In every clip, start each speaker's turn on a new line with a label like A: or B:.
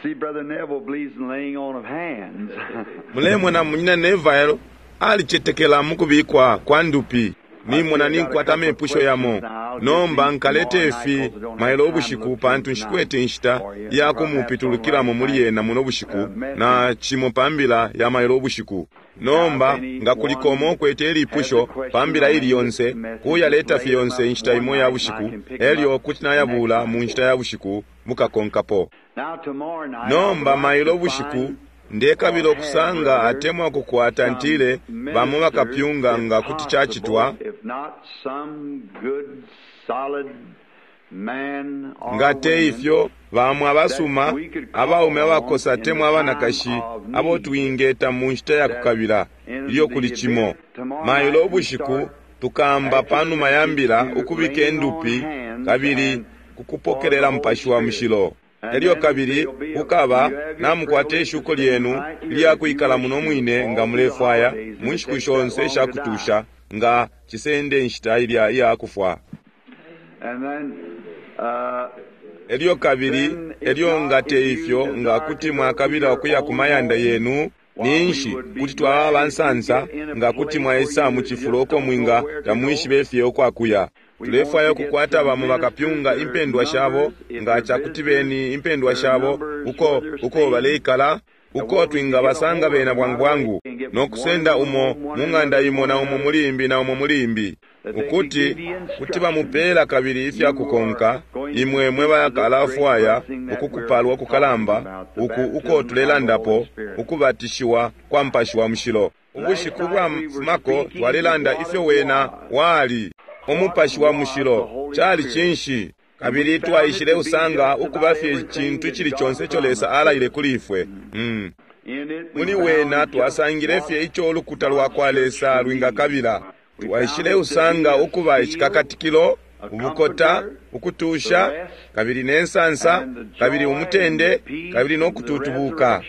A: See, Brother Neville believes in laying on of hands.
B: Mulemona Munyina Neville alicetekela mukubikwa kwa ndupi. Nimona ninkwata amepusho yamo. Nomba nkalete ifi mailo ubushiku, pantu nshikwete inshita ya kumupitulukilamo muli yena muno bushiku, na cimo pa mbila ya mailo ubushiku. Nomba nga kuliko umo ukwete ilipusho pa mbila ili yonse, kuyaleta fye yonse inshita imo ya bushiku, elyo kuti nayabula mu nshita ya bushiku bukakonkapo. Nomba mailo ubushiku ndekabila ukusanga atemwa ukukwata ntile bamo bakapyunga nga kuti cacitwa, nga te ifyo bamo abasuma abaume abakosa atemwa abanakashi abo twingeta mu nshita ya kukabila ilyo kuli cimo. Mailo ubushiku tukamba panuma ya mbila ukubika indupi kabili kukupokelela Mupashi wa Mushilo. Elyo kabili kukaba namukwata ishuko lyenu ilya kwikala muno mwine nga mulefwaya mu nshiku shonse isha kutusha, nga cisende inshita ilya iya kufwa. Elyo kabili, elyo nga te ifyo, nga kuti mwakabila ukuya ku mayanda yenu, ninshi kuti twaba abansansa nga kuti mwaisa mu cifulo uko mwinga tamwishibe fye ukwakuya. Tulefwaya ukukwata bamo bakapyunga impendwa shabo, nga cakuti beni impendwa shabo uko uko baleikala, uko twingabasanga bena bwangu bwangu, no kusenda umo mu ng'anda imo na umo muli imbi na umo muli imbi, ukuti kuti bamupela kabili ifya kukonka imwe mwe bakalafwaya ukukupalwa kukalamba uku uko tulelandapo, ukubatishiwa kwa Mupashi wa Mushilo. Ubushiku bwa fumako twalelanda ifyo wena wali Umupashi wa Mushilo cali cinshi, kabili twaishile usanga ukuba fye icintu icili conse ico Lesa alaile kuli ifwe. Muli wena twasangile fye ico ulukuta lwa kwa Lesa lwingakabila. Twaishile usanga ukuba icikakatikilo, ubukota, ukutusha, kabili ne nsansa, kabili umutende, kabili no kututubuka.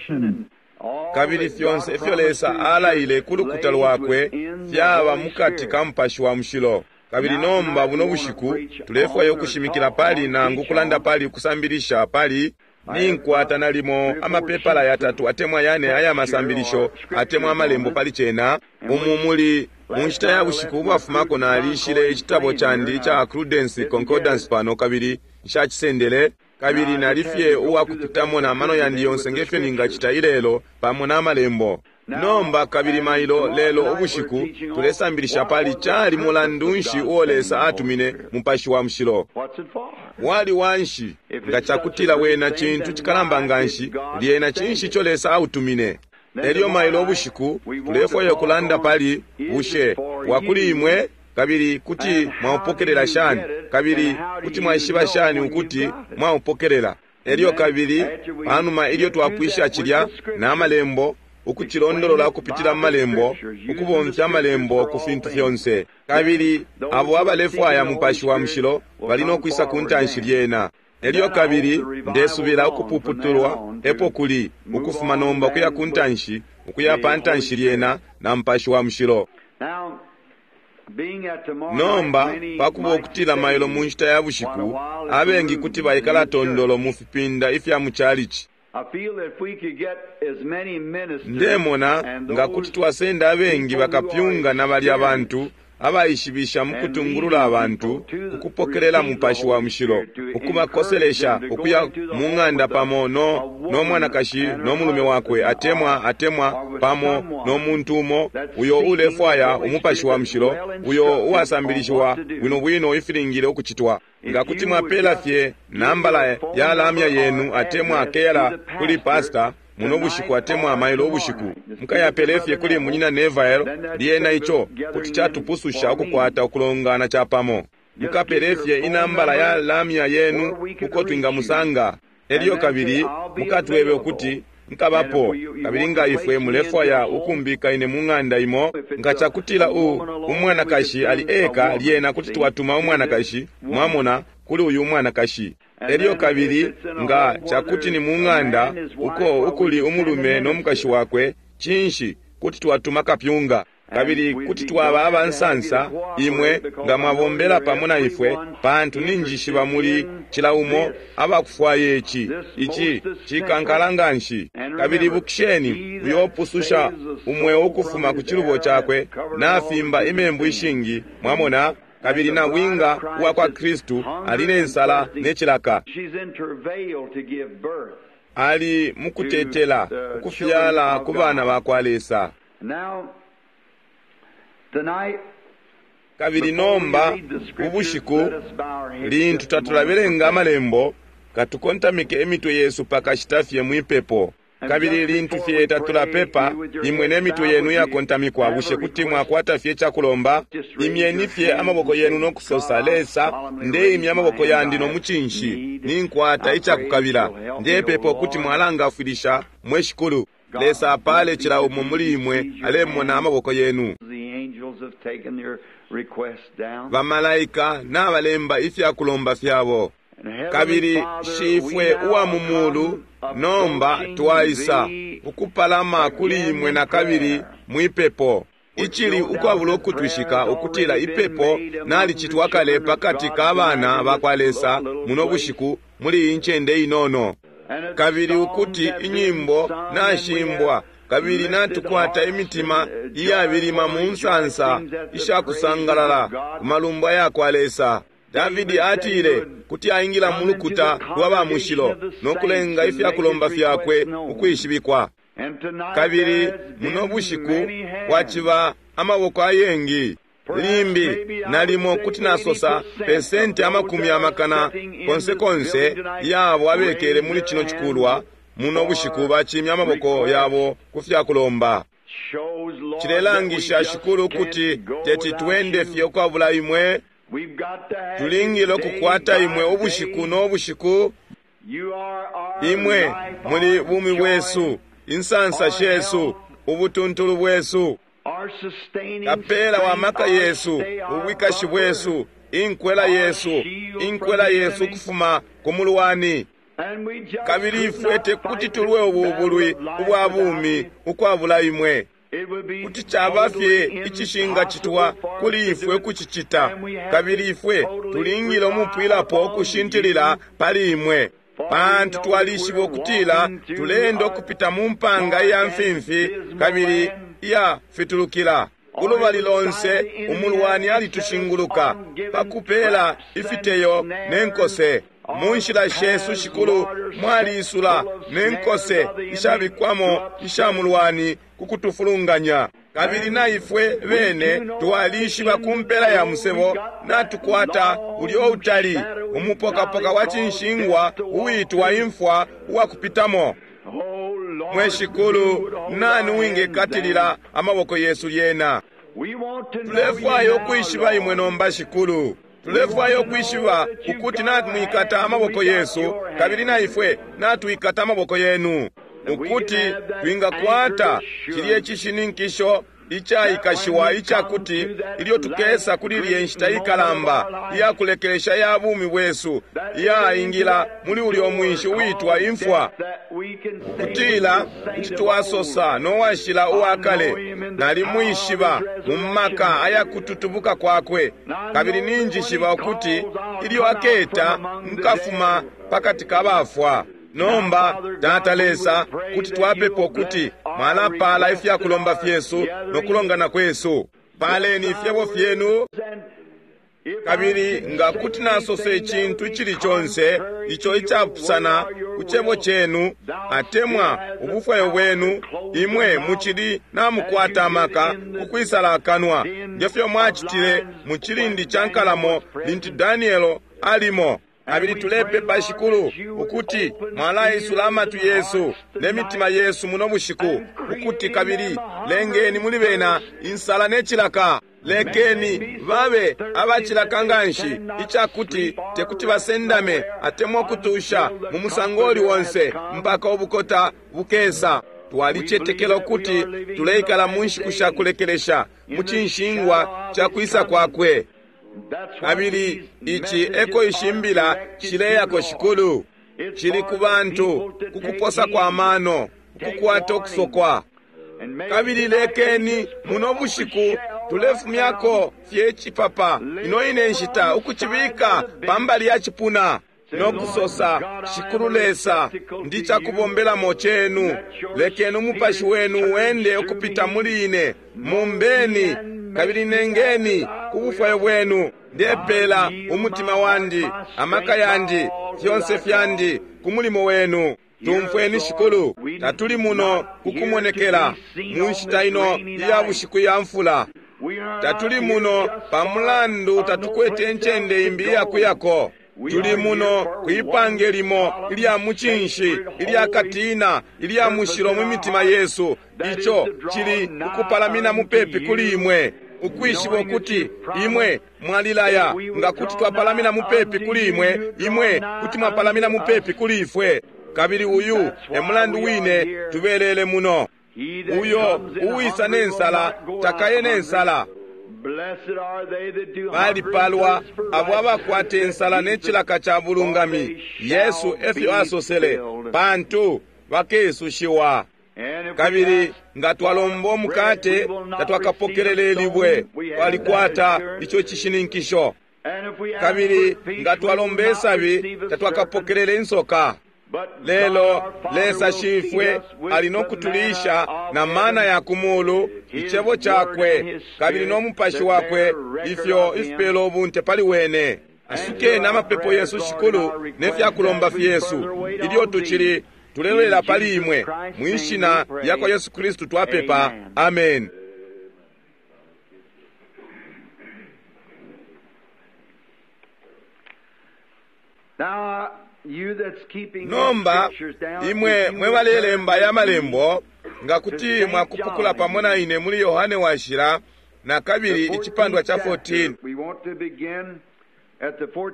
B: Kabili fyonse ifyo Lesa alaile ku lukuta lwakwe fyaba mukati ka Mupashi wa Mushilo. Kabili nomba buno bushiku tulefwaya ukushimikila pali nangu kulanda pali ukusambilisha pali ninkwata nalimo amapepala yatatu atemwa yane aya masambilisho atemwa amalembo pali cena. Umu muli mu nshita ya bushiku ubwafumako nalishile icitabo candi ica Prudence Concordance pano, kabili nshacisendele, kabili nali fye uwakupitamo na mano yandi yonse ngefyo ningacita ilelo pamo na malembo. Nomba kabili mailo lelo ubushiku tulesambilisha pali cali mulandu nshi uo Lesa atumine Mupashi wa Mushilo. Wali wanshi? Nga cakutila wena cintu cikalamba nganshi, lyena cinshi ico Lesa autumine? Elyo mailo ubushiku tulefwaya ukulanda pali bushe wakuli imwe, kabili kuti mwaupokelela shani, kabili kuti mwaishiba shani ukuti mwaupokelela. Elyo kabili panuma ilyo twapwisha cilya na malembo, ukucilondolola ukupitila mu malembo, ukubomfya amalembo ku fintu fyonse, kabili abo abalefwaya Mupashi wa Mushilo bali no kwisa ku ntanshi lyena. Elyo kabili ndesubila ukupuputulwa epo kuli ukufuma nomba ukuya ku ntanshi, ukuya pa ntanshi lyena na Mupashi wa Mushilo. Nomba pakuba ukutila mailo mu nshita ya bushiku abengi kuti baikala tondolo mu fipinda ifya mu chalichi. Ndemona nga kuti twasenda abengi bakapyunga na balya bantu abaishibisha mu kutungulula abantu ukupokelela Mupashi wa Mushilo, ukubakoselesha ukuya mu ng'anda pamo no, no mwanakashi no mulume wakwe atemwa atemwa pamo no muntu umo uyo ulefwaya Umupashi wa Mushilo, uyo uwasambilishiwa bwino bwino ifilingile ukucitwa. Nga kuti mwapela fye nambala ya lamya yenu atemwa keyala kuli pasta muno bushiku atemwa mailo ubushiku, mukayapele fye kuli Munyina Neville, lyena ico kuti catupususha ukukwata ukulongana capamo. Mukapele fye inambala ya lamya yenu uko twingamusanga. Elyo kabili mukatwebe ukuti nkabapo, kabili nga ifwe mulefwaya ukumbika ine mu ng'anda imo, nga cakutila umwanakashi ali eka, lyena kuti twatuma umwanakashi, mwamona, kuli uyu umwanakashi. Elyo kabili nga cakuti ni mu ng'anda uko ukuli umulume no mukashi wakwe, cinshi kuti twatuma kapyunga. Kabili kuti twaba abansansa imwe nga mwabombela pamo na ifwe, pantu ninjishiba muli cila umo abakufwaya ici. Ici cikankala nganshi. Kabili ibukisheni, uyo upususha umweo ukufuma ku cilubo cakwe nafimba imembu ishingi. Mwamona? Kabili nabwinga uwa kwa Kristu ali ne nsala ne cilaka. Ali mukutetela ukufyala ku bana ba kwa Lesa. Kabili nomba ubushiku lintu tatulabelenga amalembo, katukontamike imitwe yesu pakashita fye mwipepo. Kabili lintu fye tatulapepa, imwe ne mitwe yenu iyakontamikwa, bushe kuti mwakwata fye icakulomba? Imyeni fye amaboko yenu no kusosa, Lesa, ndeimya amaboko yandi no mucinshi, ninkwata icakukabila. Ndepepa ukuti mwalangafwilisha, mwe Shikulu. Lesa apale cila umo muli imwe alemona amaboko yenu. Bamalaika nabalemba ifyakulomba fyabo. Kabili Shifwe uwa mu mulu, nomba twaisa ukupalama kuli imwe na kabili mwipepo. Icili ukwabula ukutwishika ukutila ipepo nalicitwa kale pakati ka bana ba kwa Lesa muno bushiku muli iyi ncende inono. Kabili ukuti inyimbo nashimbwa, kabili natukwata imitima iyabilima mu nsansa ishakusangalala ku malumbo ya kwa Lesa. Davidi atile kuti aingila mu lukuta lwa ba mushilo no kulenga ifyakulomba fyakwe ukwishibikwa. Kabili muno bushiku kwaciba amaboko ayengi. Limbi nalimo kuti nasosa pesenti 100 konse konse yabo abekele muli cino cikulwa muno bushiku bacimya amaboko yabo ku fyakulomba. Cilelangisha, Shikulu, ukuti teti twende fye ukwabula imwe. Tulingile ukukwata imwe ubushiku no bushiku. Imwe muli bumi bwesu, insansa shesu, ubutuntulu bwesu, kapela wa maka yesu, ubwikashi bwesu, inkwela yesu, inkwela yesu ukufuma ku mulwani. Kabili ifwe tekuti tulwe ubu bulwi ubwa bumi ukwabula imwe. Kuti caba fye icishingacitwa kuli ifwe kucicita, kabili ifwe tulingile umupwilapo ukushintilila pali imwe, pantu twalishiba ukutila tuleenda ukupita mu mpanga iya mfimfi kabili iya fitulukila. Ulubali lonse umulwani alitushinguluka pakupela ifiteyo ne nkose. Mu nshila shesu, Shikulu, mwaliisula ne nkose ishabikwamo isha mulwani ku kutufulunganya. Kabili na ifwe bene twalishiba ku mpela ya musebo natukwata ulyo utali umupokapoka wa cinshingwa uwitwa imfwa uwakupitamo. Mwe Shikulu, nani uwingekatilila amaboko yesu lyena? Tulefwaya ukwishiba imwe nomba, Shikulu. Tulefwaya ukwishiba ukuti natwikata amaboko yesu, kabili na ifwe natwikata amaboko yenu, ukuti twingakwata cilye cishininkisho icaikashiwa icakuti ilyo tukesa kuli lye nshita ikalamba iyakulekelesha ya bumi bwesu iyaingila muli ulyo mwinshi uitwa imfwa, ukutila kuti twasosa no washila uwa kale, nalimwishiba mu maka ayakututubuka kwakwe, kabili ninjishiba ukuti ilyo aketa nkafuma pakati ka bafwa. Nomba, Tata Lesa, kuti twapepa ukuti mwalapala ifyakulomba fyesu no kulongana kwesu. Paleni ifyebo fyenu. Kabili nga kuti nasosa icintu icili conse ico icapusana ku cebo cenu atemwa ubufwayo bwenu, imwe mucili namukwata amaka kukwisala akanwa, ngefyo mwacitile mu cilindi ca nkalamo lintu Danielo alimo. Kabili tulepepa, Shikulu, ukuti mwalaisula amatwi yesu ne mitima yesu muno bushiku, ukuti kabili lengeni muli bena insala ne cilaka. Lekeni babe abacilaka nganshi icakuti tekuti basendame atemwa ukutusha mu musango uli onse mpaka ubukota bukesa. Twalicetekela ukuti tuleikala mu nshiku sha kulekelesha mu cinshingwa ca kwisa kwakwe. Kabili ici eko ishimbila shileyako, Shikulu. Cili ku bantu ku kuposa kwa mano, ukukwata ukusokwa. Kabili lekeni muno bushiku tulefumyako fye icipapa ino ine nshita, ukucibika pambali ya cipuna no kusosa, Shikulu Lesa, ndi cakubombelamo cenu. Lekeni umupashi wenu wende ukupita muli ine. Mumbeni kabili nengeni ku bufwayo bwenu. Ndepela umutima wandi, amaka yandi, fyonse fyandi ku mulimo wenu. Tumfweni Shikulu, tatuli muno kukumonekela mu nshita ino iya bushiku ya mfula. Tatuli muno pa mulandu tatukwete incende imbi iyakuyako. Tuli muno kwipange limo ilya mucinshi, ilya katina, ilya mushilo mu mitima yesu. Ico cili ukupalamina mupepi kuli imwe, ukwishiba ukuti imwe mwalilaya. Nga kuti twapalamina mupepi kuli imwe, imwe kuti mwapalamina mupepi kuli ifwe. Kabili uyu e mulandu wine tubelele muno. Uyo uwisa ne nsala takaye ne nsala. Balipalwa abo abakwata insala ne cilaka ca bulungami, Yesu efyo asosele, pantu bakesushiwa. Kabili nga twalomba umukate tatwakapokelele libwe, twalikwata ico cishininkisho. Kabili nga twalomba isabi tatwakapokelele insoka. Lelo Lesa Shifwe ali no kutulisha na mana ya kumulu, icebo cakwe kabili no mupashi wakwe, ifyo ifipela ubunte pali wene. Asukeni amapepo yesu Shikulu ne fya kulomba fyesu ilyo tucili tulelolela pali imwe. Mwishina lya kwa Yesu Kristu twapepa, amen. Nomba imwe mwe balelemba ya malembo, nga kuti mwakupukula pamo na ine muli Yohane Washila na kabili icipandwa ca 14.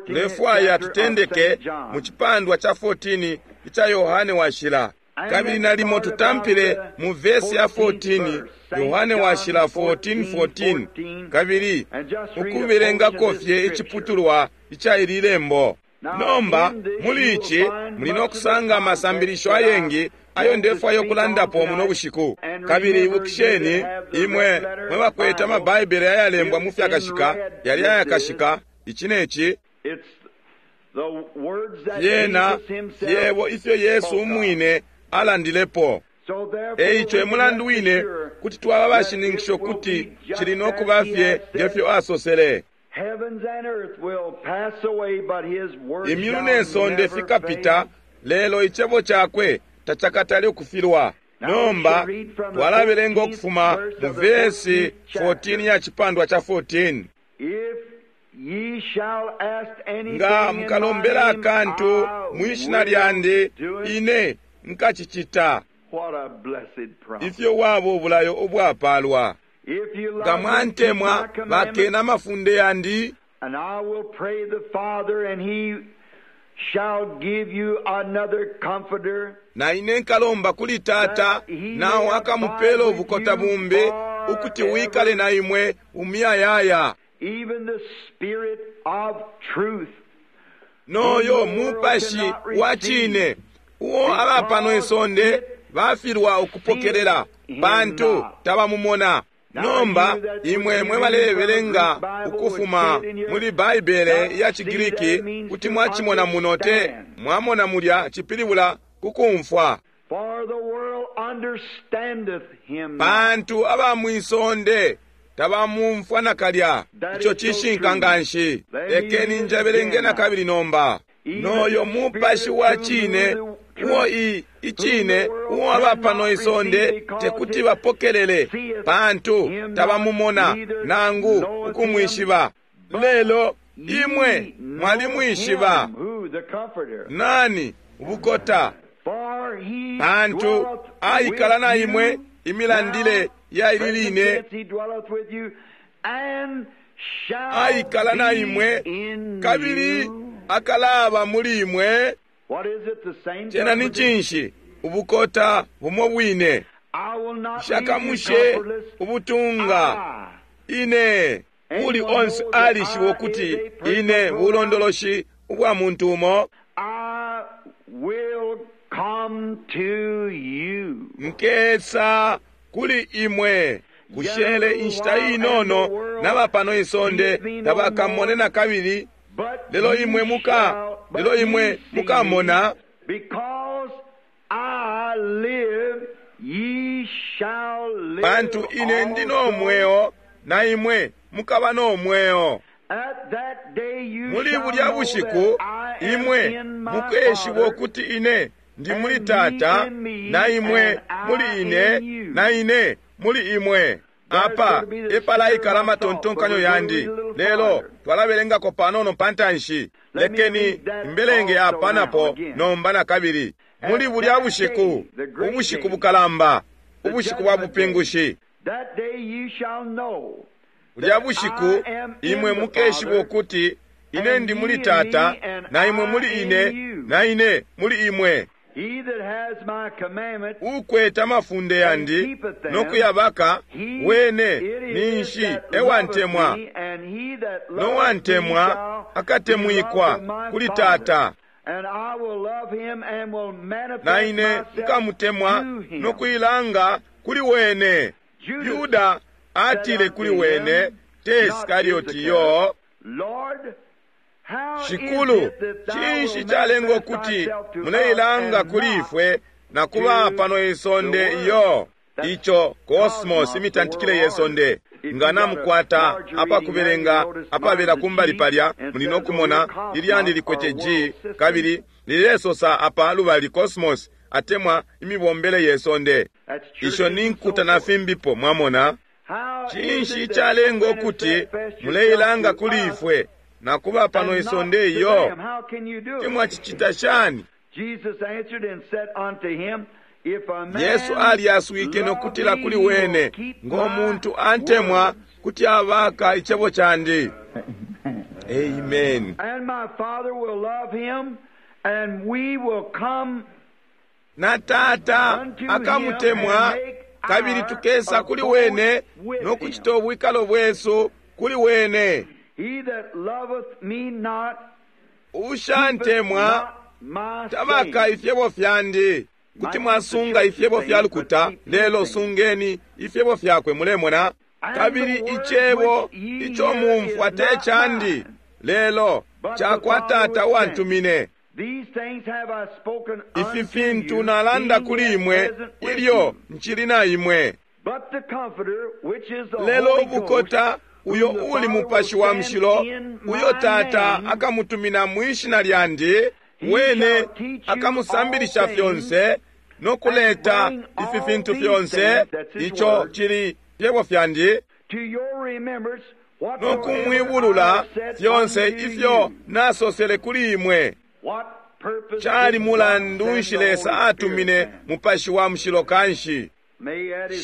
B: Tulefwaya tutendeke mu cipandwa ca 14 ica Yohane Washila, kabili nalimo tutampile mu vesi ya 14, Yohane Washila 14:14, kabili ukubelengako fye iciputulwa ica ili lembo. Nomba muli ici muli no kusanga amasambilisho ayengi ayo ndefwaya ukulandapo muno bushiku. Kabili ibukisheni imwe mwe bakwete amabaibele ayalembwa mu fyakashika, yali ayakashika, ici ne ci fyena fyebo ifyo Yesu umwine alandilepo. Eico emulandu wine kuti twaba bashininkisha ukuti cili no kuba fye ngefyo asosele. Imyulu ne sonde fikapita, lelo icebo cakwe tacakatale ukufilwa. Nomba twalabelenga ukufuma mu vesi 14 ya cipandwa ca 14. Nga mukalombela akantu mwishina lyandi, ine nkacicita. Ifyo waba ubulayo ubwapalwa! Nga mwantemwa, bakena amafunde yandi. Na ine nkalomba kuli Tata, nao akamupela ubukota bumbi, ukuti wikale na imwe umuyayaya. Noyo mupashi wa cine, uo aba pano isonde bafilwa ukupokelela, pantu tabamumona. Nomba imwe mwe balebelenga ukufuma muli Baibele ya ciGriki, kuti mwacimona muno te mwamona mulya cipilibula kukumfwa. Pantu aba mwisonde tabamumfwa nakalya. Ico cishinka nganshi. Lekeni njebelenge na kabili nomba. Noyo mupashi wa cine, uo icine uo aba pano isonde tekuti bapokelele, pantu tabamumona nangu ukumwishiba. Lelo imwe mwalimwishiba. Nani ubukota? Pantu aikala na imwe imilandile ya ili line, aikala na imwe kabili akalaba muli imwe. Cena ni cinshi? Ubukota bumo bwine. Nshakamushe ubutunga ine. Uli onse alishiba ukuti ine bulondoloshi ubwa muntu umo. Nkesa kuli imwe. Kushele inshita inono naba pano isonde tabakamone na kabili, lelo imwe muka, lelo imwe mukamona. Pantu ine ndi no mweo, na imwe mukaba no mweo. Muli bulya bushiku imwe mukeshiba ukuti ine ndi muli Tata, na imwe muli ine, na ine muli imwe. Apa epalaikala amatontonkanyo yandi, lelo twalabelengako panono pantanshi. Lekeni imbelenge apa napo nomba na kabili. Muli bulya bushiku, ubushiku bukalamba, ubushiku bwa bupingushi, bulya bushiku imwe mukeshiba ukuti ine ndi muli Tata, na imwe muli ine, na ine muli imwe. Ukwete amafunde yandi no kuyabaka, wene ninshi ewantemwa, nowantemwa akatemwikwa kuli Tata, na ine nkamutemwa no kuilanga kuli wene. Yuda atile kuli wene, te Iskarioti yo, Shikulu, cinshi calenga ukuti muleilanga kuli ifwe na kuba pano isonde iyo? Ico kosmos, imitantikile ye sonde. Nga namukwata apakubelenga apabela kumbali palya, muli no kumona ilyandi likwete G, kabili lilesosa apa lubali kosmos, atemwa imibombele ye sonde. Isho ni nkuta na fimbipo, mwamona. Cinshi calenga ukuti muleilanga kuli ifwe na kuba pano isonde iyo? Timwacicita shani? Yesu alyaswike nokutila kuli wene, ngo muntu antemwa kuti abaka icebo candi. Amen. Na Tata akamutemwa, kabili tukesa kuli wene no kucita ubwikalo bwesu kuli wene. Ushantemwa tabaka ifyebo fyandi. Kuti mwasunga ifyebo fya lukuta, lelo sungeni ifyebo fyakwe, mulemona. Kabili icebo ico mumfwa te candi, lelo cakwa Tata uwantumine. Ifi fintu nalanda kuli imwe ilyo ncili na imwe. Lelo ubukota uyo uli Mupashi wa Mushilo, uyo Tata akamutumina mwishina lyandi, wene akamusambilisha fyonse no kuleta ifi fintu fyonse, ico cili fyebo fyandi, no kumwibulula fyonse ifyo nasosele kuli imwe. Cali mulandu nshi Lesa atumine Mupashi wa Mushilo kanshi?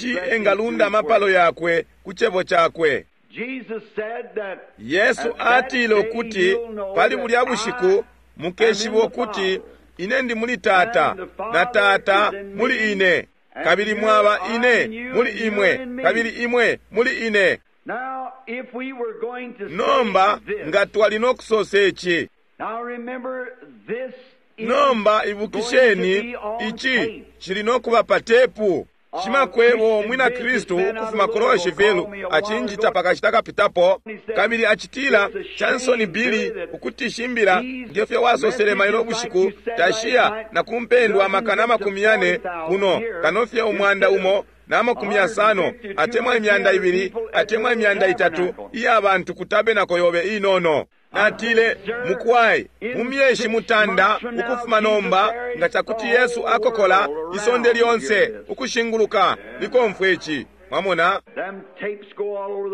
B: Shi engalunda amapalo yakwe ku cebo cakwe. Yesu atile ukuti pali bulya bushiku mukeshiba ukuti ine ndi muli Tata, na Tata muli ine, kabili mwaba ine muli imwe, kabili imwe muli ine. Nomba nga twali no kusosa ici. Nomba ibukisheni, ici cili no kuba pa tepu. Shimakwebo mwina Kristu ukufuma ku Louisville acinjita pakashita kapitapo, kabili acitila Chansoni Billy ukuti shimbila ngefyo wasosele mailo bushiku tashiya na kumpendwa 400,000 kuno kanofye 150 atemwa 200 atemwa 300 iya bantu kutabe nako yobe inono. Natile, mukwai, mu myeshi mutanda ukufuma nomba, nga cakuti Yesu akokola isonde lyonse ukushinguluka likomfwe ici. Mwamona,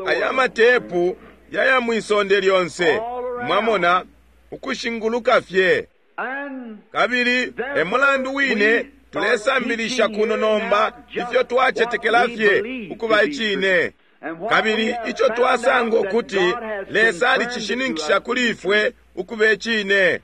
B: aya matepu yaya mwisonde lyonse, mwamona, ukushinguluka fye. Kabili e mulandu wine tulesambilisha kuno nomba ifyo twacetekela fye ukuba icine. Kabili ico twasanga ukuti Lesa alicishininkisha kuli ifwe ukuba icine.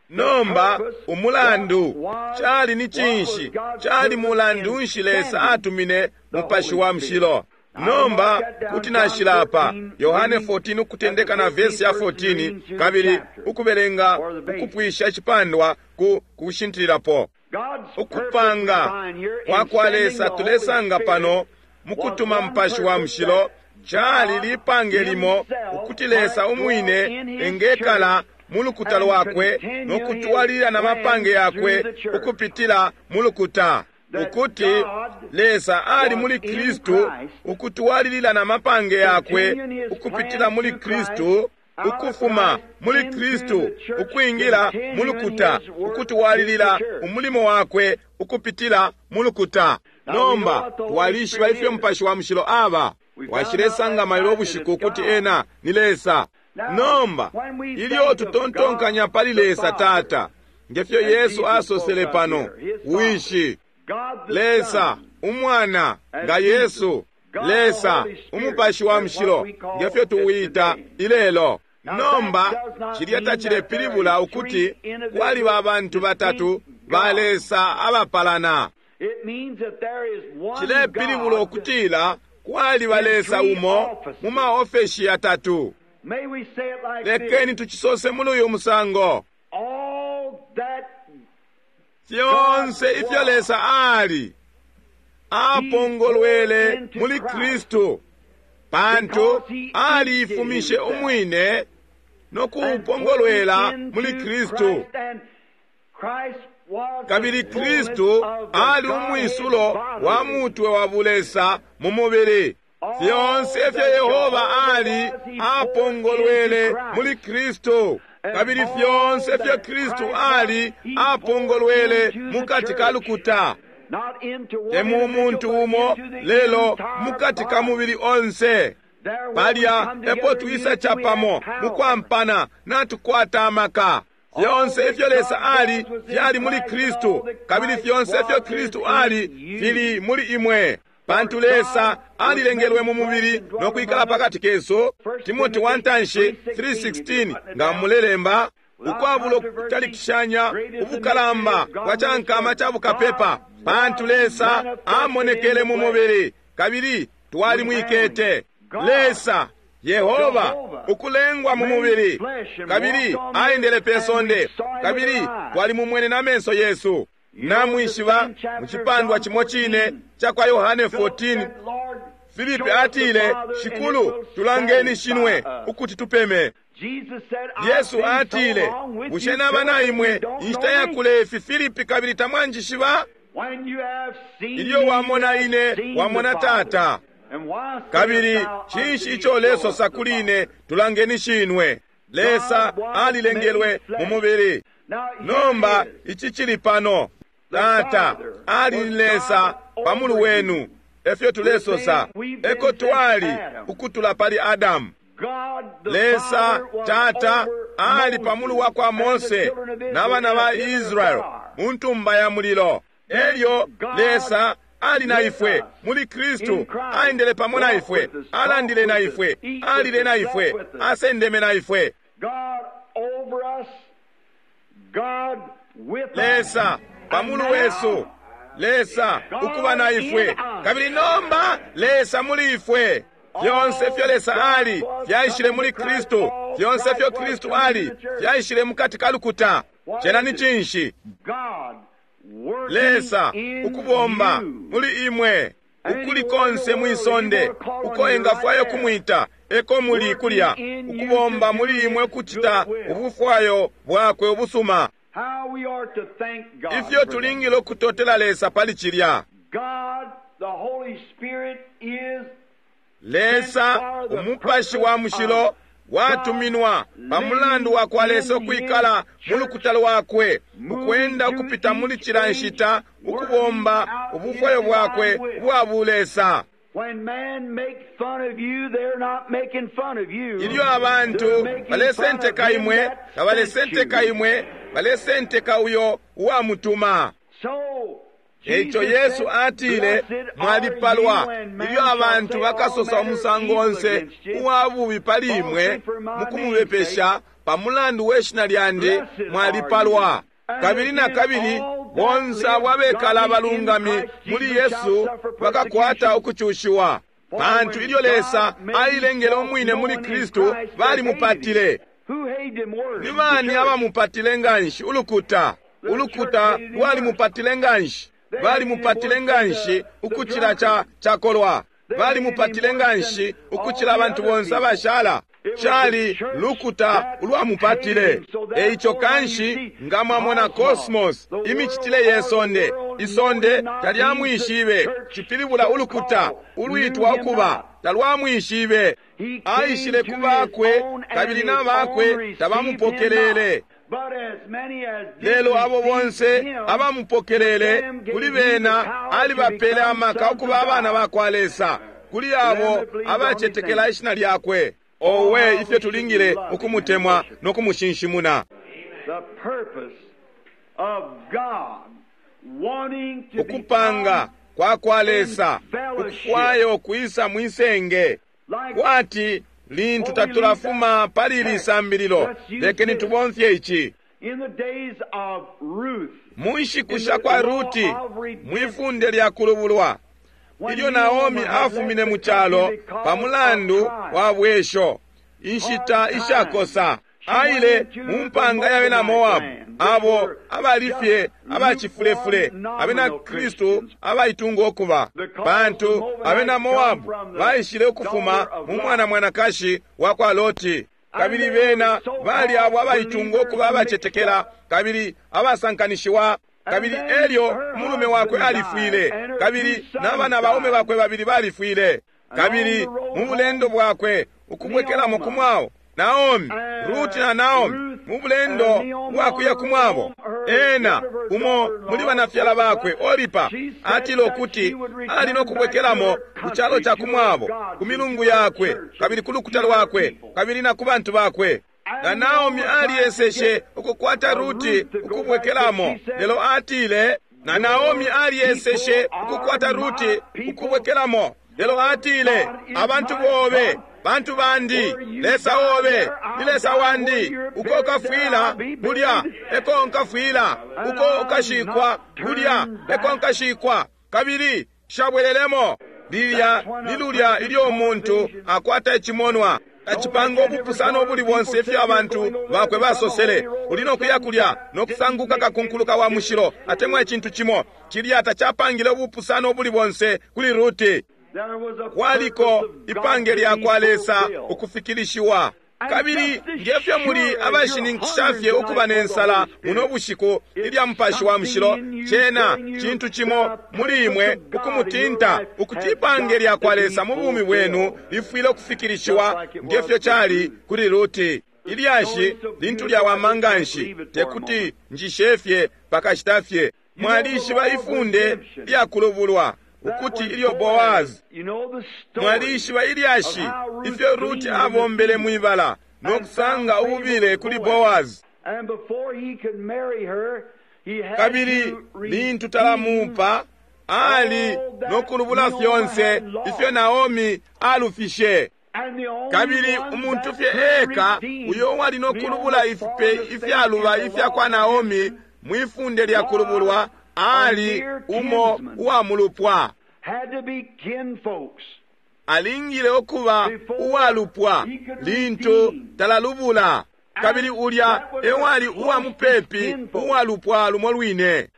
B: Nomba umulandu cali ni cinshi? Cali mulandu nshi Lesa atumine Mupashi wa Mushilo? Nomba kuti nashila apa Yohane 14 ukutendeka na vesi ya 14, kabili ukubelenga ukupwisha icipandwa ku kushintililapo. Ukupanga kwa kwa Lesa tulesanga pano mukutuma Mupashi wa Mushilo cali lipange limo ukuti Lesa umwine engekala mu lukuta lwakwe no kutwalilila na mapange yakwe ukupitila mu lukuta, ukuti Lesa ali muli Kristu ukutwalilila na mapange yakwe ukupitila muli Kristu, ukufuma muli Kristu ukwingila mu lukuta, ukutwalilila umulimo wakwe ukupitila mu lukuta. Nomba twalishiba ifyo Mupashi wa Mushilo aba. Twashilesanga mailo ubushiku ukuti ena ni Lesa. Nomba ilyo tutontonkanya pali Lesa Tata, ngefyo Yesu asosele pano, Wishi, Lesa Umwana nga Yesu, Lesa Umupashi wa Mushilo, ngefyo tuwita ilelo. Nomba cilya tacilepilibula ukuti kwaliba abantu batatu ba Lesa abapalana. Cilepilibula ukutila kwaliba Lesa umo mu maofeshi yatatu. Lekeni tucisose muli uyu musango. Fyonse ifyo Lesa ali apongolwele muli Kristu, pantu aliifumishe umwine no kuupongolwela muli Kristu. Kabili Kristu ali umwisulo wa mutwe wa bulesa mu mubili. Fyonse ifyo Yehova ali apongolwele muli Kristu, kabili fyonse ifyo Kristu ali apongolwele mukati ka lukuta, te mu muntu umo, lelo mukati ka mubili onse. Palya epo twisa capamo mukwampana natukwata amaka. Fyonse ifyo Lesa ali fyali muli Kristu, kabili fyonse ifyo Kristu ali fili muli imwe. Pantu Lesa alilengelwe mu mubili no kwikala pakati kesu. Timoti wa ntanshi 3:16 nga mulelemba, ukwabulo kutalikishanya ubukalamba bwa cankama ca bukapepa, pantu Lesa amonekele mu mubili kabili twalimwikete. Lesa Yehova ukulengwa mu mubili kabili aendele pe sonde kabili twalimumwene na menso yesu. Namwishiba mu cipandwa cimo cine ca kwa Yohane 14, Filipi atile, Shikulu, tulangeni shinwe ukuti tupeme. Yesu atile, bushe naba na imwe inshita yakule ifi, Filipi, kabili tamwanjishiba? Ilyo wamona ine, wamona Tata. Kabili cinshi ico lesosa kuli ine, tulangeni shinwe? Lesa alilengelwe mu mubili. Nomba ici cili pano. Tata ali Lesa pamulu wenu, efyo tulesosa. Eko twali ukutula pali Adamu. Lesa Tata ali pamulu wa kwa Mose na bana ba Israel mu ntumba ya mulilo. Elyo Lesa ali na ifwe muli Kristu, aendele pamo na ifwe, alandile na ifwe, alile na ifwe, asendeme na ifwe. Lesa pamulu wesu, Lesa ukuba na ifwe, kabili nomba Lesa muli ifwe. Fyonse fyo Lesa ali fyaishile muli Kristu, fyonse fyo Kristu ali fyaishile mukati ka lukuta. Cena ni cinshi? Lesa ukubomba muli imwe, ukuli konse mwisonde uko engafwayo kumwita, eko muli kulya, ukubomba muli imwe kucita ubufwayo bwakwe ubusuma. Ifyo tulingile ukutotela Lesa pali cilya. Lesa Umupashi wa Mushilo watuminwa pamulandu wa kwa Lesa ukwikala mu lukuta lwakwe, ukwenda ukupita muli cila nshita, ukubomba ubufwayo bwakwe ubwa bulesa. Ilyo abantu balesenteka imwe, tabalesenteka imwe, balesenteka uyo uwamutuma. Eico Yesu atile, mwalipalwa ilyo abantu bakasosa umusango onse uwa bubi pali imwe mukumubepesha pamulandu we shina lyandi, mwalipalwa. Kabili na kabili bonse abo abekala abalungami muli Yesu bakakwata ukucushiwa, pantu ilyo Lesa ailengele umwine muli Kristu balimupatile. Ni bani abamupatile nganshi? Ulukuta. Ulukuta lwalimupatile nganshi. Balimupatile nganshi ukucila cakolwa. Balimupatile nganshi ukucila abantu bonse abashala. Cali lukuta ulwamupatile. Eico kanshi nga mwamona cosmos, imicitile ye sonde, isonde talyamwishibe, cipilibula ulukuta ulwitwa ukuba talwamwishibe. Aishile ku bakwe, kabili na bakwe tabamupokelele. Lelo abo bonse abamupokelele, kuli bena alibapele amaka ukuba abana ba kwa Lesa, kuli abo abacetekela ishina lyakwe. Owe, ifyo tulingile ukumutemwa no kumushinshimuna. Ukupanga kwa kwa Lesa ukufwaya ukwisa mwisenge, kwati lintu tatulafuma pali ili sambililo, lekeni tubomfye ici. Mu nshiku sha kwa Ruti, mwifunde lya kulubulwa, ilyo Naomi afumine mu calo pa mulandu wa bwesho, inshita ishakosa, aile mu mpanga ya bena Moabu, abo abali fye abacifulefule, abena Kristu abaitunga ukuba, pantu abena Moabu baishile ukufuma mu mwana mwanakashi wa kwa Loti, kabili bena bali abo abaitunga ukuba abacetekela kabili abasankanishiwa. Kabili elyo umulume wakwe alifwile, kabili n'abana baume bakwe babili balifwile. Kabili mu bulendo bwakwe ukubwekelamo ku mwabo, Naomi, Ruti na Naomi, mu bulendo bwakuya ku mwabo, ena umo muli banafyala bakwe Oripa atile ukuti ali no kubwekelamo ku calo ca ku mwabo, ku milungu yakwe, kabili ku lukuta lwakwe, kabili na ku bantu bakwe. Na Naomi alieseshe ukukwata Ruti ukubwekelamo, lelo atile, na Naomi alieseshe ukukwata Ruti ukubwekelamo, lelo atile, abantu bobe bantu bandi, Lesa obe ni Lesa wandi. Uko ukafwila kulya eko nkafwila, uko ukashikwa kulya eko nkashikwa, kabili shabwelelemo. Lilya ni lulya ilyo umuntu akwata icimonwa tacipanga ubupusano ubuli bonse ifyo abantu bakwe basosele. Uli no kuya kulya no kusanguka kakunkuluka wa mushilo atemwa icintu cimo. Cilya tacapangile ubupusano ubuli bonse kuli Ruti. Kwaliko ipange lya kwa Lesa ukufikilishiwa. Kabili ngefyo muli abashininkisha fye ukuba ne nsala muno bushiku ilya Mupashi wa Mushilo, cena cintu cimo muli imwe ukumutinta ukuti ipange lya kwa Lesa mu bumi bwenu lifwile ukufikilishiwa ngefyo cali kuli Ruti. Ilyashi lintu lyawama nganshi, tekuti njishe fye pakashita fye. Mwalishiba ifunde lya kulubulwa, ukuti ilyo Boazi, mwalishiba ilyashi ifyo Ruti abombele mwibala no kusanga ububile kuli Boazi. Kabili lintu talamupa, ali no kulubula fyonse ifyo Naomi alufishe. Kabili umuntu fye eka uyo wali no kulubula ifipe ifyaluba ifya kwa Naomi mwifunde lya kulubulwa ali umo uwa mulupwa. Alingile ukuba uwalupwa lintu talalubula, kabili ulya ewali uwa mupepi uwalupwa lumo lwine.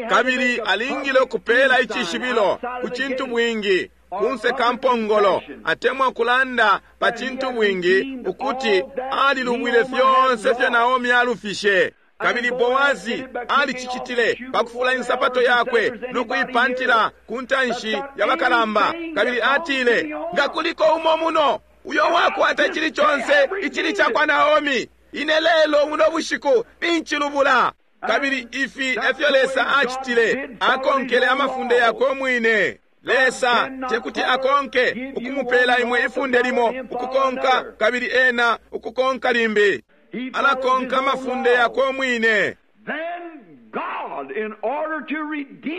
B: Kabili alingile ukupela icishibilo ku cintu bwingi kunse ka mpongolo, atemwa kulanda pa cintu bwingi ukuti alilubwile fyonse fyo Naomi alufishe. Kabili Boazi alicicitile pakufula insapato yakwe no kuipantila ku ntanshi ya bakalamba. Kabili atile, nga kuliko umo muno uyo wakwata icili conse icili ca kwa Naomi, ine lelo muno bushiku ninchilubula. Kabili ifi efyo Lesa acitile, akonkele amafunde yakwe umwine. Lesa tekuti akonke ukumupela imwe ifunde limo ukukonka, kabili ena ukukonka limbi. Alakonka amafunde yakwe umwine.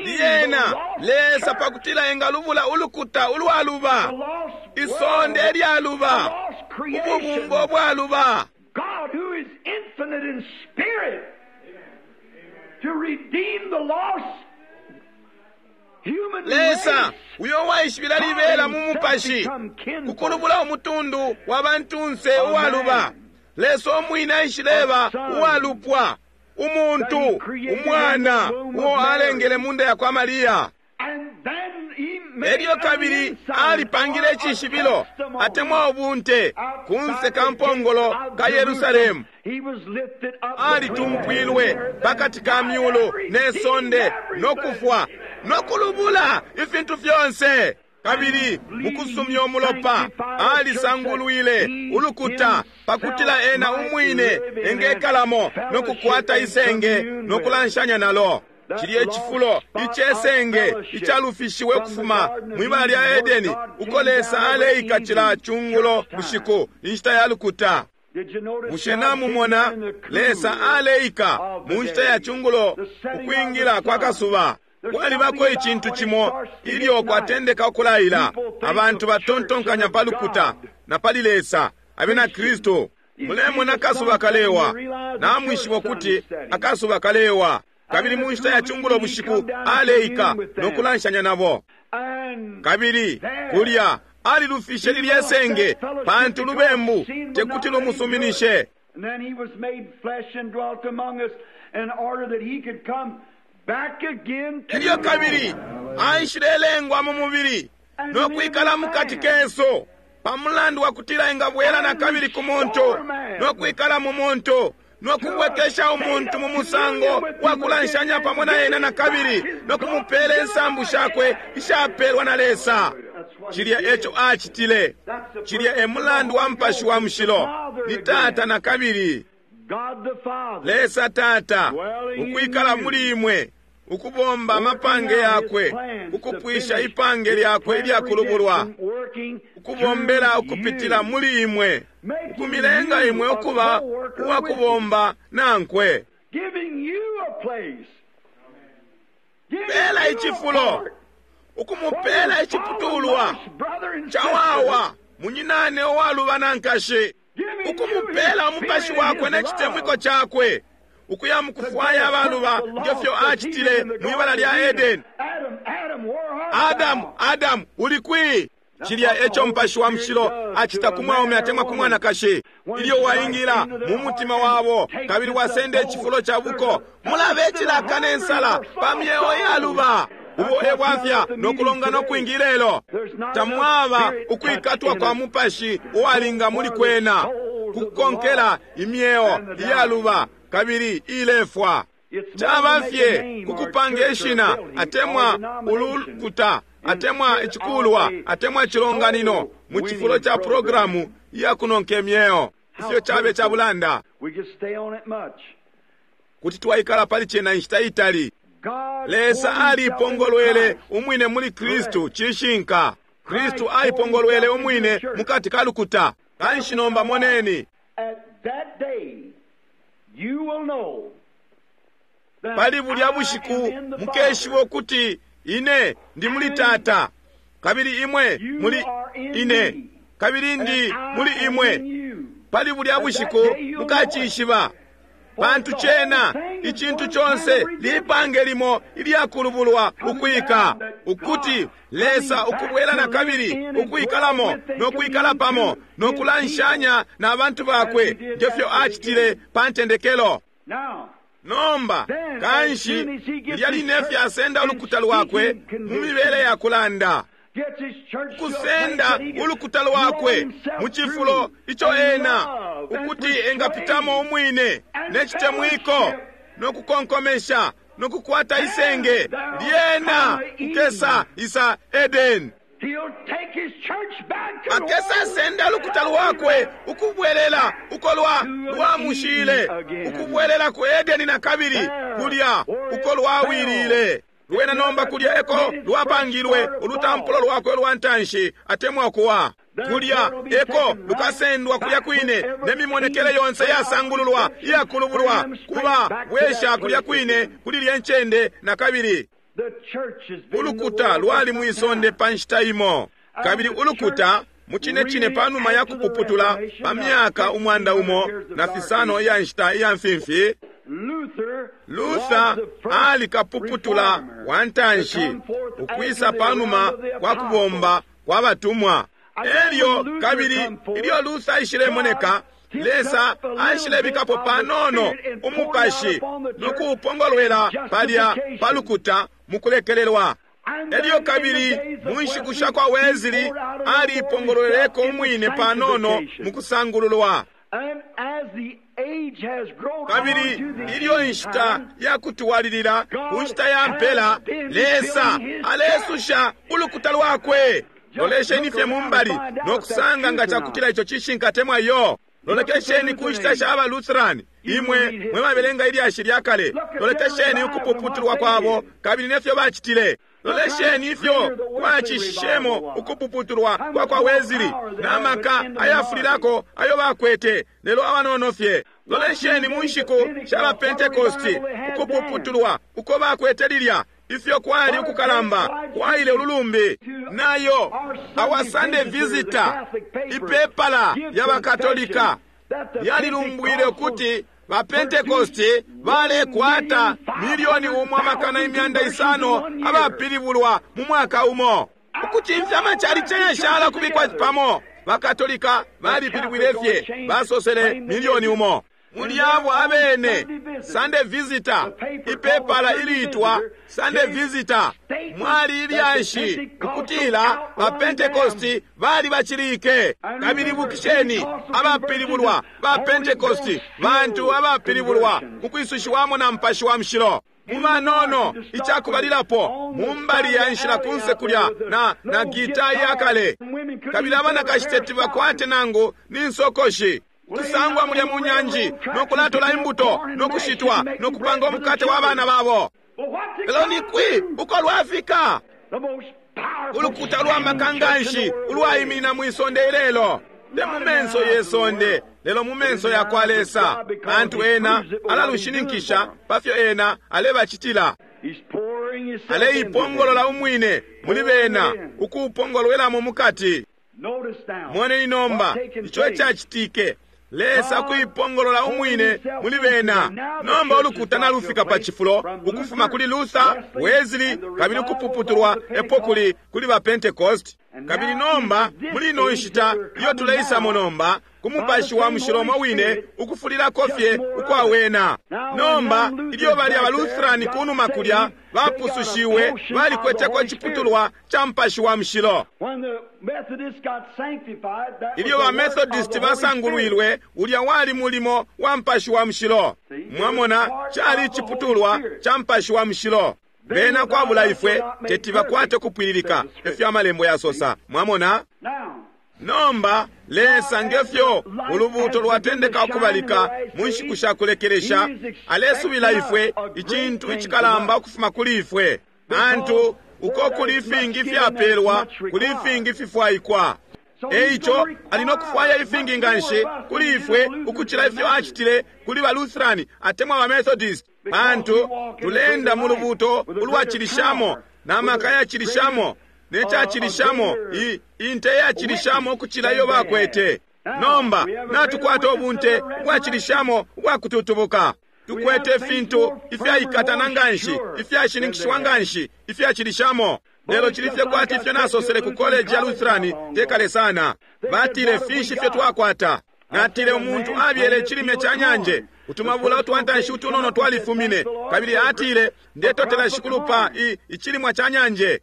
B: Lyena Lesa pakutila engalubula ulukuta ulwaluba, isonde lyaluba, ububumbo bwaluba, Lesa uyo waishibila libela mu mupashi kukulubula umutundu wa bantunse uwaluba. Lesa umwine aishileba uwalupwa, Umuntu, umwana uo alengele munda yakwa Mariya. Elyo kabili alipangile icishibilo atemwa ubunte kunse ka mpongolo ka Yerusalemu. Alitumpwilwe pakati ka myulu ne sonde no kufwa no kulubula ifintu fyonse. Kabili mukusumya umulopa alisangulwile ulukuta pakutila ena umwine engekalamo no kukwata isenge no kulanshanya nalo. Cilye cifulo icesenge icalufishiwe kufuma mwibala lya Edeni uko Lesa aleika cila cungulo bushiku inshita ya lukuta. Bushe namumona Lesa aleika mu nshita ya cungulo ukwingila kwa kasuba? Kwalibako icintu cimo ilyo kwatendeka ukulaila. Abantu batontonkanya pa lukuta na pali Lesa abena Kristu. Mulemona akasuba kalewa, namwishiba ukuti akasuba kalewa. Kabili mu nshita ya cungulo bushiku aleika no kulanshanya nabo. Kabili kulya alilufishe lilye senge pantu lubembu tekuti lumusuminishe. Elyo kabili aishilelengwa mu mubili no kwikala mukati kesu pamulandu wa kutila engabwela na kabili ku muntu no kwikala mu muntu no kubwekesha umuntu mu musango wa kulanshanya pamo na ena na kabili no kumupela insambu shakwe ishapelwa na Lesa. Cilya eco acitile. Cilya e mulandu wa Mupashi wa Mushilo ni Tata na kabili Lesa Tata ukwikala muli imwe, ukubomba amapange yakwe, ukupwisha ipange lyakwe ilyakulubulwa, ukubombela ukupitila muli imwe, ukumilenga imwe ukuba uwakubomba nankwe. Pela icifulo, ukumupela iciputulwa cawawa munyinane uwaluba na nkashi, ukumupela umupashi wakwe ne citemwiko cakwe, ukuya mukufwaya abaluba ngefyo acitile mwibala lya Edeni. Adamu, Adamu, uli kwi? Cilya eco Mupashi wa Mushilo acita ku mwaume atemwa ku mwanakashi. Ilyo waingila mu mutima wabo kabili wasenda icifulo ca buko, mulabe icilaka ne nsala pa myeo yaluba. Ubo e bwafya no kulongana ukwingi lelo. Tamwaba ukwikatwa kwa mupashi uwalinga muli kwena kukonkela imyeo iyaluba kabili ilefwa. Caba fye kukupanga ishina atemwa ulukuta atemwa icikulwa atemwa icilonganino mu cifulo ca programu iya kunonka imyeo. Ifyo cabe ca bulanda. Kuti twaikala pali cena inshita itali. Lesa alipongolwele umwine muli Kristu. Cishinka. Kristu aipongolwele umwine mukati ka lukuta. Kanshi nomba moneni. Pali bulya bushiku mukeshiba ukuti ine ndi muli Tata, kabili imwe muli ine, kabili ndi muli imwe. Pali bulya bushiku mukacishiba, pantu cena icintu conse lipange limo ilyakulubulwa ukwika, ukuti Lesa ukubwela na kabili ukwikalamo no kwikala pamo no kulanshanya na bantu bakwe ngefyo acitile pa ntendekelo. Nomba kanshi lilya line fye asenda ulukuta lwakwe mu mibele ya kulanda, kusenda ulukuta lwakwe mu cifulo ico ena ukuti engapitamo umwine ne citemwiko no kukonkomesha no kukwata isenge lyena kukesa isa Edeni. Akesa senda lukuta lwakwe ukubwelela uko lwamushile, ukubwelela ku Edeni na kabili kulya uko lwawilile. Lwena nomba kulya eko lwapangilwe ulutampulo lwakwe lwa ntanshi atemwa kuwa kulya eko lukasendwa kulya kwine ne mimonekele yonse yasangululwa iyakulubulwa kuba bwesha kulya kwine kuli lye ncende na kabili. Ulukuta lwali mwisonde pa nshita imo, kabili ulukuta mucine cine panuma ya kupuputula pa myaka 105 iya nshita iya mfimfi, Luther ali kapuputula wa ntanshi ukwisa panuma kwa kubomba kwa batumwa. Elyo kabili ilyo Luther aishilemoneka, Lesa aishilebikapo panono umupashi no kuupongolwela palya pa lukuta mukulekelelwa. Elyo kabili mu nshiku sha kwa Wesley aliipongolweleko umwine panono mukusangululwa. Kabili ilyo inshita ya kutuwalilila ku nshita ya mpela, Lesa alesusha ulukuta lwakwe. Lolesheni fye mumbali no kusanga nga cakutila ico cishinka temwa iyo. Lolekesheni ku nshita sha ba Lutheran, imwe mwe babelenga ilyashi lya kale. Lolekesheni ukupuputulwa kwabo kabili nefyo bacitile. Lolesheni ifyo kwacishishemo ukupuputulwa kwa kwa Wesley na maka ayafulilako ayo bakwete, lelo abanono fye. Lolesheni mu nshiku sha ba Pentecost, ukupuputulwa uko bakwete lilya, ifyo kwali ukukalamba kwaile ululumbi. Nayo Our Sunday Visitor, ipepala lya bakatolika, lyalilumbwile ukuti ba Pentecost balekwata 1,500,000 abapilibulwa mu mwaka umo. Ukucimfya amachalichi ayashala kubikwa pamo, bakatolika balipilibwile fye, basosele 1,000,000. Muli abo abene, Sunday Visitor, ipepala iliitwa Sunday Visitor, mwali ilyashi ukutila ba Pentecost bali bacilike. Kabili bukisheni, abapilibulwa ba Pentecost bantu abapilibulwa mukwisushiwamo na Mupashi wa Mushilo. Mumanono icakubalilapo mumbali ya nshila kunse kulya na gita yakale, kabili abanakashi teti bakwate nangu ni nsokoshi. Kusangwa mulya mu nyanji no kulatola imbuto no kushitwa no kupanga umukate wa bana babo. Lelo ni kwi uko lwafika? Ulukuta lwa makanganshi ulwaiminina mwi sonde ilelo, te mu menso ye sonde, lelo mu menso ya kwa Lesa, pantu ena alalushininkisha pa fyo ena alebacitila. Aleipongolola umwine muli bena, ukuupongolwelamo mukati. Moneni nomba ico icacitike. Lesa kuipongolola umwine muli bena. Nomba ulukuta nalufika pa cifulo ukufuma kuli Luther, Wesley, kabili ukupuputulwa epo kuli kuli ba Pentecost. Kabili nomba muli ino nshita iyo tuleisamo nomba, ku Mupashi wa Mushilo umo wine ukufulilako fye ukwa wena. Nomba ilyo balya ba Lutheran kunuma kulya bapusushiwe, balikweteko iciputulwa ca Mupashi wa Mushilo. Ilyo ba Methodist basangulwilwe, ulya wali mulimo wa Mupashi wa Mushilo. Mwamona, cali iciputulwa ca Mupashi wa Mushilo. Bena kwabula ifwe teti bakwate kupwililika, efyo amalembo yasosa. Mwamona? Nomba Lesa ngefyo ulubuuto lwatendeka ukubalika mu nshiku sha kulekelesha, alesubila ifwe icintu icikalamba ukufuma kuli ifwe. Pantu uko kuli ifingi fyapelwa, kuli ifingi fifwaikwa. Eico ali no kufwaya ifingi nganshi kuli ifwe ukucila ifyo acitile kuli ba Lutheran atemwa ba Methodist, pantu tulenda mu lubuuto ulwacilishamo na maka yacilishamo ne cacilishamo, inte yacilishamo ukucila iyo bakwete. Nomba natukwata ubunte ubwacilishamo ubwakututubuka. Tukwete ifintu ifyaikatana nganshi, ifyashininkishiwa nganshi, ifyacilishamo. Lelo cili fye kwati ifyo nasosele ku college ya Lutheran tekale sana. Batile, finshi ifyo twakwata? Natile, umuntu abyele icilime ca nyanje, utumabula utwantanshi utunono twalifumine. Kabili atile, ndetotela Shikulu pa icilimwa ca nyanje.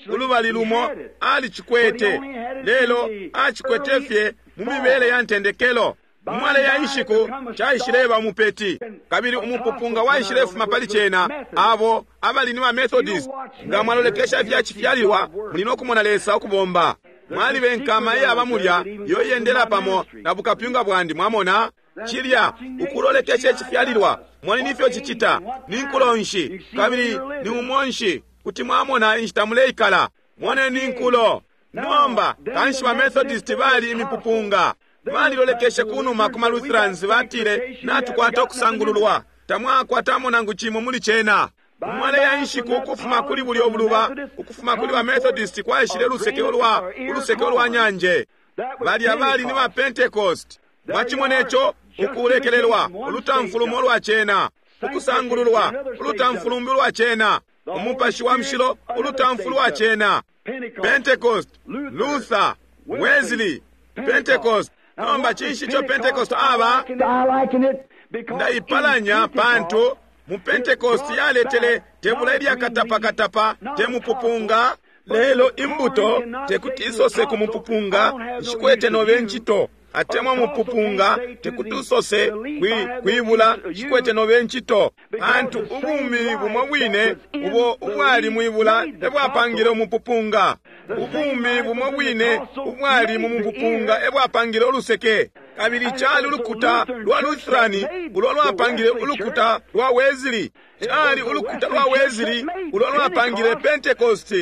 B: Ulubali lumo alicikwete, lelo acikwete fye mu mibele ya ntendekelo. Umwale ya inshiku caishileba umupeti, kabili umupupunga waishilefuma pali cena. Abo abali ni ba Methodist, nga mwalolekesha ifya cifyalilwa, muli no kumona Lesa ukubomba. Mwalibe nkama iyaba mulya iyo iyendela pamo na bukapyunga bwandi. Mwamona cilya ukulolekesha icifyalilwa, moneni ifyo cicita, ni nkulo nshi kabili ni umo nshi, kuti mwamona inshita muleikala. Moneni inkulo. Nomba kanshi ba Methodist bali imipupunga. Balilolekeshe kunuma ku ma Lutherans, batile, natukwata ukusangululwa, tamwakwatamo nangu cimo muli cena. Umwale ya inshiku ukufuma kuli bulyo buluba, ukufuma kuli ba Methodist kwaishile uluseke ulwa nyanje. Balya bali ni ba Pentecost. Mwacimone ico, ukulekelelwa, ulutamfulumo lwa cena, ukusangululwa, ulutamfulumbi lwa cena, Umupashi wa Mushilo, ulutamfu lwa cena. Pentecost, Luther, Wesley, Pentecost. Nomba cinshi ico Pentecost aba?
A: I liken it because
B: Ndaipalanya
A: in
B: pantu mu Pentecost yaletele tebula ilyakatapakatapa te mupupunga, lelo imbuto tekuti isose ku mupupunga, nshikwete nobe ncito, atemwa mupupunga tekuti usose kwi, kwibula nshikwete nobe ncito, pantu ubumi bumo bwine ubo ubwali mwibula ebwapangile umupupunga. Ubumi bumo bwine ubwali mu mupupunga ebwapangile uluseke. Kabili cali ulukuta lwa Lutherani ulo lwapangile ulukuta lwa Wesley. Cali ulukuta lwa Wesley ulo lwapangile Pentecost.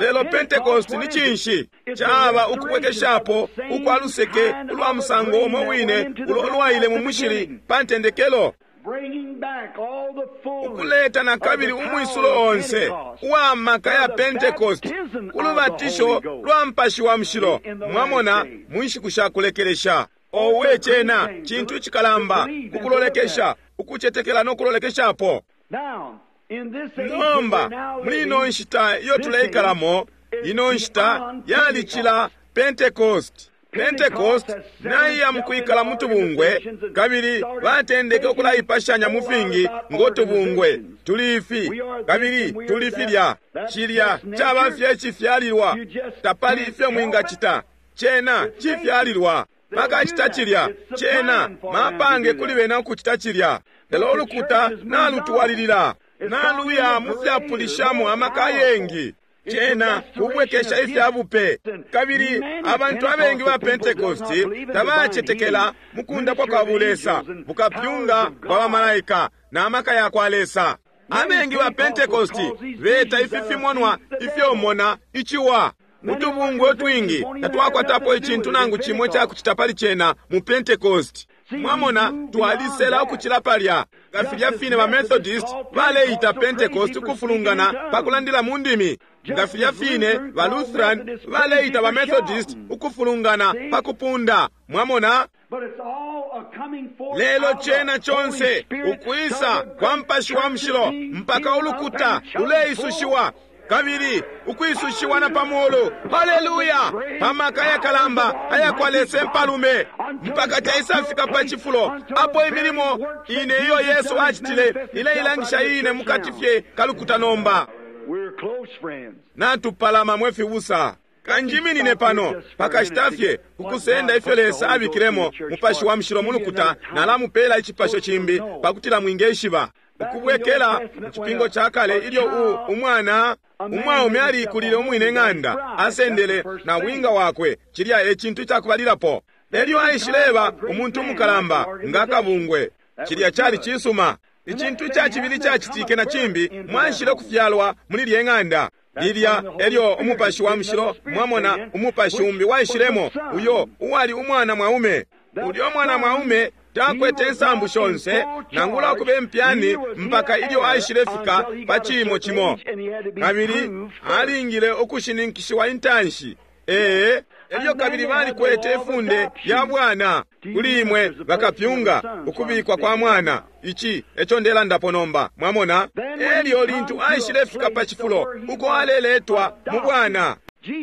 B: Lelo Pentecost ni cinshi? Caba ukubwekeshapo ukwa luseke ulwa musango umo wine ulo lwaile mu mushili pa ntendekelo,
A: bringing back all the fullness
B: ukuleta na kabili umwisulo onse uwa maka ya Pentecost, ulubatisho lwa Mupashi wa Mushilo, mwamona, mu nshiku sha kulekelesha. Owe, cena cintu icikalamba kukulolekesha, ukucetekela no kulolekeshapo.
A: Now, in this age
B: Nomba
A: that we're now
B: muli ino
A: living,
B: nshita iyo tuleikalamo, ino nshita yalicila Pentecost. Pentecost naiya mukwikala mu tubungwe, kabili batendeke ukulaipashanya mu fingi ngo tubungwe. Tuli ifi kabili tuli filya. Cilya caba fye icifyalilwa, tapali ifyo mwingacita. Cena cifyalilwa. Bakacita cilya, cena mapange kuli bena ukucita cilya. Lelo ulukuta nalutwalilila, naluya mu fyapulishamo amaka ayengi. Cena kubwekesha ifya bupe. Kabili abantu abengi ba Pentecosti tabacetekela mu kundapwa kwa bulesa, bukapyunga bwa bamalaika na maka ya kwa Lesa. Abengi ba Pentecosti beta ifi fimonwa ifyomona iciwa. Utubungwe utwingi tatwakwatapo icintu nangu cimo icakucita pali cena mu Pentecost. Mwamona, twalisela ukucila palya. Nga filya fine ba Methodist baleita Pentecost ukufulungana pa kulandila mu ndimi. Nga filya fine ba Lutheran baleita ba Methodist ukufulungana pa kupunda. Mwamona?
A: but it's all a coming forth
B: Lelo
A: out of the
B: cena
A: Holy
B: chonse
A: Spirit
B: ukwisa
A: till the
B: kwa
A: great
B: Mupashi wa
A: church
B: Mushilo
A: is being
B: mpaka
A: filled up
B: ulukuta
A: and chosen
B: luleisushiwa kabili ukwisushiwa na pamulu, haleluya, pamaka yakalamba ayakwa Lesa empalume, mpaka caisafika pa cifulo apo imilimo ine iyo Yesu acitile ileilangisha ine mukati fye kalukuta nomba.
A: We're close friends.
B: Natupalama mwe fibusa. Kanjiminine pano pakashita fye kukusenda ifyo Lesa abikilemo Mupashi wa Mushilo mu lukuta, nalamupela icipasho cimbi pakutila mwingeshiba. Ukubwekela mu cipingo ca kale ilyo u umwana umwaume aliikulile umwine ng'anda, asendele na winga wakwe, cilya e cintu icakubalilapo. Elyo aishileba umuntu umukalamba nga kabungwe, cilya cali cisuma. Icintu ica cibili cacitike na cimbi, mwaishile kufyalwa muli lye ng'anda lilya elyo Umupashi wa Mushilo, mwamona, umupashi umbi waishilemo, uyo uwali umwana mwaume. Ulyo mwana mwaume takwete insambu shonse nangula ukuba impyani mpaka ilyo aishile fika pa ciimo cimo, kabili alingile ukushininkishiwa intanshi. Ee, elyo kabili balikwete ifunde lya bwana kuli imwe bakapyunga, ukubikwa kwa mwana. Ici eco ndelandapo nomba, mwamona. Elyo lintu aishile fika pa cifulo uko aleletwa mu bwana,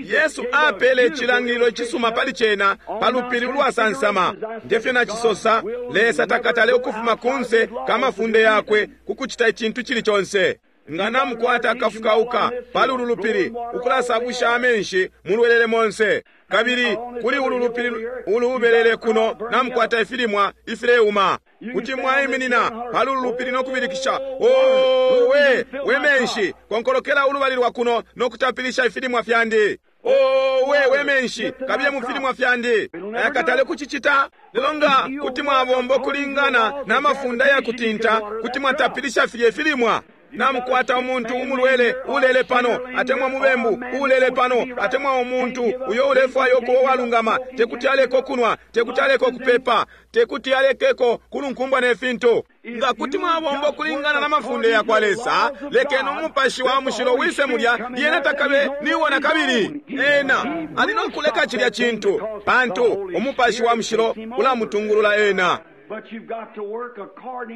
B: Yesu apele icilangililo icisuma pali cena pa lupili ulwasansama. Ngefyo nacisosa, Lesa takatale ukufuma kunse kamafunde yakwe kukucita icintu cili conse. Nga namukwata akafukauka pali ulu lupili ukulasabusha amenshi mulwelele monse, kabili kuli ulu lupili ulubelele kuno namukwata ifilimwa ifileuma, kuti mwaiminina pali ulu lupili no kubilikisha, owe we menshi, konkolokela ulubali lwa kuno no kutapilisha ifilimwa fyandi. Owe we menshi, kabiye mu filimwa fyandi. Ayakatale kucicita. Lelo nga kuti mwabomba ukulingana n'amafunda ya kutinta, kuti mwatapilisha filye filimwa. Namukwata umuntu umulwele ulele pano, atemwa mubembu ulele pano, atemwa umuntu uyo ulefwaya ukuba walungama, tekuti aleke kunwa, tekuti aleke kupepa, tekuti alekeko kulunkumbwa ne fintu. Nga kuti mwabomba ukulingana na mafunde ya kwa Lesa, lekeni Umupashi wa Mushilo wise mulya, lyena takabe niwo na kabili. Ena ali no kuleka cilya cintu, pantu Umupashi wa Mushilo ulamutungulula ena.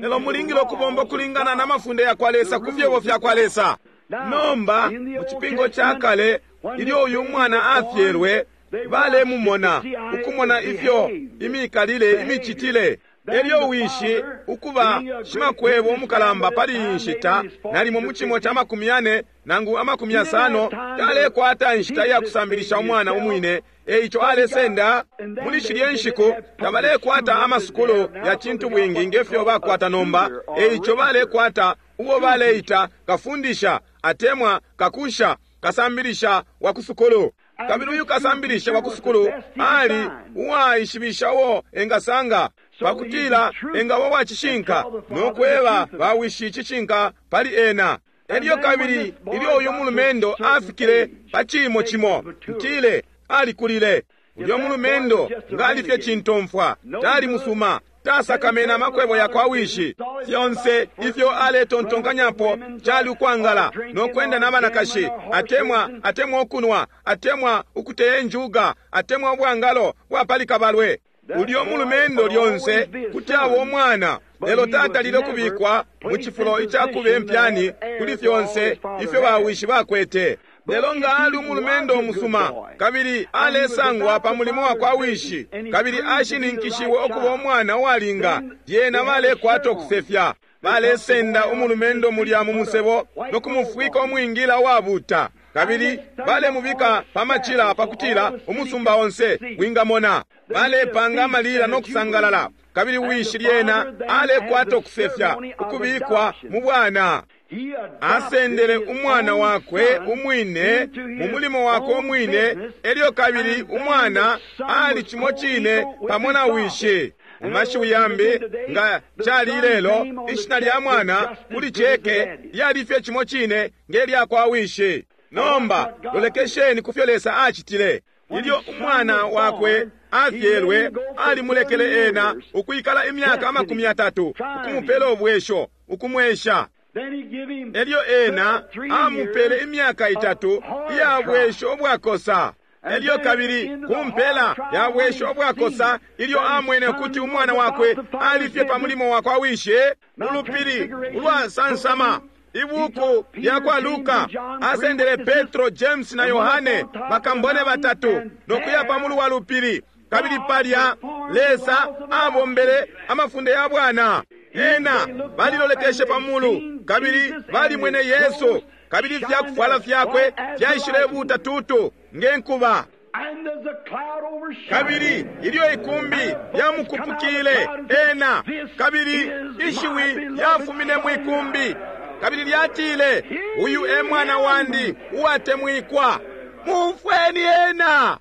B: Lelo mulingile ukubomba ukulingana na mafunde ya kwa Lesa ku fyebo fya kwa Lesa. Nomba mu cipingo ca kale, ilyo uyu mwana afyelwe, Balemumona, ukumona ifyo imikalile, imicitile. Elyo wishi, ukuba shimakwebo umukalamba pali iyi nshita, nalimo mu cimo ca 40 nangu 50, talekwata inshita iya kusambilisha umwana umwine. Eico alesenda muli shilye nshiku tabalekwata amasukulu ya cintu bwingi ngefyo bakwata nomba. Eico balekwata ubo baleita kafundisha atemwa kakusha, kasambilisha wa kusukulu. Kabili uyu kasambilisha wa kusukulu ali uwaishibisha uo engasanga, pakutila engaba wa cishinka no kweba bawishi icishinka pali ena. Elyo kabili ilyo uyu mulumendo afikile pa cimo cimo, ntile alikulile. Ulyo mulumendo ngali fye cintomfwa, tali musuma, tasakamene amakwebo ya kwa wishi. Fyonse ifyo aletontonkanyapo cali ukwangala no kwenda na banakashi, atemwa atemwa ukunwa, atemwa ukuteya injuga, atemwa ubwangalo bwa pali kabalwe. Ulyo mulumendo lyonse kuti aba umwana, lelo tatalile kubikwa mu cifulo icakuba impyani kuli fyonse ifyo bawishi bakwete. Lelo nga ali umulumendo umusuma, kabili alesangwa pa mulimo wa kwa wishi, kabili ashininkishiwe ukuba umwana uwalinga, lyena balekwata ukusefya. Balesenda umulumendo mulya mu musebo no kumufwika umwingila uwabuta, kabili balemubika pa macila pakutila umusumba onse wingamona. Balepanga amalila no kusangalala, kabili wishi lyena alekwata ukusefya ukubikwa mu bwana. Asendele umwana wakwe umwine mu mulimo wakwe umwine, elyo kabili umwana ali cimo cine pamo na wishi. Mu mashiwi yambi, nga cali ilelo, ishina lya mwana kuli ceke lyali fye cimo cine nge lya kwa wishi. Nomba lolekesheni kufyo Lesa acitile. Ilyo umwana wakwe afyelwe, alimulekele ena ukwikala imyaka 30, ukumupela ubwesho, ukumwesha. Elyo ena amupele imyaka 3 iya bwesho ubwakosa. Elyo kabili kumpela ya bwesho ubwakosa, ilyo amwene ukuti umwana wakwe alifye pa mulimo wa kwa wishi, ulupili ulwasansama. Ibuku lya kwa Luka asendele Petro, James na Yohane, bakambone batatu, no kuya pa mulu wa lupili. Kabili palya Lesa abombele amafunde ya bwana. Ena balilolekeshe pa mulu, kabili balimwene Yesu, kabili ifyakufwala fyakwe fyaishile tutu nge nkuba. Kabili ilyo ikumbi lyamukupukile ena, kabili ishiwi lyafumine mwikumbi, kabili lyatile, uyu e mwana wandi uwatemwikwa, mumfweni ena.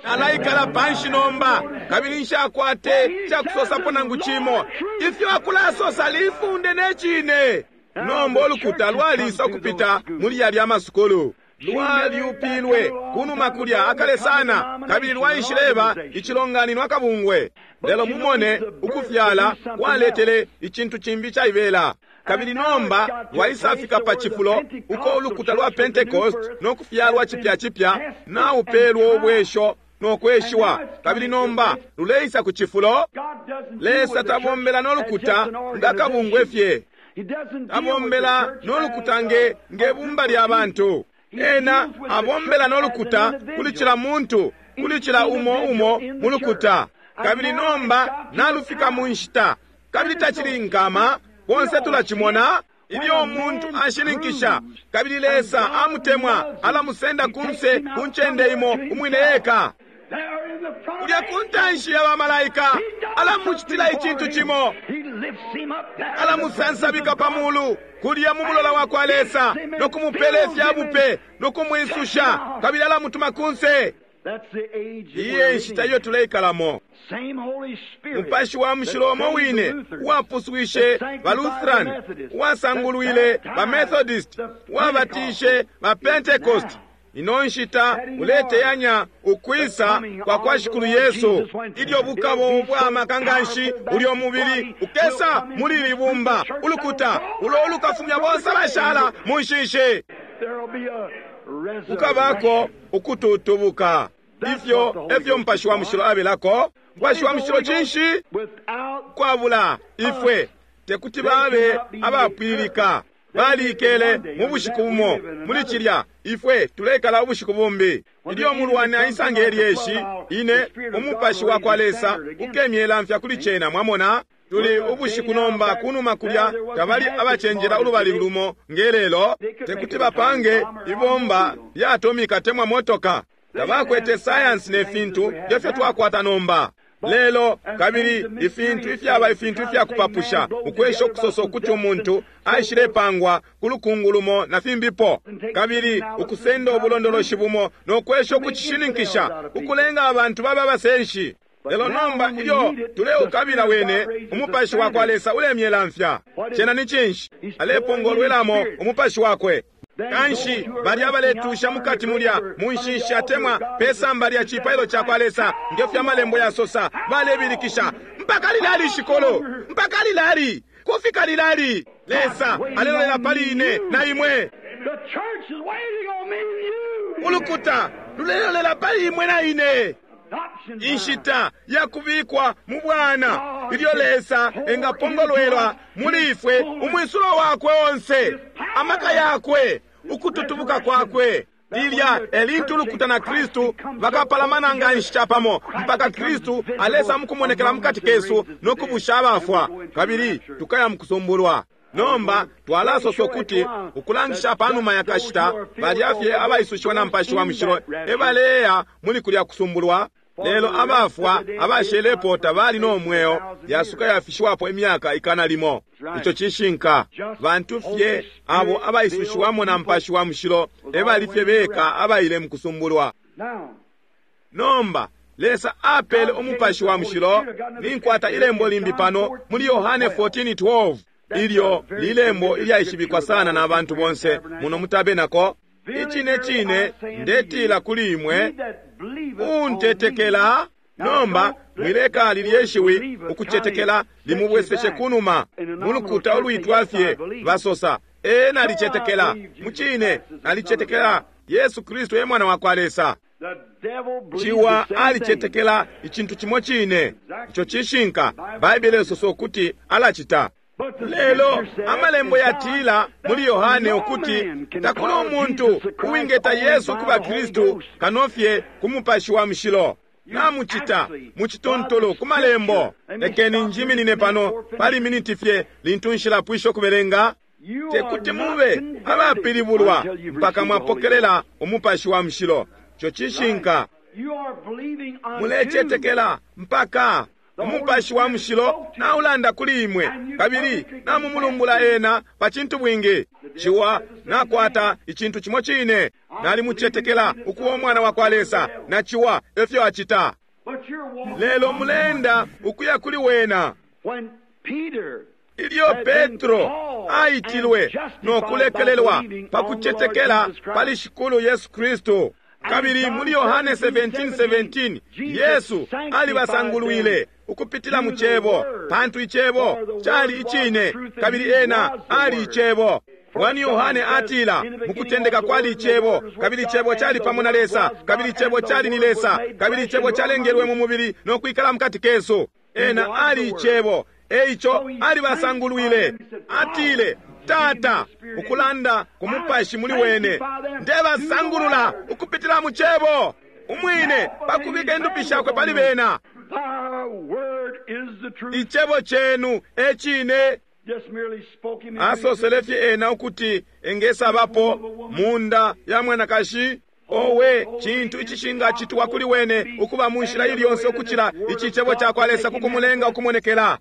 B: Alaikala panshi nomba, kabili nshakwate cakusosapo nangu cimo. Ifyo akulasosa lifunde ne cine. Nomba ulukuta lwalisa ukupita muli yalya amasukulu. Lwalyupilwe kunuma kulya akale sana, kabili lwaishileba icilonganino akabungwe. Lelo mumone ukufyala kwaletele icintu cimbi caibela. Kabili nomba lwaisafika pa cifulo uko ulukuta lwa Pentecost no kufyalwa cipya cipya naupelwa ubwesho no kweshiwa. Kabili nomba luleisa ku cifulo. Lesa tabombela no lukuta nga kabungwe fye. Tabombela no lukuta nge bumba lya bantu. Ena abombela no lukuta kuli cila muntu, kuli cila umo umo mu lukuta. Kabili nomba nalufika mu nshita, kabili tacili nkama, bonse tulacimona. Ilyo umuntu ashininkisha kabili Lesa amutemwa, alamusenda kunse ku ncende imo umwine eka, kulya ku ntanshi ya bamalaika, alamucitila icintu cimo, alamusansabika pa mulu kulya mu mulola wa kwa Lesa, no kumupela ifya bupe no kumwisusha, kabili alamutuma kunse. Iye nshita iyo tuleikalamo. Mupashi wa mushilo umo wine uwapuswishe ba Lutheran, uwasangulwile ba Methodist, uwabatishe ba Pentecost, ino nshita uleteyanya ukwisa kwa kwa Shikulu Yesu. Ilyo bukabo ubwamaka nganshi ulyo mubili ukesa muli libumba ulukuta ulo ulukafumya bonse abashala mu nshishi. Kukabako ukututubuka. Ifyo efyo Mupashi wa Mushilo abelako. Mupashi wa Mushilo cinshi? Kwabula ifwe tekuti babe abapwililika. Baliikele mu bushiku bumo muli cilya, ifwe tulekala ubushiku bumbi. Ilyo umulwani aisa nge lyeshi, ine umupashi wa kwa Lesa ukemyelamfya kuli cena. Mwamona? Tuli ubushiku nomba kunuma kulya tabali abacenjela ulubali lumo nge lelo, tekuti bapange ibomba lya atomika temwa motoka. Tabakwete sayansi ne fintu nge fyo twakwata nomba. Lelo kabili ifintu ifyaba ifintu ifyakupapusha, ukwesha ukusosa ukuti umuntu aishilepangwa ku lukungu lumo na fimbipo, kabili ukusenda ubulondoloshi bumo no kwesha ukucishininkisha, ukulenga abantu babe abasenshi. Lelo nomba ilyo tuleukabila wene, umupashi wa kwa Lesa ulemyelamfya. Cena ni cinshi? Alepongolwelamo umupashi wakwe. Kanshi balya abaletusha mukati mulya mu nshishi atemwa pe samba lya cipailo ca kwa Lesa, nge fyo amalembo yasosa, balebilikisha, mpaka lilali shikolo, mpaka lilali, kufika lilali. Lesa alelolela pali ine na imwe.
A: The church is waiting on me and you.
B: Ulukuta lulelolela pali imwe na ine.
A: Adoption time.
B: Inshita yakubikwa mu bwana, ilyo Lesa engapongolwelwa muli ifwe umwisulo wakwe onse, amaka yakwe, ukututubuka kwakwe. Lilya elintu ulukuta na Kristu bakapalamana nga nshi capamo, mpaka Kristu alesa mukumonekela mukati kesu no kubusha abafwa, kabili tukaya mukusumbulwa. Nomba twalasosa ukuti ukulangisha panuma ya kashita, balya fye abaisushiwa na Mupashi wa Mushilo ebaleya muli kulya kusumbulwa. Lelo abafwa abashelepo tabali no mweo, yasuka yafishiwapo imyaka ikana limo. Ico cishinka. Bantu fye abo abaisushiwamo na Mupashi wa Mushilo ebali fye beka abaile mu kusumbulwa.
A: Now,
B: Nomba Lesa apele umupashi wa mushilo. Ninkwata ilembo limbi pano muli Yohane 14:12, ilyo lilembo ilyaishibikwa sana na bantu bonse muno mutabenako. Icine cine ndetila kuli imwe,
A: he that believeth on me.
B: untetekela. Nomba mwileka lilye shiwi ukucetekela limubweseshe kunuma. Mulukuta ulwitwa fye basosa, ee nalicetekela, mucine nalicetekela Yesu Kristu e mwana wa kwa Lesa.
A: The devil believes
B: Ciwa
A: the same thing.
B: alicetekela icintu cimo cine. Ico cishinka. Baibele isosa ukuti alacita.
A: But the
B: Lelo
A: scripture says
B: amalembo
A: in John
B: yatila muli
A: that
B: Yohane
A: no
B: ukuti
A: man can
B: takuli
A: call
B: umuntu
A: Jesus the Christ
B: uwingeta
A: only
B: Yesu
A: by
B: kuba
A: the Holy
B: Kristu
A: Ghost.
B: kanofye ku mupashi wa mushilo. Namucita mucituntulu ku malembo. Lekeni njiminine pano pali miniti fye lintu nshilapwisha ukubelenga.
A: You
B: Te
A: are
B: kuti
A: not
B: mube
A: converted
B: abapilibulwa
A: until you've
B: mpaka
A: received the Holy
B: mwapokelela umupashi wa mushilo. Ico cishinka.
A: Ghost. You are believing unto
B: Mulecetekela mpaka umupashi wa mushilo naulanda kuli imwe, kabili namumulumbula ena pa cintu bwingi. Ciwa nakwata icintu cimo cine. Nalimucetekela ukuba umwana wa kwa Lesa, na ciwa efyo acita.
A: But you're walking
B: Lelo muleenda ukuya kuli wena.
A: when Peter
B: Ilyo Petro aitilwe no kulekelelwa pa kucetekela pali Shikulu Yesu Kristu. Kabili muli Yohane 17:17 Yesu alibasangulwile ukupitila mu Cebo, pantu Icebo cali icine, kabili ena ali Icebo. 1 Yohane atila, mukutendeka kwali Icebo, kabili Icebo cali pamo na Lesa, kabili Icebo cali ni Lesa, kabili Icebo calengelwe mu mubili no kwikala mukati kesu. Ena ali Icebo. Eico alibasangulwile. Atile, Tata, ukulanda ku mupashi muli wene, ndebasangulula ukupitila mu Cebo umwine, pakubika indupi shakwe pali bena.
A: Thy word is the truth.
B: Icebo cenu e cine.
A: Just merely spoke him into
B: Asosele fye ena ukuti engesabapo munda ya mwanakashi. Owe, cintu icishingacitwa kuli wene ukuba mu nshila ili yonse ukucila ici cebo ca kwa Lesa kukumulenga ukumonekela.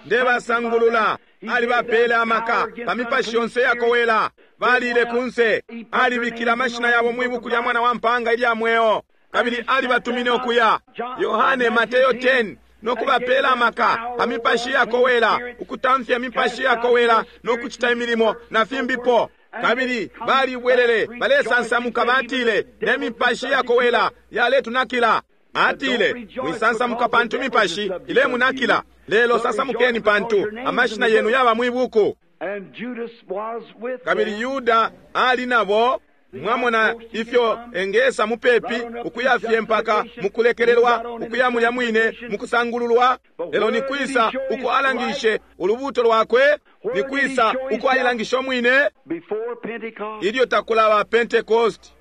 B: Ndebasangulula. Alibapele amaka pa mipashi yonse yakowela. Balile kunse. Alibikile amashina yabo mwi buku lya mwana wa mpanga ilya mweo, kabili alibatumine ukuya. Yohane Mateyo 10 no kubapela amaka pa mipashi yakowela, ukutamfya mipashi yakowela no kucita imilimo na fimbipo. Kabili balibwelele balesansamuka, batile ne mipashi yakowela yaletunakila. Atile, mwisansamuka pantu mipashi ilemunakila, lelo sansamukeni pantu amashina yenu yaba mwi buku.
A: And Judas was with
B: Kabili
A: them.
B: Yuda ali nabo. Mwamona ifyo engesa mupepi ukuya fye mpaka mukulekelelwa, ukuya mulya mwine mukusangululwa. Lelo ni kwisa uko alangishe ulubuuto lwakwe? Ni kwisa uko ailangishe umwine? Ilyo takulaba Pentecost,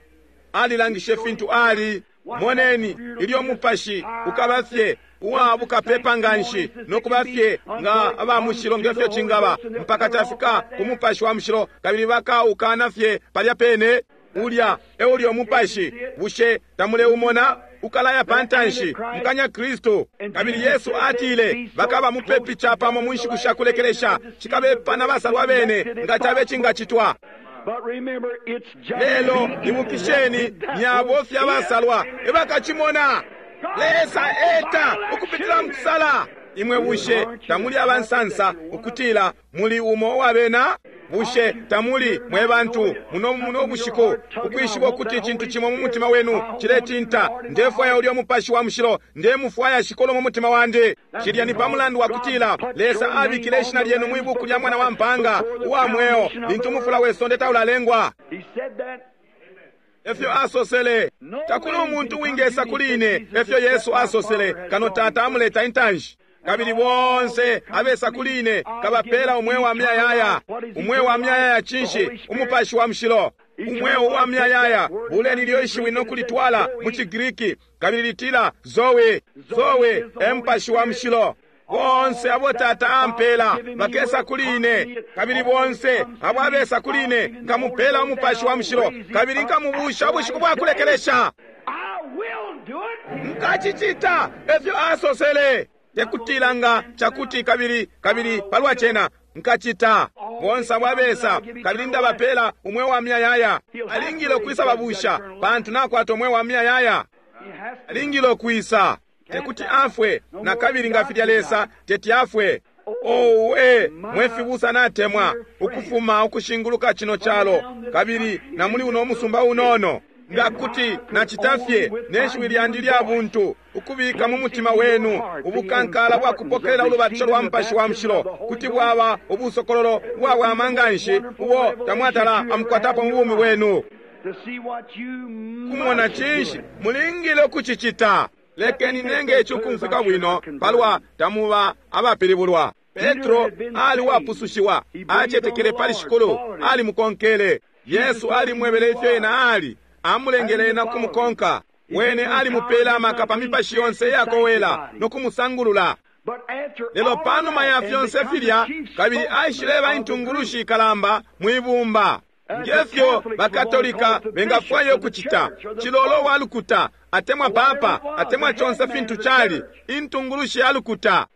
B: alilangishe fintu ali. Moneni ilyo mupashi ukaba fye uwa bukapepa nganshi no kuba fye nga aba mushilo ngefyo cingaba, mpaka cafika ku mupashi wa mushilo, kabili bakaukana fye palya pene. Ulya e ulya umupashi. Bushe tamuleumona? Ukalaya pantanshi mukanya Kristu. Kabili Yesu atile bakaba mupepi capamo mu nshiku sha kulekelesha, cikabepa na basalwa bene nga cabe cingacitwa. Lelo ibukisheni, ni abo fye abasalwa ebakacimona. Lesa eta ukupitila mukusala. Imwe bushe tamuli abansansa ukutila muli umo uwabena? Bushe tamuli mwe bantu muno muno bushiku ukwishiba ukuti icintu cimo mu mutima wenu ciletinta? Ndefwaya ulya mupashi wa mushilo, ndemufwaya Shikulu mu mutima wandi. Cilya ni pa mulandu wa kutila Lesa abikile ishina lyenu mwi buku lya Mwana wa Mpanga uwa mweo lintu umufula we sonde taulalengwa. Efyo asosele, takuli umuntu uwingesa kuli ine, efyo Yesu asosele, kano Tata amuleta intanshi. Kabili bonse abesa kuli ine kabapela umweo wa muyayaya. Umweo wa muyayaya cinshi? Umupashi wa mushilo. Umweo wa muyayaya, buleni ilyo ishiwi no kulitwala mu ciGriki, kabili litila Zoe. Zoe e mupashi wa mushilo. Bonse abo Tata ampela bakesa kuli ine, kabili bonse abo abesa kuli ine nkamupela umupashi wa mushilo, kabili nkamubusha ubushiku bwa kulekelesha. Nkacicita, efyo asosele. Tekutila nga cakuti kabili kabili palwa cena nkacita. Bonse abo abesa, kabili ndabapela umweo wa muyayaya. Alingile ukwisa babusha, pantu nakwata umweo wa muyayaya. Alingile ukwisa. Tekuti afwe na kabili nga filya Lesa teti afwe. Owe mwe fibusa natemwa ukufuma ukushinguluka cino calo kabili na muli uno musumba unono. Nga kuti nacita fye ne shiwi lyandi lya buntu ukubika mu mutima wenu ubukankala bwa kupokelela ulubatisho lwa mupashi wa mushilo, kuti bwaba ubusokololo bwawama nganshi ubo tamwatala amukwatapo mu bumi bwenu. Kumona cinshi mulingile ukucicita. Lekeni nenge ici ukumfwika bwino palwa tamuba abapilibulwa. Petro ali uwapusushiwa, acetekele pali Shikulu, alimukonkele. Yesu alimwebele ifyo ena ali, amulengele ena kumukonka. Wene alimupela amaka pa mipashi yonse iyakowela no kumusangulula. Lelo panuma ya fyonse filya, kabili aishileba intungulushi ikalamba mwibumba. Ngefyo bakatolika bengafwaya ukucita, cilolo wa lukuta atemwa papa atemwa conse fintu cali, intungulushi ya lukuta.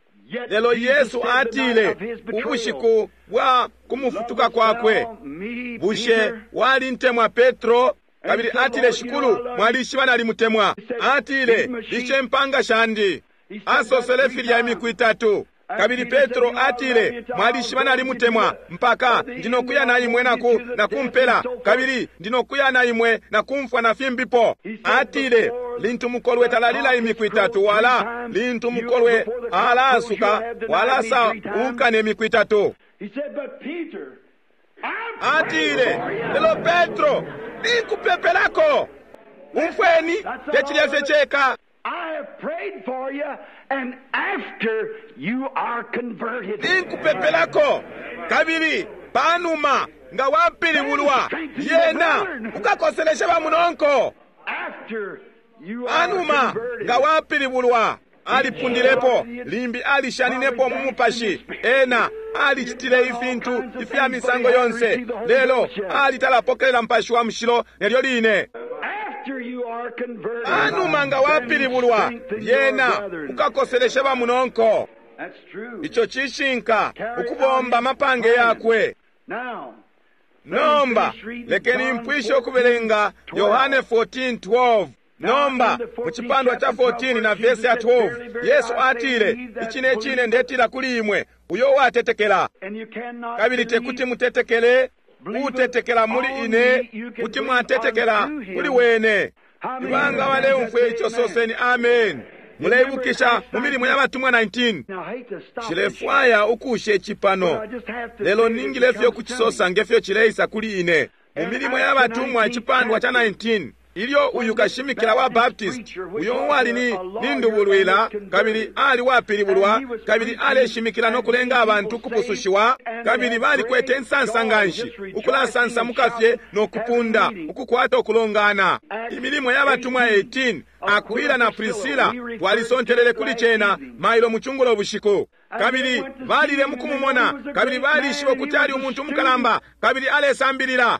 B: Lelo Yesu atile ubushiku bwa kumufutuka kwakwe, bushe walintemwa Petro? Kabili atile, Shikulu, mwalishiba nalimutemwa. Atile, lishe mpanga shandi. Asosele filya imiku itatu. Kabili Petro atile, mwalishiba nalimutemwa, mpaka ndinokuya na imwe na kumpela, kabili ndinokuya na imwe na kumfwa na fimbipo. Atile, lintu mukolwe talalila imiku itatu, wala lintu mukolwe alaasuka walasa unkane imiku itatu. Atile, lelo Petro, ninkupepelako. Umfweni, tecilya fye ceka.
A: I have prayed for you, and after you are converted.
B: Ninkupepelako, kabili panuma nga wapilibulwa, lyena ukakoselesha bamunonko.
A: After you are
B: Panuma
A: converted.
B: nga wapilibulwa, alipundilepo, limbi alishaninepo mu mupashi, ena alicitile ifintu ifya misango yonse, lelo alitalapokelela mupashi wa mushilo nelyo line.
A: After you are converted.
B: Panuma nga wapilibulwa,
A: Strengthen your
B: lyena
A: brethren.
B: ukakoselesha bamunonko.
A: That's true.
B: Ico cishinka ukubomba amapange yakwe.
A: Now,
B: Nomba lekeni mpwishe ukubelenga Yohane 14:12. Nomba mu cipandwa ca 14 na vesi ya 12, Yesu atile, icine cine ndetila kuli imwe, uyo uwatetekela,
A: and you cannot
B: kabili
A: believe
B: tekuti mutetekele, utetekela muli ine, kuti mwatetekela kuli wene. Ibanga baleumfwa ico, soseni amen. Muleibukisha mu milimo ya batumwa 19.
A: Now, I hate to stop
B: Nshilefwaya ukusha ici pano,
A: I just have to
B: lelo
A: say it
B: ningile fye
A: becomes
B: ukucisosa ngefyo cileisa kuli ine. Mu Milimo ya Batumwa icipandwa ca 19, ilyo uyu kashimikila wa Baptist, uyo uwali ni nindubulwila kabili ali wapilibulwa kabili aleshimikila no kulenga abantu ukupusushiwa, kabili balikwete insansa nganshi, ukulasansamuka fye no kupunda, ukukwata ukulongana. Imilimo ya Batumwa 18, Akwila na Priscilla, twalisontelele kuli cena mailo mucungulo bushiku. Kabili balile mukumumona, kabili balishiba ukuti ali umuntu umukalamba, kabili alesambilila.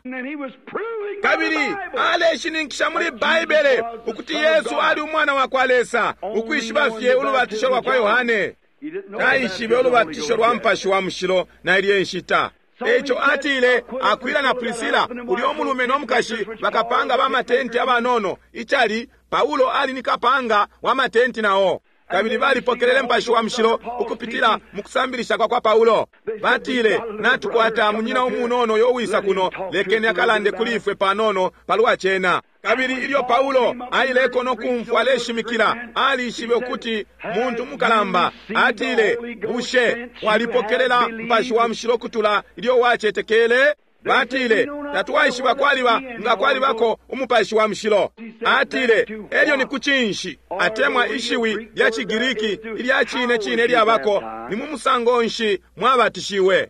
B: Kabili aleshininkisha muli Baibele ukuti Yesu ali umwana wa kwa Lesa, ukwishiba fye ulubatisho lwa kwa Yohane. Taishibe ulubatisho lwa Mupashi wa Mushilo na ilye nshita. Eico atile, Akwila na Priscilla, ulya umulume no mukashi, bakapanga ba matenti abanono. Icali, Paulo ali ni kapanga wa matenti nao. Kabili balipokelele Mupashi wa Mushilo ukupitila mu kusambilisha kwa kwa Paulo. Batile, natukwata munyina umunono uyo uwisa kuno, lekeni akalande kuli ifwe panono palwa cena. Kabili ilyo Paulo aileko no kumfwa aleshimikila, alishibe ukuti muntu mukalamba. Atile, bushe walipokelela Mupashi wa Mushilo kutula ilyo wacetekele? Batile, tatwaishiba kwaliba nga kwalibako Umupashi wa Mushilo. Atile, elyo ni kucinshi atemwa ishiwi lya ciGiriki ilya cine cine lyabako, ni mu musango nshi mwabatishiwe?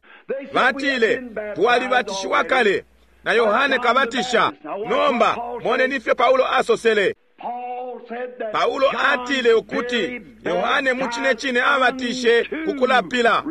B: Batile, twalibatishiwa kale na Yohane Kabatisha. Nomba moneni ifyo Paulo asosele. Paulo atile ukuti Yohane mu cine cine abatishe kukulapila,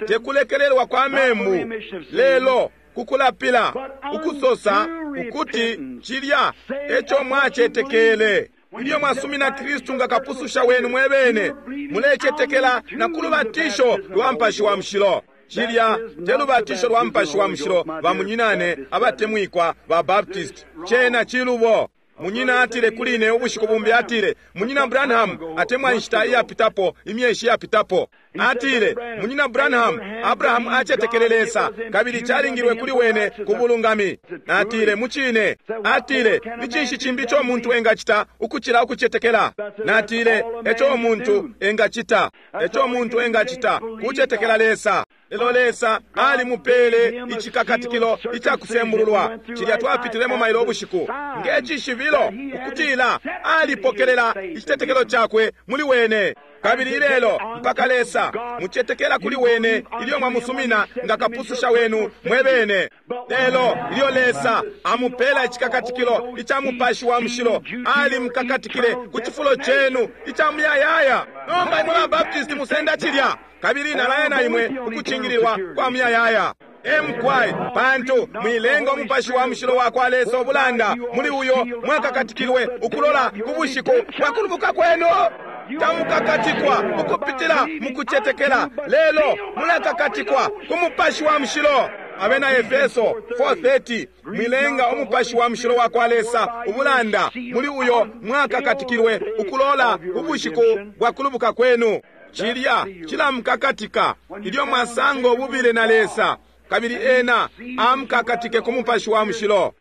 B: tekulekelelwa kwa membu, lelo kukulapila, ukusosa ukuti cilya eco mwacetekele. Ilyo mwasumina Kristu nga kapususha wenu mwebene, mulecetekela na kulubatisho lwa Mupashi wa Mushilo. Cilya te lubatisho lwa Mupashi wa Mushilo, bamunyinane abatemwikwa ba Baptist. Cena cilubo. Munyina atile kuli ine ubushiku bumbi, atile, Munyina Branham, atemwa inshita iyapitapo, imyeshi iyapitapo, atile, Munyina Branham, Abrahamu acetekele Lesa, kabili calingilwe kuli wene ku bulungami. Natile, mucine. Atile, ni cinshi cimbi ico umuntu engacita ukucila ukucetekela? Natile, eco umuntu engacita, eco umuntu engacita kucetekela Lesa. Lelo Lesa alimupele icikakatikilo icakusembululwa, cilya twapitilemo mailo ubushiku, nge cishibilo ukutila alipokelela icitetekelo cakwe muli wene. Kabili ilelo mpaka Lesa mucetekela kuli wene ilyo mwamusumina nga kapususha wenu mwebene. Lelo ilyo Lesa amupela icikakatikilo ica Mupashi wa Mushilo, alimukakatikile ku cifulo cenu ica muyayaya. Nomba imwe ba Baptist musenda cilya, kabili nalaya na imwe ukucingililwa kwa muyayaya. Emkwai, pantu mwilenga Umupashi wa Mushilo wa kwa Lesa ubulanda, muli uyo mwakakatikilwe ukulola ku bushiku bwa kulubuka kwenu. Tamukakatikwa ukupitila mukucetekela, lelo mulakakatikwa ku Mupashi wa Mushilo. Abena Efeso 4:30, mwilenga Umupashi wa Mushilo wa kwa Lesa ubulanda, muli uyo mwakakatikilwe ukulola ubushiku bwa kulubuka kwenu. Cilya cilamukakatika ilyo mwasanga ububile na Lesa, kabili ena amukakatike ku Mupashi wa Mushilo.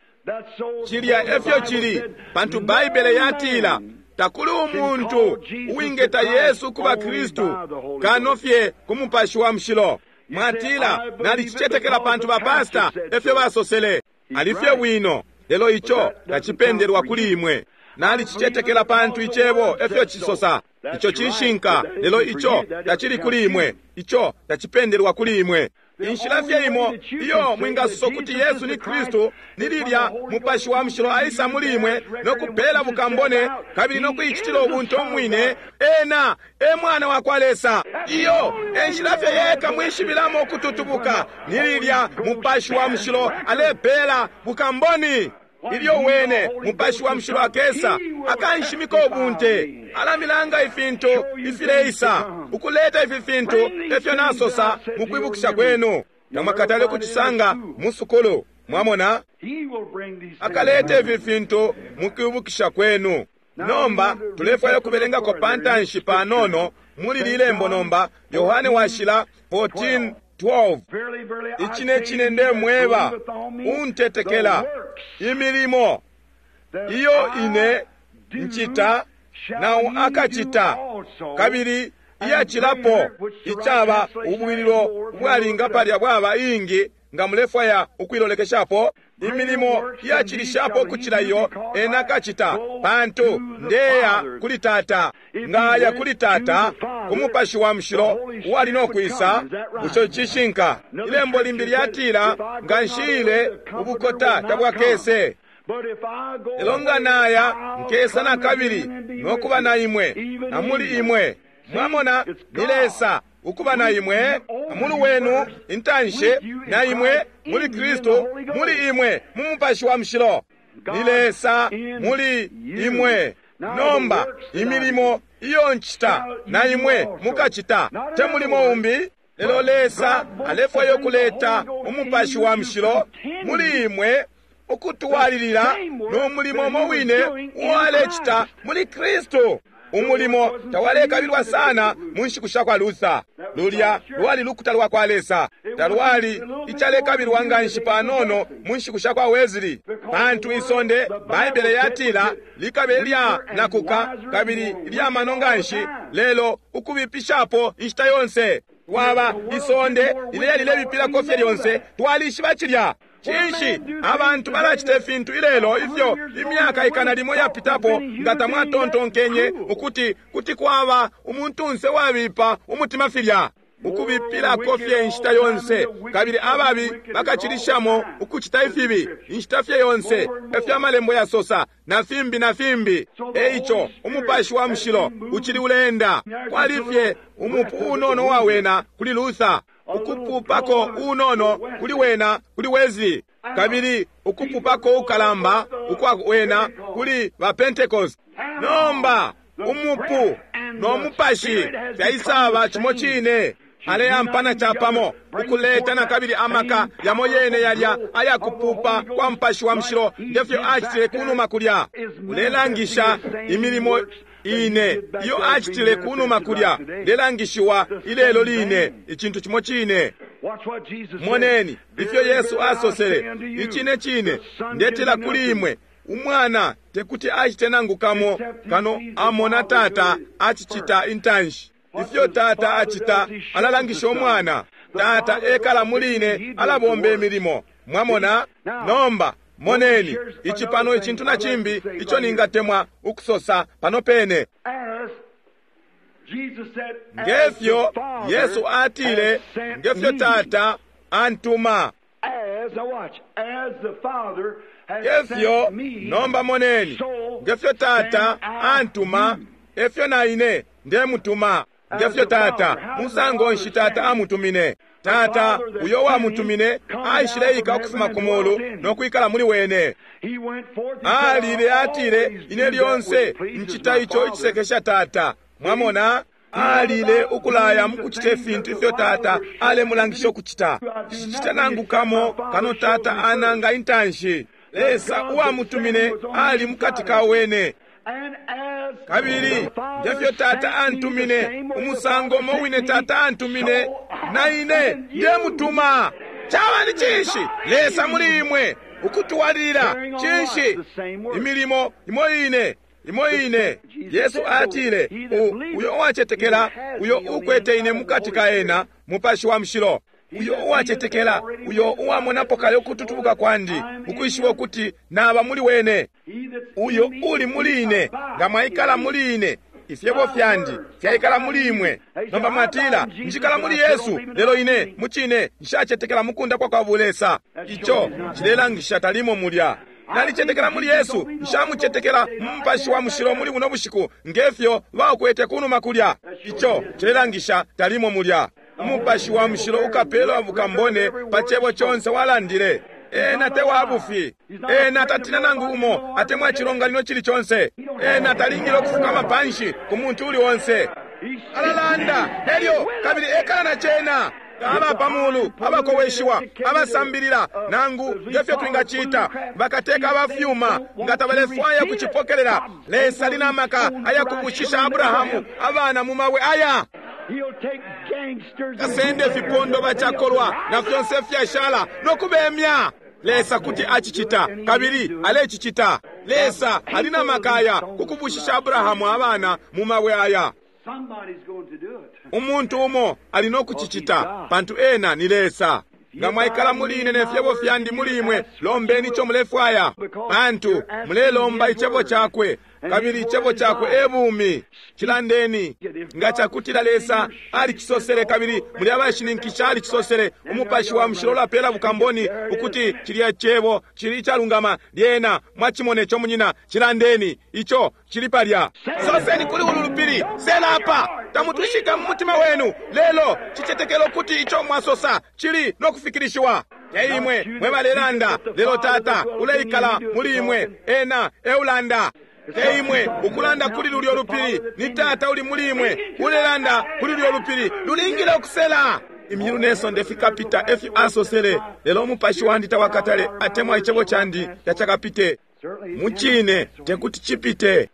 B: Cilya efyo cili, pantu Baibele yatila takuli umuntu uwingeta Yesu kuba Kristu kano fye ku Mupashi wa Mushilo. Mwatila, nalicicetekela pantu ba pasta efyo basosele. Alifye bwino, lelo ico tacipendelwa kuli imwe. Nalicicetekela pantu icebo efyo cisosa. Ico cishinka, lelo ico tacili kuli imwe. Ico tacipendelwa kuli imwe. Inshila fye imo iyo mwingasosa ukuti Yesu ni Kristu ni lilya Mupashi wa Mushilo aisa muli imwe no kupela bukambone kabili no kuicitila ubuntu umwine, ena e Mwana wa kwa Lesa. Iyo e nshila fye yeka mwishibilamo ukututubuka, ni lilya Mupashi wa Mushilo alepela bukamboni. Ilyo wene Mupashi wa Mushilo akesa, akanshimika ubunte, alamilanga ifintu ifileisa, ukuleta ifi fintu efyo nasosa mukwibukisha kwenu. Tamwakatale kucisanga mu sukulu, mwamona? Akaleta ifi fintu mukwibukisha kwenu. Nomba tulefwaya ukubelengako pantanshi panono muli lilembo nomba, Yohane Washila 14:12. Icine cine ndemweba, untetekela, imilimo iyo ine ncita nao akacita, kabili iyacilapo, icaba ubwililo ubwalinga palya bwaba ingi. nga mulefwaya ukuilolekeshapo. Imilimo iyacilishapo ukucila iyo ena akacita, pantu ndeya kuli Tata. Nga aya kuli Tata, ku Mupashi wa Mushilo uwali no kwisa. Bushe cishinka? Ilembo limbi lyatila, nga nshiile, ubukota tabwakese. Lelo nga naya, nkesa na kabili no kuba na imwe na muli imwe. Mwamona, ni Lesa ukuba na imwe, muli wenu intanshi, na imwe muli Kristu, muli imwe mu Mupashi wa Mushilo. Ni Lesa muli imwe. Nomba imilimo iyo ncita na imwe mukacita, te mulimo umbi. Lelo Lesa alefwaya ukuleta Umupashi wa Mushilo muli imwe, ukutwalilila no mulimo umo wine uwalecita muli Kristu. Umulimo tawalekabilwa sana mu nshiku sha kwa Luther. Lulya lwali lukuta lwa kwa Lesa. Talwali icalekabilwa nga nshi panono mu nshiku sha kwa Wesley, pantu isonde, Baibele yatila, likabe lya nakuka kabili lya mano nga nshi, lelo ukubipishapo inshita yonse. Twaba isonde lileya lilebipilako fye lyonse, twalishiba cilya. Cinshi abantu balacita ifintu ilelo ifyo imyaka 100 yapitapo nga tamwatontonkenye ukuti kuti kwaba umuntunse wabipa umutima filya? Ukubipilako fye inshita yonse, kabili ababi bakacilishamo ukucita ifibi inshita fye yonse, efyo amalembo yasosa, na fimbi na fimbi. Eico Umupashi wa Mushilo ucili uleenda. Kwali fye umupu unono wawena kuli Luther, ukupupako unono kuli wena kuli Wesley, kabili ukupupako ukalamba ukwa wena kuli ba Pentecost. Nomba umupu no mupashi fyaisaba cimo cine, aleampana capamo ukuleta na kabili amaka yamo yene yalya ayakupupa kwa Mupashi wa Mushilo ngefyo acitile kunuma kulya. Ulelangisha imilimo ine iyo acitile kunuma kulya, lelangishiwa ilelo line, icintu cimo cine. Moneni ifyo Yesu asosele, icine cine ndetila kuli imwe, Umwana tekuti acite nangu kamo kano amona Tata acicita intanshi. Ifyo Tata acita alalangisha Umwana. Tata ekala muli ine, alabomba imilimo. Mwamona? Nomba moneni ici pano icintu na cimbi ico ningatemwa ukusosa pano pene. Ngefyo Yesu atile, ngefyo Tata antuma. Ngefyo, nomba moneni, ngefyo Tata antuma, efyo na ine ndemutuma. Ngefyo Tata, musango nshi Tata amutumine? Tata uyo wamutumine aishileika ukufuma ku mulu no kwikala muli wene. Alile atile, ine lyonse ncita ico icisekesha Tata. Mwamona? Alile ukulaya mukucita ifintu ifyo Tata alemulangisha ukucita. Cicita nangu kamo kano Tata ananga intanshi. Lesa uwamutumine ali mukati ka wene. Kabili ngefyo Tata antumine, umusango umo wine Tata antumine, na ine ndemutuma. Caba ni cinshi? Lesa muli imwe ukutwalilila. Cinshi? Imilimo imo ine, imo ine. Yesu atile, uyo uwacetekela, uyo ukwete ine mukati ka ena, Mupashi wa Mushilo. Uyo uwacetekela, uyo uwamonapo kale ukututubuka kwandi, ukwishiba ukuti naba muli wene. Uyo uli muli ine, nga mwaikala muli ine, ifyebo fyandi fyaikala muli imwe. Nomba mwatila, njikala muli Yesu, lelo ine mucine nshacetekela mukunda kwa Bulesa. Ico cilelangisha talimo mulya. Nalicetekela muli Yesu, nshamucetekela mu Mupashi wa Mushilo muli buno bushiku ngefyo bakwete kunuma kulya. Ico cilelangisha talimo mulya. Umupashi wa Mushilo ukapelwa bukambone pa cebo conse walandile. Ena te wabufi. Ena tatina nangu umo atemwa chilonganino chili chonse. Ena talingile ukufukama panshi ku muntu uli onse. Alalanda elyo kabili ekala na cena. Aba pamulu, abakoweshiwa, abasambilila nangu ngefyo twingacita, bakateka abafyuma nga tabalefwaya kucipokelela. Lesa ali na maka ayakubushisha Abrahamu abana mu mabwe aya. Kasende fipondo bachakolwa na fyonse fyashala nokubemya. Lesa kuti acicita kabili alecicita. Lesa ali na maka aya kukubushisha Abrahamu abana mu mabwe aya. Umuntu umo ali no kucicita pantu ena ni Lesa. Nga mwaikala muli ine ne fyebo fyandi muli imwe, lombeni ico mulefwaya, pantu mulelomba icebo cakwe, kabili icebo cakwe e bumi. Cilandeni. Nga cakutila Lesa alicisosele kabili muli abashininkisha alicisosele, Umupashi wa Mushilo ulapela bukamboni ukuti cilya cebo cili icalungama, lyena mwacimone co, munyina, cilandeni. Ico cili palya. Soseni kuli ulu lupili, sela apa. Tamutwishika mu mutima wenu, lelo cicetekelo kuti ico mwasosa cili no kufikilishiwa. Te imwe mwe balelanda, lelo Tata uleikala muli imwe, ena eulanda. Te imwe ukulanda kuli lulyo lupili, ni Tata uli muli imwe ulelanda kuli lulyo lupili, lulingile ukusela. Imyulu ne sonde fikapita, efyo asosele, lelo umupashi wandi tawakatale atemwa icebo candi tacakapite. Mucine tekuti cipite.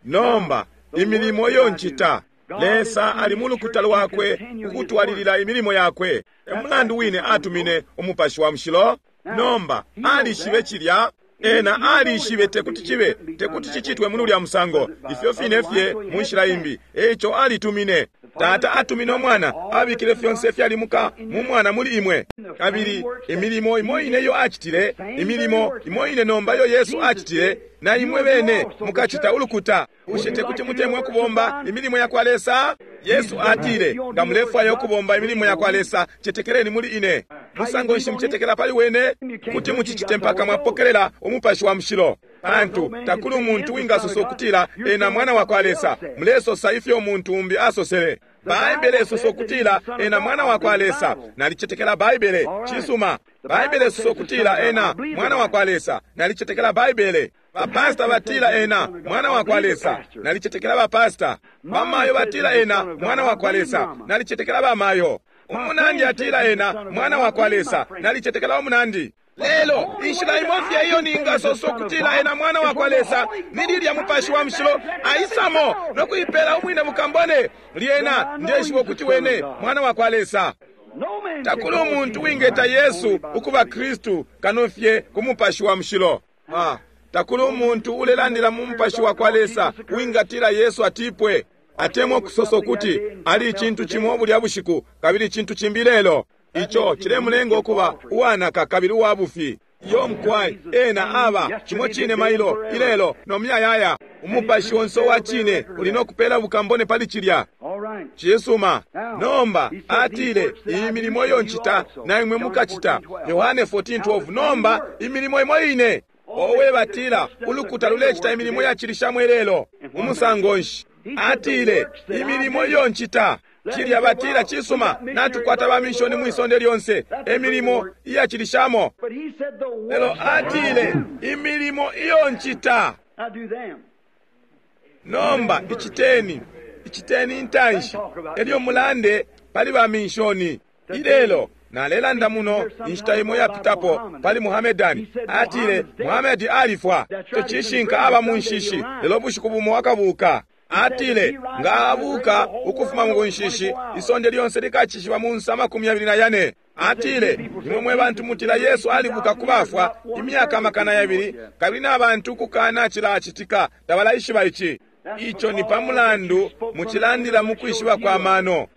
B: Nomba imilimo iyo ncita, Lesa ali mu lukuta lwakwe ukutwalilila imilimo yakwe. E mulandu wine atumine Umupashi wa Mushilo. Nomba alishibe cilya. Ena alishibe tekuti cibe, tekuti cicitwe muli ulya musango, ifyo fine fye mu nshila imbi. Eico alitumine. Tata atumine Umwana, abikile fyonse ifyalimuka mu Mwana muli imwe. Kabili imilimo imo ine iyo acitile, imilimo imo ine nomba iyo Yesu acitile, na imwe bene mukacita ulukuta. Bushe tekuti mutemwe ukubomba imilimo ya kwa Lesa? Yesu atile, nga mulefwaya ukubomba imilimo ya kwa Lesa, cetekeleni muli ine. Musango nshi mucetekela pali wene? Kuti mucicite mpaka mwapokelela Umupashi wa Mushilo. Pantu takuli umuntu wingasosa ukutila ena mwana wa kwa Lesa. Mulesosa ifyo umuntu umbi asosele. Baibele isosa ukutila ena mwana wa kwa Lesa. Nalicetekela Baibele. Cisuma. Baibele isosa ukutila ena mwana wa kwa Lesa. Nalicetekela Baibele. Bapasta batila ena mwana wa kwa Lesa. Nalicetekela bapasta. Bamayo batila ena mwana wa kwa Lesa. Nalicetekela bamayo. Umunandi atila ena mwana wa kwa Lesa. Nalicetekela umunandi. Lelo inshila imo fye iyo ningasosa ukutila ena mwana wa kwa Lesa ni lilya Mupashi wa Mushilo aisamo no kuipela umwine mukambone, lyena ndeshiba ukuti wene mwana wa kwa Lesa. Takuli umuntu wingeta Yesu ukuba Kristu kano fye ku Mupashi wa Mushilo. Takuli umuntu ulelandila mu Mupashi wa kwa Lesa wingatila Yesu atipwe, atemwa ukusosa ukuti ali icintu cimo bulya bushiku kabili icintu cimbi lelo. Ico cilemulenga ukuba uwanaka kabili uwa bufi. Iyo mukwai, ena aba cimo cine mailo, ilelo, no muyayaya. Umupashi onse uwa cine uli no kupela bukambone pali cilya. Cisuma. Nomba atile, iyi milimo iyo ncita na imwe mukacita. Yohane 14:12. Nomba imilimo imo ine. Owe, batila ulukuta lulecita imilimo yacilishamo ilelo. Umusango nshi? Atile, imilimo iyo ncita. Cilya batila, cisuma, natukwata ba mishoni mwisonde lyonse, emilimo iyacilishamo. Lelo atile, imilimo iyo ncita. Nomba iciteni, iciteni intanshi, elyo mulande pali ba mishoni. Ilelo nalelanda muno inshita imo yapitapo pali Muhamedani. Atile Muhamedi alifwa. Ico cishinka, aba mu nshishi, lelo bushiku bumo akabuka. Atile nga abuka ukufuma mu nshishi, isonde lyonse likacishiba mu nsa 24. Atile imwe mwe bantu mutila Yesu alibuka ku bafwa imyaka 200, kabili na bantu kukana cilacitika tabalaishiba ici. Ico ni pa mulandu mucilandila mu kwishiba kwa mano,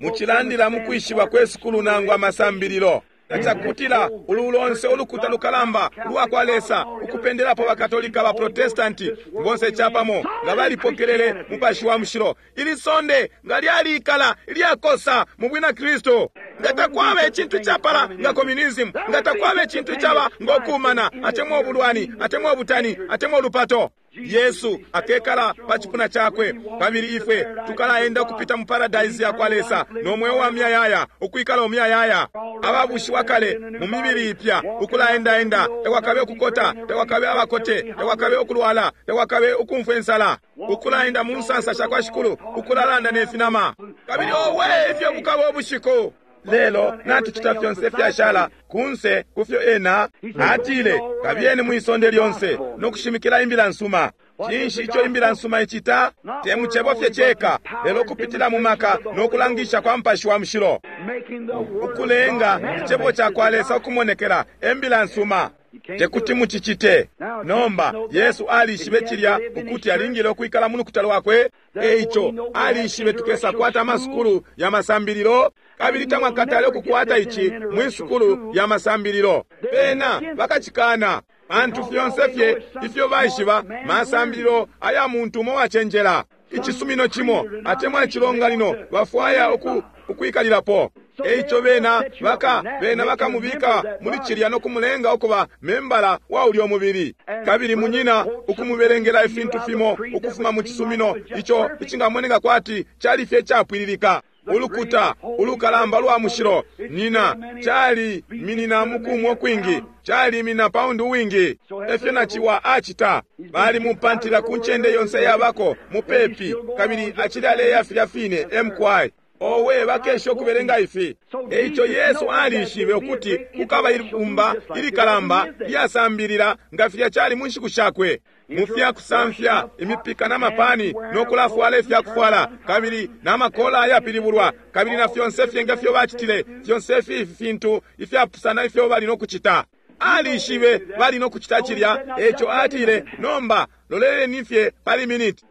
B: mucilandila mu kwishiba kwe sukulu nangu amasambililo. Cakutila ulu lonse ulukuta lukalamba lwa kwa Lesa ukupendelapo bakatolika, ba Protestanti bonse capamo nga balipokelele Mupashi wa Mushilo, ili sonde nga lyalikala ilyakosa mu bwina Kristu. Nga takwaba icintu icapala nga communism, nga takwaba icintu icaba ngo kumana, atemwa ubulwani, atemwa ubutani, atemwa ulupato. Yesu akekala pa cipuna cakwe, kabili ifwe tukalaenda ukupita mu paradise ya kwa Lesa no mweo wa muyayaya, ukwikala umuyayaya, ababushiwa kale mu mibili ipya, ukulaendaenda. Takwakabe ukukota, takwakabe abakote, takwakabe ukulwala, takwakabe ukumfwa insala, ukulaenda mu nsansa sha kwa Shikulu, ukulalanda ne finama. Kabili owe, ifyo bukaba ubushiku! Lelo natucita fyonse fyashala kunse kufyo ena atile, kabiyeni mwisonde lyonse no kushimikila imbila nsuma. Cinshi ico imbila nsuma icita? Te mucebo fye ceka, lelo kupitila mu maka no kulangisha kwa Mupashi wa Mushilo, ukulenga icebo ca kwa Lesa ukumonekela, imbila nsuma. Tekuti mucicite. Nomba, Yesu alishibe cilya ukuti alingile ukwikala mu lukuta lwakwe. Eico, alishibe tukesa kwata amasukulu ya masambililo, kabili tamwakatale ukukwata ici mwi sukulu ya masambililo. Bena bakacikana. Pantu fyonse fye ifyo baishiba masambililo aya muntu umo wacenjela. Icisumino cimo atemwa icilonganino bafwaya ukwikalilapo. Eico bena baka bena bakamubika muli cilya no kumulenga ukuba membala wa ulyo mubili. Kabili munyina ukumubelengela ifintu fimo ukufuma mu cisumino ico icingamoneka kwati cali fye capwililika. Ulukuta ulukalamba lwa mushilo nina cali minina mukumwo kwingi cali mina paundi uwingi. Efyo naciwa acita bali mupantila ku ncende yonse yabako mupepi kabili acili aleya filya fine mqi. Owe bakesha ukubelenga ifi. Eico Yesu alishibe ukuti kukaba ibumba ilikalamba lyasambilila nga filya cali mu nshiku shakwe. Mu fya kusamfya imipika na mapani no kulafwala ifya kufwala kabili na makola ayapilibulwa kabili na fyonse fye nga fyo bacitile fyonse fye ifi fintu ifyapusana ifyo bali no kucita. Alishibe bali no kucita cilya, eico atile nomba loleleni fye pali miniti.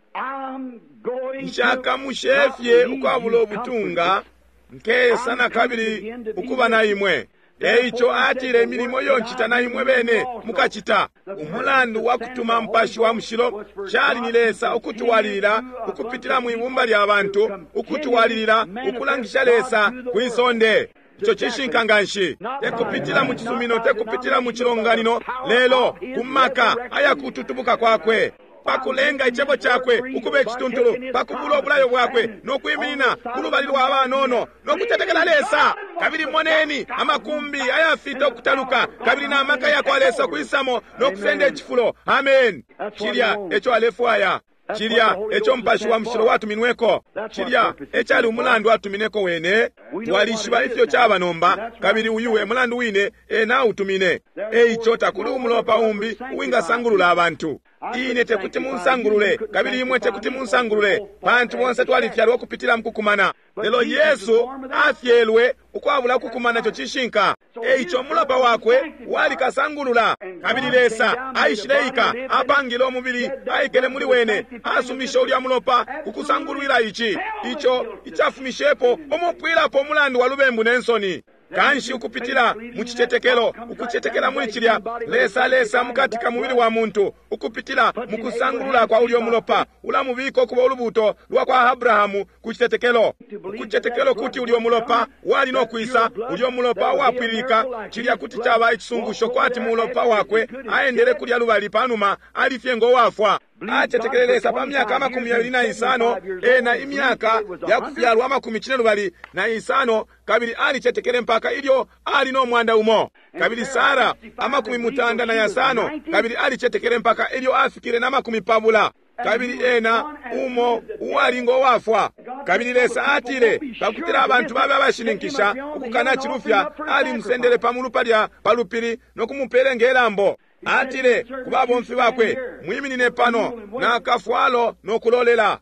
B: Nshakamushefye ukwabula ubutunga nkesa na kabili ukuba na imwe. Eico atile imilimo iyo ncita na imwe bene mukacita. Umulandu wa kutuma Mupashi wa Mushilo cali ni Lesa ukutwalilila ukupitila mu ibumba lya bantu, ukutwalilila ukulangisha Lesa kwi sonde. Ico cishinka nganshi. Tekupitila mu cisumino, tekupitila mu cilonganino, lelo ku maka ayakututubuka kwakwe. Pakulenga icebo cakwe ukuba icituntulu, pakubula obulayo bwakwe no kwiminina ku lubali lwa banono no kutetekela Lesa. Kabili moneni amakumbi ayafita ukutaluka kabili na maka ya kwa Lesa kwisamo no kusenda icifulo. Amen. Cilya eco alefwaya. Cilya eco Mupashi wa Mushilo watuminweko. Cilya ecali umulandu atumineko wene. Twalishiba ifyo caba nomba, kabili uyu e mulandu wine ena autumine. Eico takuli umulopa umbi uwingasangulula abantu. Ine tekuti munsangulule, kabili imwe tekuti munsangulule, pantu bonse twalifyalwa ukupitila mukukumana. Lelo Yesu afyelwe ukwabula ukukumana, ico cishinka. Eico umulopa wakwe walikasangulula, kabili Lesa aishileika, apangile umubili, aikele muli wene, asumishe ulya mulopa kukusangulwila ici, ico icafumishepo umupwilapo umulandu wa lubembu ne nsoni. Kanshi ukupitila mu cicetekelo, ukucetekela muli cilya, Lesa Lesa mukati ka mubili wa muntu, ukupitila mu kusangulula kwa ulyo mulopa, ulamubika ukuba ulubuto lwa kwa Abrahamu ku citetekelo. Ukucetekelo kuti ulyo mulopa wali no kwisa, ulyo mulopa wapwililika, cilya kuti caba icisungusho kwati mulopa wakwe aendele kulya lubali panuma alifye ngo wafwa. Acetekele Lesa pa myaka 25, ena imyaka ya kufyalwa 25, kabili alicetekele mpaka ilyo ali no mwanda umo. Kabili Sara 95, kabili alicetekele mpaka ilyo afikile na 20. Kabili ena umo uwali ngo wafwa. Kabili Lesa atile pakutila abantu babe abashininkisha ukukana cilufya, alimusendele pa mulu palya pa lupili no kumupele ngelambo. Atile ku babomfi bakwe, mwiminine pano na kafwalo no kulolela.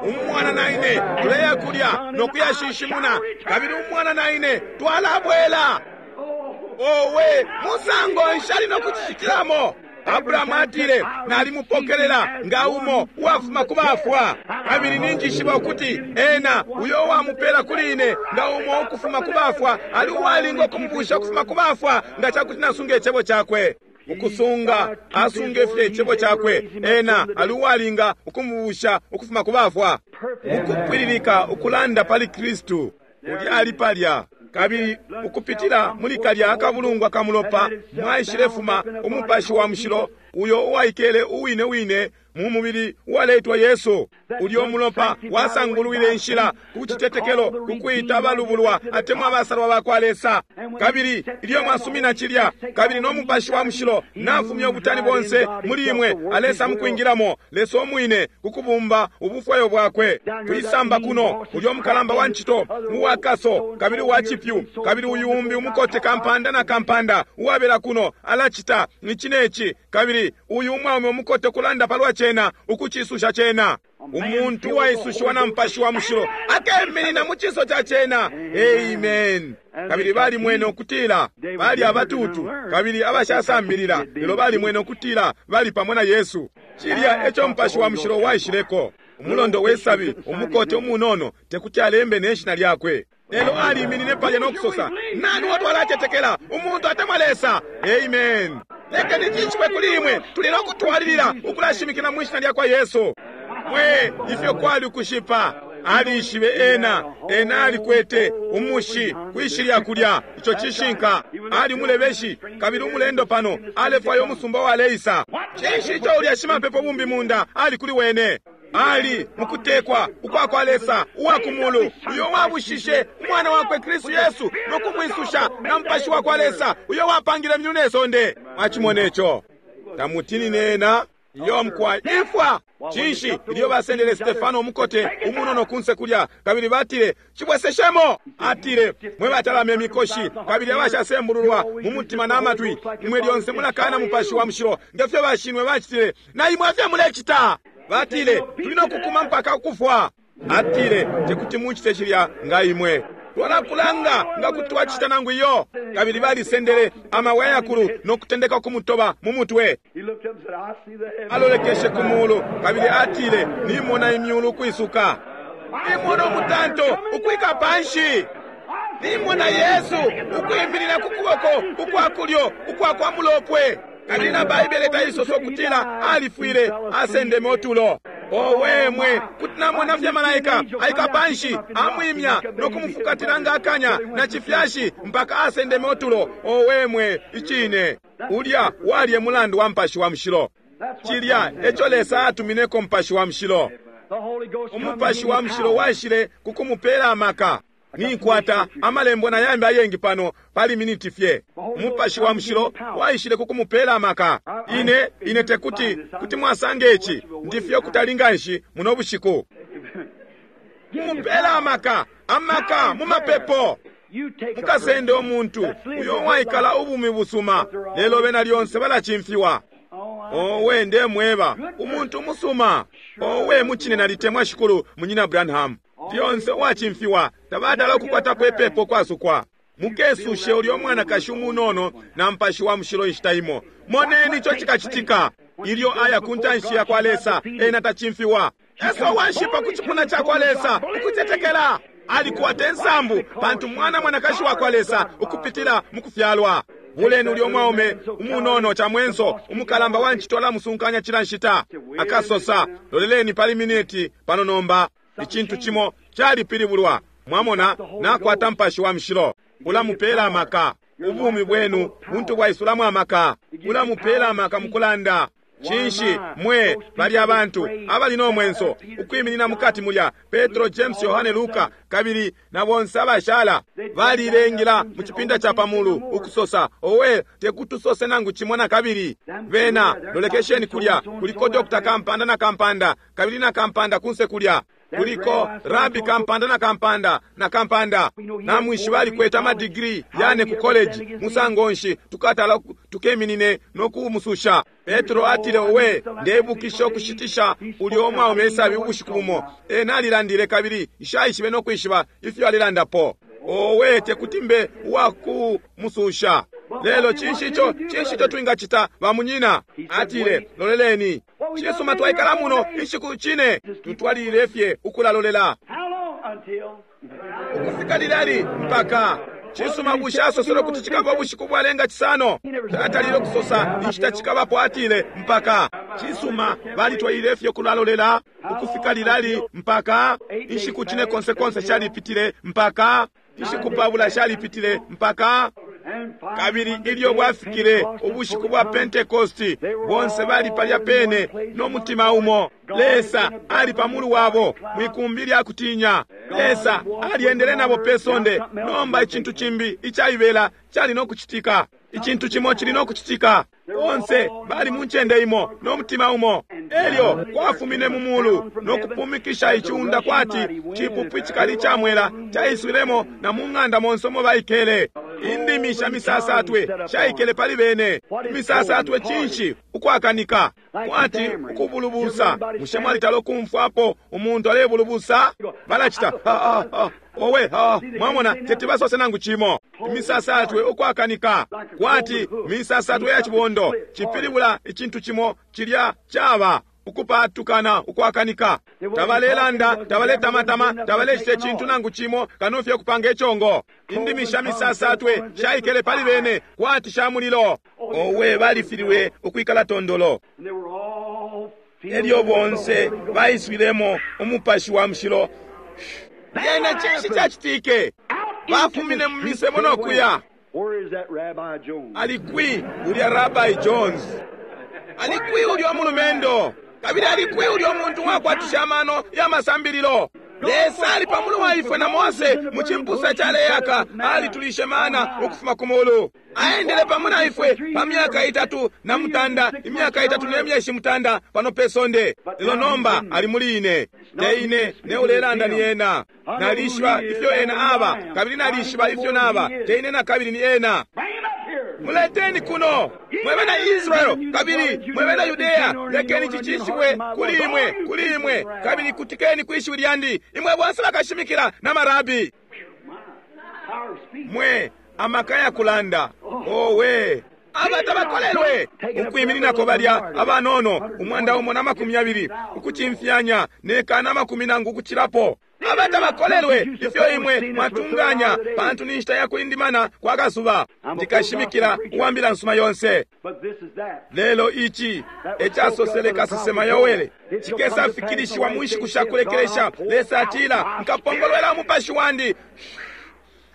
B: Umwana na ine tuleya kulya no kuyashishimuna, kabili umwana na ine twalabwela. Owe, musango nshali no kucicitilamo. Abrahamu atile, nalimupokelela nga umo uwafuma ku bafwa, kabili ninjishiba ukuti ena uyo uwamupela kuli ine nga umo ukufuma ku bafwa ali uwalinga ukumubusha ukufuma ku bafwa nga cakuti nasunga icebo cakwe. Ukusunga asunge fye icebo cakwe, ena ali uwalinga ukumubusha ukufuma ku bafwa. Ukupwililika ukulanda pali Kristu ulya ali palya. Kabili ukupitila muli kalya akabulungwa ka mulopa mwaishilefuma Umupashi wa Mushilo uyo uwaikele uwine wine mu mubili uwaleitwa Yesu. Ulyo mulopa wasangulwile inshila ku citetekelo kukwita abalubulwa atemwa abasalwa bakwa Lesa. Kabili ilyo mwasumina cilya, kabili no Mupashi wa Mushilo nafumya ubutani bonse muli imwe, alesa mukwingilamo Lesa umwine kukubumba ubufwayo bwakwe. Kwisamba kuno ulyo mukalamba wa ncito uwakaso kabili uwa cipyu, kabili uyu umbi umukote kampanda na kampanda uwabela kuno alacita ici neci, kabili uyu umwaume umukote kulanda palwa cena, ukucisusha cena. Umuntu uwaisushiwa na Mupashi wa Mushilo akeminina mu ciso ca cena. Amen. Kabili balimwene ukutila bali abatutu kabili abashasambilila, lelo balimwene ukutila bali pamo na Yesu. Cilya eco Mupashi wa Mushilo waishileko. Umulondo we sabi, umukote umunono, tekuti alembe ne shina lyakwe, lelo aliminine palya no kusosa, Nani uo twalacetekela, umuntu atemwa Lesa? Amen. Lekeni cishibwe kuli imwe, tuli no kutwalilila ukulashimikila mwi shina lyakwa Yesu. Mwe, ifyo kwali ukushipa! Alishibe ena, ena alikwete umushi kwishilya kulya. Ico cishinka. Ali umulebeshi kabili umulendo pano, alefwaya umusumba waleisa. Cinshi ico ulya shimapepo bumbi munda ali kuli wene? Ali mukutekwa ukwa kwa Lesa uwa ku mulu, uyo wabushishe umwana wakwe Kristu Yesu no kumwisusha na Mupashi wa kwa Lesa, uyo wapangile myulu ne sonde. Mwacimone ico. Tamutinine ena. Iyo mukwai, imfwa! Cinshi ilyo basendele Stefano umukote umunono kunse kulya, kabili batile, Cibweseshemo! Atile, Mwe batalama imikoshi kabili abashasembululwa mu mutima na matwi, imwe lyonse mulakana Mupashi wa Mushilo nge fyo bashinwe bacitile, na imwe efyo mulecita! Batile, Tuli no kukuma mpaka ukufwa. Atile, Tekuti mucite cilya nga imwe. Twalakulanga nga kuti twacita nangu iyo. Kabili balisendele amabwe ayakulu no kutendeka ukumutoba mu mutwe. Alolekeshe ku mulu kabili atile, Nimona imyulu ukwisuka. Nimona umutanto ukwika panshi. Nimona Yesu ukwiminina ku kuboko ukwa kulyo ukwa kwa Mulopwe. Kabili na Baibele taisosa ukutila alifwile, asendeme utulo. Owe mwe, kuti namona fye malaika aika panshi, amwimya no kumufukatila nga akanya na cifyashi mpaka asendeme utulo. Owe mwe, icine ulya wali e mulandu wa Mupashi wa Mushilo. Cilya eco Lesa atumineko Mupashi wa Mushilo. Umupashi wa Mushilo waishile ku kumupela amaka. Ninkwata amalembo na yambi ayengi pano pali miniti fye. Umupashi wa Mushilo waishile ku kumupela amaka. Ine, ine tekuti, kuti mwasanga ici. Ndi fye ukutali nganshi muno bushiku. Kumupela amaka, amaka mu mapepo. Mukasende umuntu uyo uwaikala ubumi busuma, lelo bena lyonse balacimfiwa. Owe, ndemweba, umuntu umusuma. Owe, mucine nalitemwa Shikulu, Munyina Branham. Lyonse uwacimfiwa, tabatala ukukwatapo ipepo kwasukwa. Mukesushe ulyo mwanakashi umunono na Mupashi wa Mushilo inshita imo. Moneni ico cikacitika. Ilyo aya ku ntanshi ya kwa Lesa, ena tacimfiwa. Yesu uwashipa ku cipuna ca kwa Lesa, ukutetekela. Alikwata insambu, pantu mwana mwanakashi wa kwa Lesa ukupitila mu kufyalwa. Buleni ulyo mwaume umunono camwenso, umukalamba wa ncito alamusunkanya cila nshita. Akasosa, Loleleni pali miniti pano nomba. Icintu cimo calipilibulwa. Mwamona, nakwata Mupashi wa Mushilo. Ulamupela amaka. Ubumi bwenu buntu bwaisulamo amaka. Ulamupela amaka mukulanda. Cinshi, mwe, balya abantu abali no mwenso ukwiminina mukati mulya, Petro, James, Yohane, Luka, kabili na bonse abashala, balilengila mu cipinda ca pa mulu, ukusosa, Owe, tekuti tusose nangu cimo na kabili. Bena, lolekesheni kulya, kuliko Doctor Kampanda na kampanda, kabili na kampanda kunse kulya. Kuliko Rabi Kampanda na kampanda na kampanda. Namwishiba alikwete amadigiri yane ku college. Musango nshi tukatala tukeminine no kumususha? Petro atile, Owe, ndebukisha ukushitisha ulyo umwaume isabi ubushiku bumo. Ena alilandile kabili nshaishibe no kwishiba ifyo alilandapo. Owe, tekuti mbe uwakumususha. Lelo cinshi ico, cinshi ico twingacita, ba munyina? Atile, Loleleni. Cisuma, twaikala muno inshiku cine. Tutwalilile fye ukulalolela. Ukufika lilali? Mpaka. Cisuma, bushe asosele ukuti cikaba ubushiku bwalenga cisano? Tatalile ukusosa inshita cikabapo, atile mpaka. Cisuma, balitwalilile fye ukulalolela. Ukufika lilali? Mpaka. Inshiku cine konse konse shalipitile mpaka. Inshiku 20 shalipitile mpaka. Kabili ilyo bwafikile ubushiku bwa Pentekosti, bonse bali palya pene no mutima umo. Lesa ali pa mulu wabo mwikumbi lya kutinya. Lesa alyendele nabo pe sonde. Nomba icintu cimbi icaibela cali no kucitika. Icintu cimo cili no kucitika. Bonse bali mu ncende imo no mutima umo. Elyo kwafumine mu mulu no kupumikisha iciunda kwati cipupu icikali ca mwela Caiswilemo na mu ng'anda monse umo baikele. Indimi sha misasatwe shaikele pali bene. Imisasatwe cinshi? Ukwakanika. Kwati ukubulubusa. Bushe mwalitala ukumfwapo umuntu alebulubusa? Balacita ha ha ha. Owe ha, mwamona teti basose nangu cimo. Imisasatwe ukwakanika. Kwati misasatwe ya cibondo. Cipilibula icintu cimo cilya caba ukupatukana ukwakanika. Tabalelanda, tabaletamatama, tabalecita icintu nangu cimo kano fye kupanga icongo. Indimi sha misasatwe shaikele pali bene kwati sha mulilo. Owe balifililwe ukwikala tondolo.
A: And they were all filled
B: Elyo
A: with the
B: bonse
A: Holy Ghost.
B: baiswilemo umupashi wa mushilo. Lyena cinshi cacitike?
A: Out into
B: Bafumine
A: the
B: mu
A: streets
B: misebo
A: they
B: no
A: went.
B: kuya.
A: Where is that Rabbi Jones?
B: Alikwi ulya Rabbi Jones? Alikwi ulya mulumendo? Kabili alikwi ulya muntu wakwatisha amano ya masambililo? Lesa ali pamulu wa ifwe na Mose mu cimpusa caleyaka alitulishe mana ukufuma ku mulu. Aendele pamo na ifwe pa myaka itatu na mutanda, imyaka itatu ne myeshi mutanda pano pe sonde. Lelo nomba ali muli ine, te ine ne ulelanda ni ena. Nalishiba ifyo ena aba, kabili nalishiba ifyo naba, te ine na kabili ni ena.
A: Bring him up here.
B: Muleteni kuno mwe bena Israel kabili mwe bena Yudeya, lekeni cicishibwe kuli imwe, kuli imwe, kabili kutikeni kwishiwi lyandi, imwe bonse bakashimikila na marabi.
A: Power of speech.
B: Mwe amaka ya kulanda owe aba tabakolelwe ukwimininako balya abanono umwanda umo na makumi yabili ukucimfyanya nekana amakumi nangu ukucilapo. Aba tabakolelwe ifyo imwe mwatunganya, pantu ni nshita ya kulindimana kwa kasuba. Ndikashimikila uwambila nsuma yonse.
A: But this is that.
B: Lelo ici ecasosele kasesema Yowele cikesafikilishiwa mu nshiku sha kulekelesha. Lesa atila, nkapongolwela umupashi wandi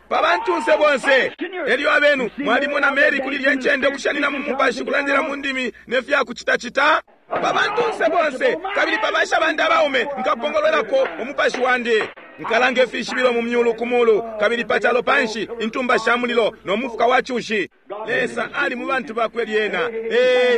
B: pa bantunse bonse. Elyo abenu mwalimona Mary kuli lye ncende ukushanina mu mupashi kulandila mu ndimi ne fya kucitacita pa bantunse bonse, kabili pa basha bandi abaume nkapongolwelako umupashi wandi. Nkalanga ifishibilo mu myulu ku mulu, kabili pa calo panshi intumba sha mulilo no mufuka wa cushi. Lesa ali mu bantu bakwe lyena.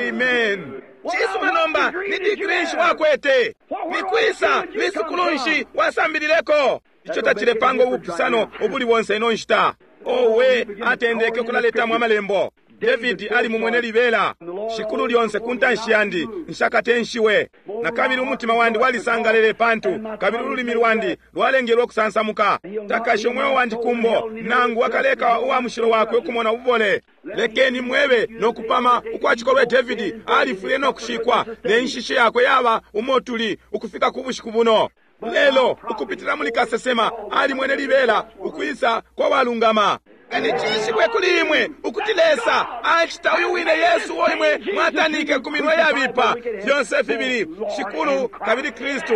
B: Amen. Cisuma nomba, ni digiri nshi wakwete? Ni kwisa lisukulu nshi wasambilileko? Ico tacilepanga ubupusano ubuli bonse ino nshita. Owe atendeke ukulaletamo amalembo. Davidi ali mumwene libela, shikulu lyonse ku ntanshi yandi nshakatenshiwe. Na kabili umutima wandi walisangalele pantu kabili ululimi lwandi lwalengelwe ukusansamuka. Takashe umweo wandi kumbo, nangu akaleka uwa mushilo wakwe ukumona ububole. Lekeni mwebe no kupama ukwa cikolwe Davidi alifwile no kushikwa, ne nshishi yakwe yaba umo tuli ukufika ku bushiku buno. Lelo ukupitila muli kasesema alimwene libela ukwisa kwa walungama. Kani cishibwe kuli imwe ukuti Lesa acita uyu wine Yesu uo imwe mwatanike ku minwe yabipa. Fyonse fibili Shikulu kabili Kristu.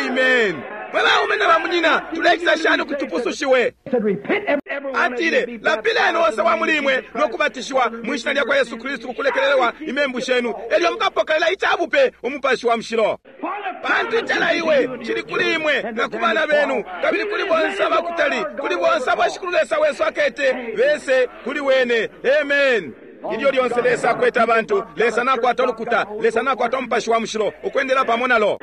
B: Amen. Mwe baume na bamunyina, tulecita shani ukuti tupusushiwe?
A: Said, repent every one of you
B: Atile,
A: be
B: lapileni
A: baptized
B: onse wa muli imwe no kubatishiwa mu ishina lya kwa Yesu Kristu kukulekelelwa imembu shenu, elyo mukapokelela icabupe umupashi wa mushilo.
A: For the
B: Pantu icalaiwe cili kuli imwe na ku bana benu, kabili kuli bonse abakutali, kuli bonse abo Shikulu Lesa wesu akete bese kuli wene. Amen. Ilyo lyonse Lesa akwete abantu, Lesa nakwata ulukuta, Lesa nakwata umupashi wa mushilo ukwendela pamo nalo.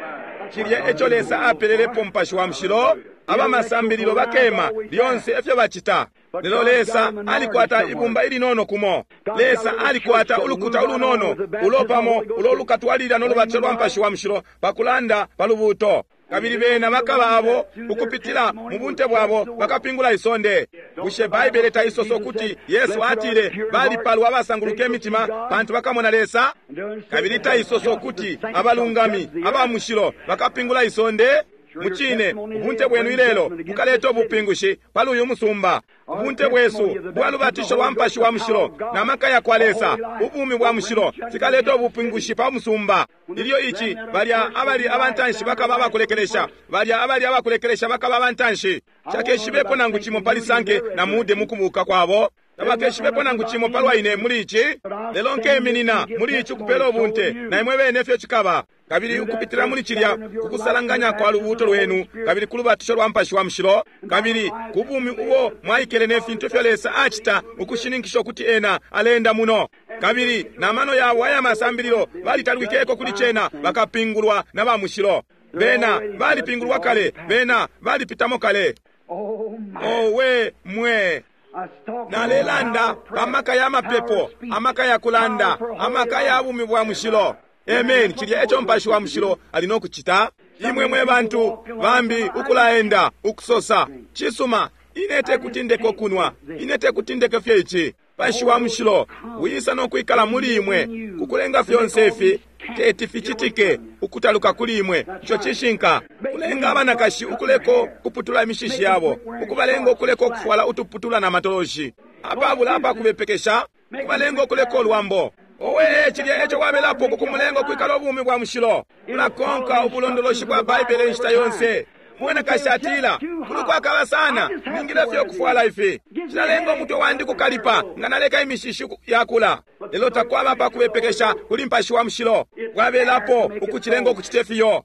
B: Cilya eco Lesa apelelepo umupashi wa mushilo, abamasambililo bakema lyonse efyo bacita. Lelo Lesa alikwata ibumba ilinono kumo. Lesa alikwata ulukuta ulunono ulo pamo ulo lukatwalilila no lubatso lwa mupashi wa mushilo pakulanda pa lubuuto. Kabili bena bakaba abo ukupitila mu bunte bwabo bakapingula isonde. Bushe Baibele taisosa ukuti Yesu atile balipalwa abasanguluka imitima pantu bakamona Lesa? Kabili taisosa ukuti abalungami aba mushilo bakapingula isonde? Mucine, ubunte bwenu ilelo bukaleta ubupingushi pali uyu musumba. Ubunte bwesu bwa lubatisho lwa mupashi wa mushilo na maka ya kwa Lesa, ubumi bwa mushilo fikaleta ubupingushi pa musumba. Ilyo ici balya abali abantanshi bakaba abakulekelesha, balya abali abakulekelesha bakaba abantanshi. Shakeshibepo nangu cimo pali Sanke na Mude mu kubuka kwabo. Tabakeshibepo nangu cimo palwa ine muli ici, lelo nkeminina muli ici ukupela ubunte, na imwe bene ifyo cikaba. Kabili ukupitila muli cilya kukusalanganya kwa lubuuto lwenu, kabili ku lubatisho lwa mupashi wa mushilo, kabili ku bumi ubo mwaikele ne fintu ifyo Lesa acita ukushininkisha ukuti ena alenda muno. Kabili na mano yabo aya masambililo balitalwikeko kuli cena, bakapingulwa na ba mushilo. Bena balipingulwa kale, bena balipitamo kale. Owe mwe! Nalelanda pa maka ya mapepo, amaka ya kulanda, amaka ya bumi bwa mushilo. Amen. Cilya eco Mupashi wa Mushilo ali no kucita. Imwe mwe bantu bambi ukulaenda ukusosa, cisuma, ine tekuti ndeke ukunwa, ine tekuti ndeke fye ici. Mupashi wa Mushilo wisa no kwikala muli imwe kukulenga fyonse ifi teti ficitike ukutaluka kuli imwe. Ico cishinka. Kulenga abanakashi ukuleko kuputula imishishi yabo, ukubalenga ukuleko kufwala utuputula na matoloshi apabula apakubepekesha, kubalenga ukuleko ulwambo. Owe, cilya eco wabelapo kukumulenga ukwikala ubumi bwa mushilo. Ulakonka ubulondoloshi bwa Baibele inshita yonse. Mwanakashi atila, kuli kwakaba sana, ningile fye ukufwala ifi. Cilalenga umutwe wandi kukalipa nga naleka imishishi yakula. Lelo takwaba pa kubepekesha kuli Mupashi wa Mushilo. Bwabelapo ukucilenga ukucite fiyo.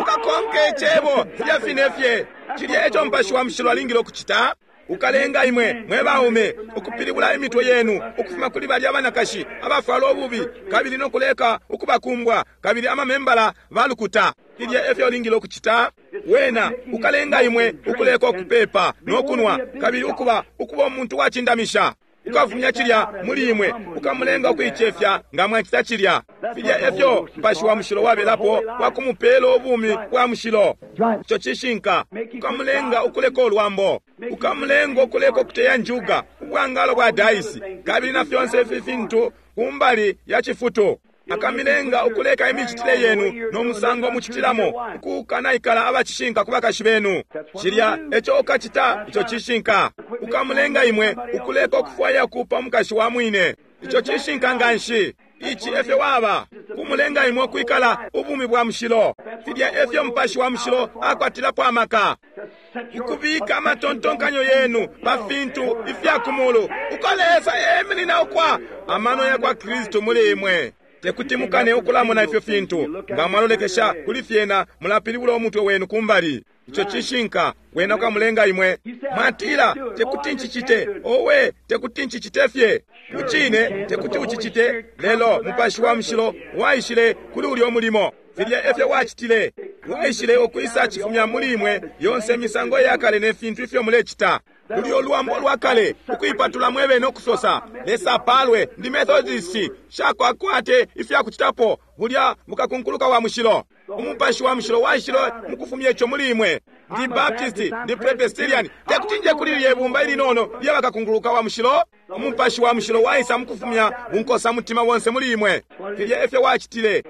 B: Ukakonke icebo filya fine fye. Cilya eco Mupashi wa Mushilo alingile ukucita. Ukalenga imwe mwe baume ukupilibula imitwe yenu ukufuma kuli balya abanakashi abafwala ububi kabili no kuleka ukubakumbwa kabili amamembala balukuta. Filya efyo ulingile ukucita. Wena ukalenga imwe ukuleka ukupepa no kunwa kabili ukuba ukuba umuntu wacindamisha. Ukafumya cilya muli imwe, ukamulenga ukuicefya nga mwacita cilya. Filya efyo Mupashi wa Mushilo wabelapo kwa kumupela ubumi bwa mushilo. Ico cishinka. Ukamulenga ukuleka ulwambo, ukamulenga ukuleka ukuteya njuga, ubwangalo bwa daisi, kabili na fyonse ifi fintu kumbali ya cifutu. Akamilenga ukuleka imicitile yenu no musango mucitilamo, ukukanaikala abacishinka ku bakashi benu. Cilya eco ukacita, ico cishinka. Ukamulenga imwe ukuleka ukufwaya ukuupa umukashi wa mwine. Ico cishinka nganshi. Ici efyo waba, kumulenga imwe ukwikala ubumi bwa mushilo. Filya efyo Mupashi wa Mushilo akwatilapo amaka, ukubika amatontonkanyo yenu pa fintu ifya ku mulu, uko Lesa eminina ukwa amano ya kwa Kristu muli imwe. Tekuti mukane ukulamona ifyo fintu. Nga mwalolekesha kuli fyena, mulapilibula umutwe wenu kumbali. Ico cishinka. Wena ukamulenga imwe. Mwatila, tekuti ncicite. Owe, tekuti ncicite fye. Mucine, tekuti ucicite. Lelo Mupashi wa Mushilo waishile kuli ulyo mulimo. Filya efyo wacitile. Waishile ukwisa cifumya muli imwe yonse imisango ya kale ne fintu ifyo mulecita. Ulyo lwambo lwa kale, ukuipatula mwebene ukusosa, Lesa apalwe, ndi Methodist, shakwakwate ifya kucitapo, bulya bukakunkuluka wa mushilo. Umupashi wa Mushilo waishile mukufumya ico muli imwe. Ndi Baptist, ndi Presbyterian, tekuti nje kuli lilye bumba ilinono lya bakakunkuluka wa mushilo. Umupashi wa Mushilo waisa mukufumya bunkosa mutima bonse muli imwe. Filya efyo wacitile.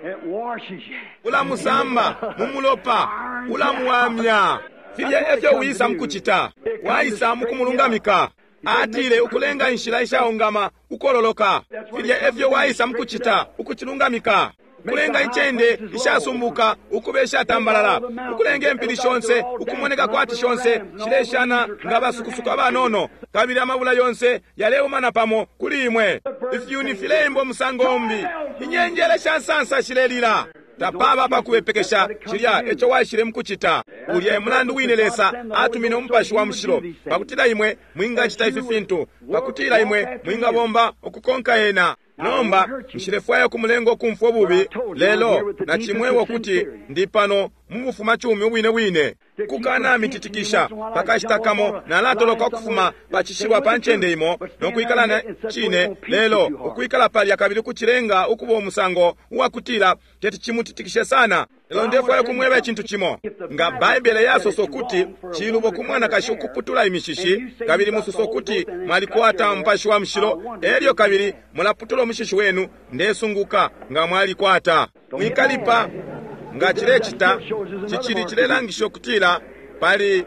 B: Ulamusamba mu mulopa, ulamuwamya. Filya efyo wisa mukucita. Waisa mukumulungamika. Atile ukulenga inshila ishaungama ukololoka. Filya efyo waisa mukucita, ukucilungamika. Ukulenga incende ishasumbuka ukuba ishatambalala, ukulenga impili shonse ukumoneka kwati shonse shileshana nga basukusuku abanono, kabili amabula yonse yaleumana pamo kuli imwe. Ifyuni fileimba umusango umbi, inyenjele sha nsansa shilelila. Tapaba pa kubepekesha cilya eco waishile mukucita. Ulya e mulandu wine Lesa atumine Umupashi wa Mushilo, pakutila imwe mwingacita ifi fintu, pakutila imwe mwingabomba ukukonka Ena. Nomba nshilefwaya ukumulenga ukumfwa ububi, lelo nacimweba ukuti ndi pano mu bufumacumi ubwine bwine. Kukanamititikisha pakashita kamo nalatoloka ukufuma pa cishilwa pa ncende imo no kwikala na cine, lelo ukwikala palya kabili kucilenga ukuba umusango uwakutila teti cimutitikishe sana. Lelo ndefwaya ukumweba icintu cimo. Nga Baibele yasosa ukuti cilubo ku mwanakashi ukuputula imishishi, kabili musosa ukuti mwalikwata Mupashi wa Mushilo, elyo kabili mulaputula umushishi wenu, ndesunguka nga mwalikwata. Mwikalipa. Nga cilecita, cicili cilelangisha ukutila pali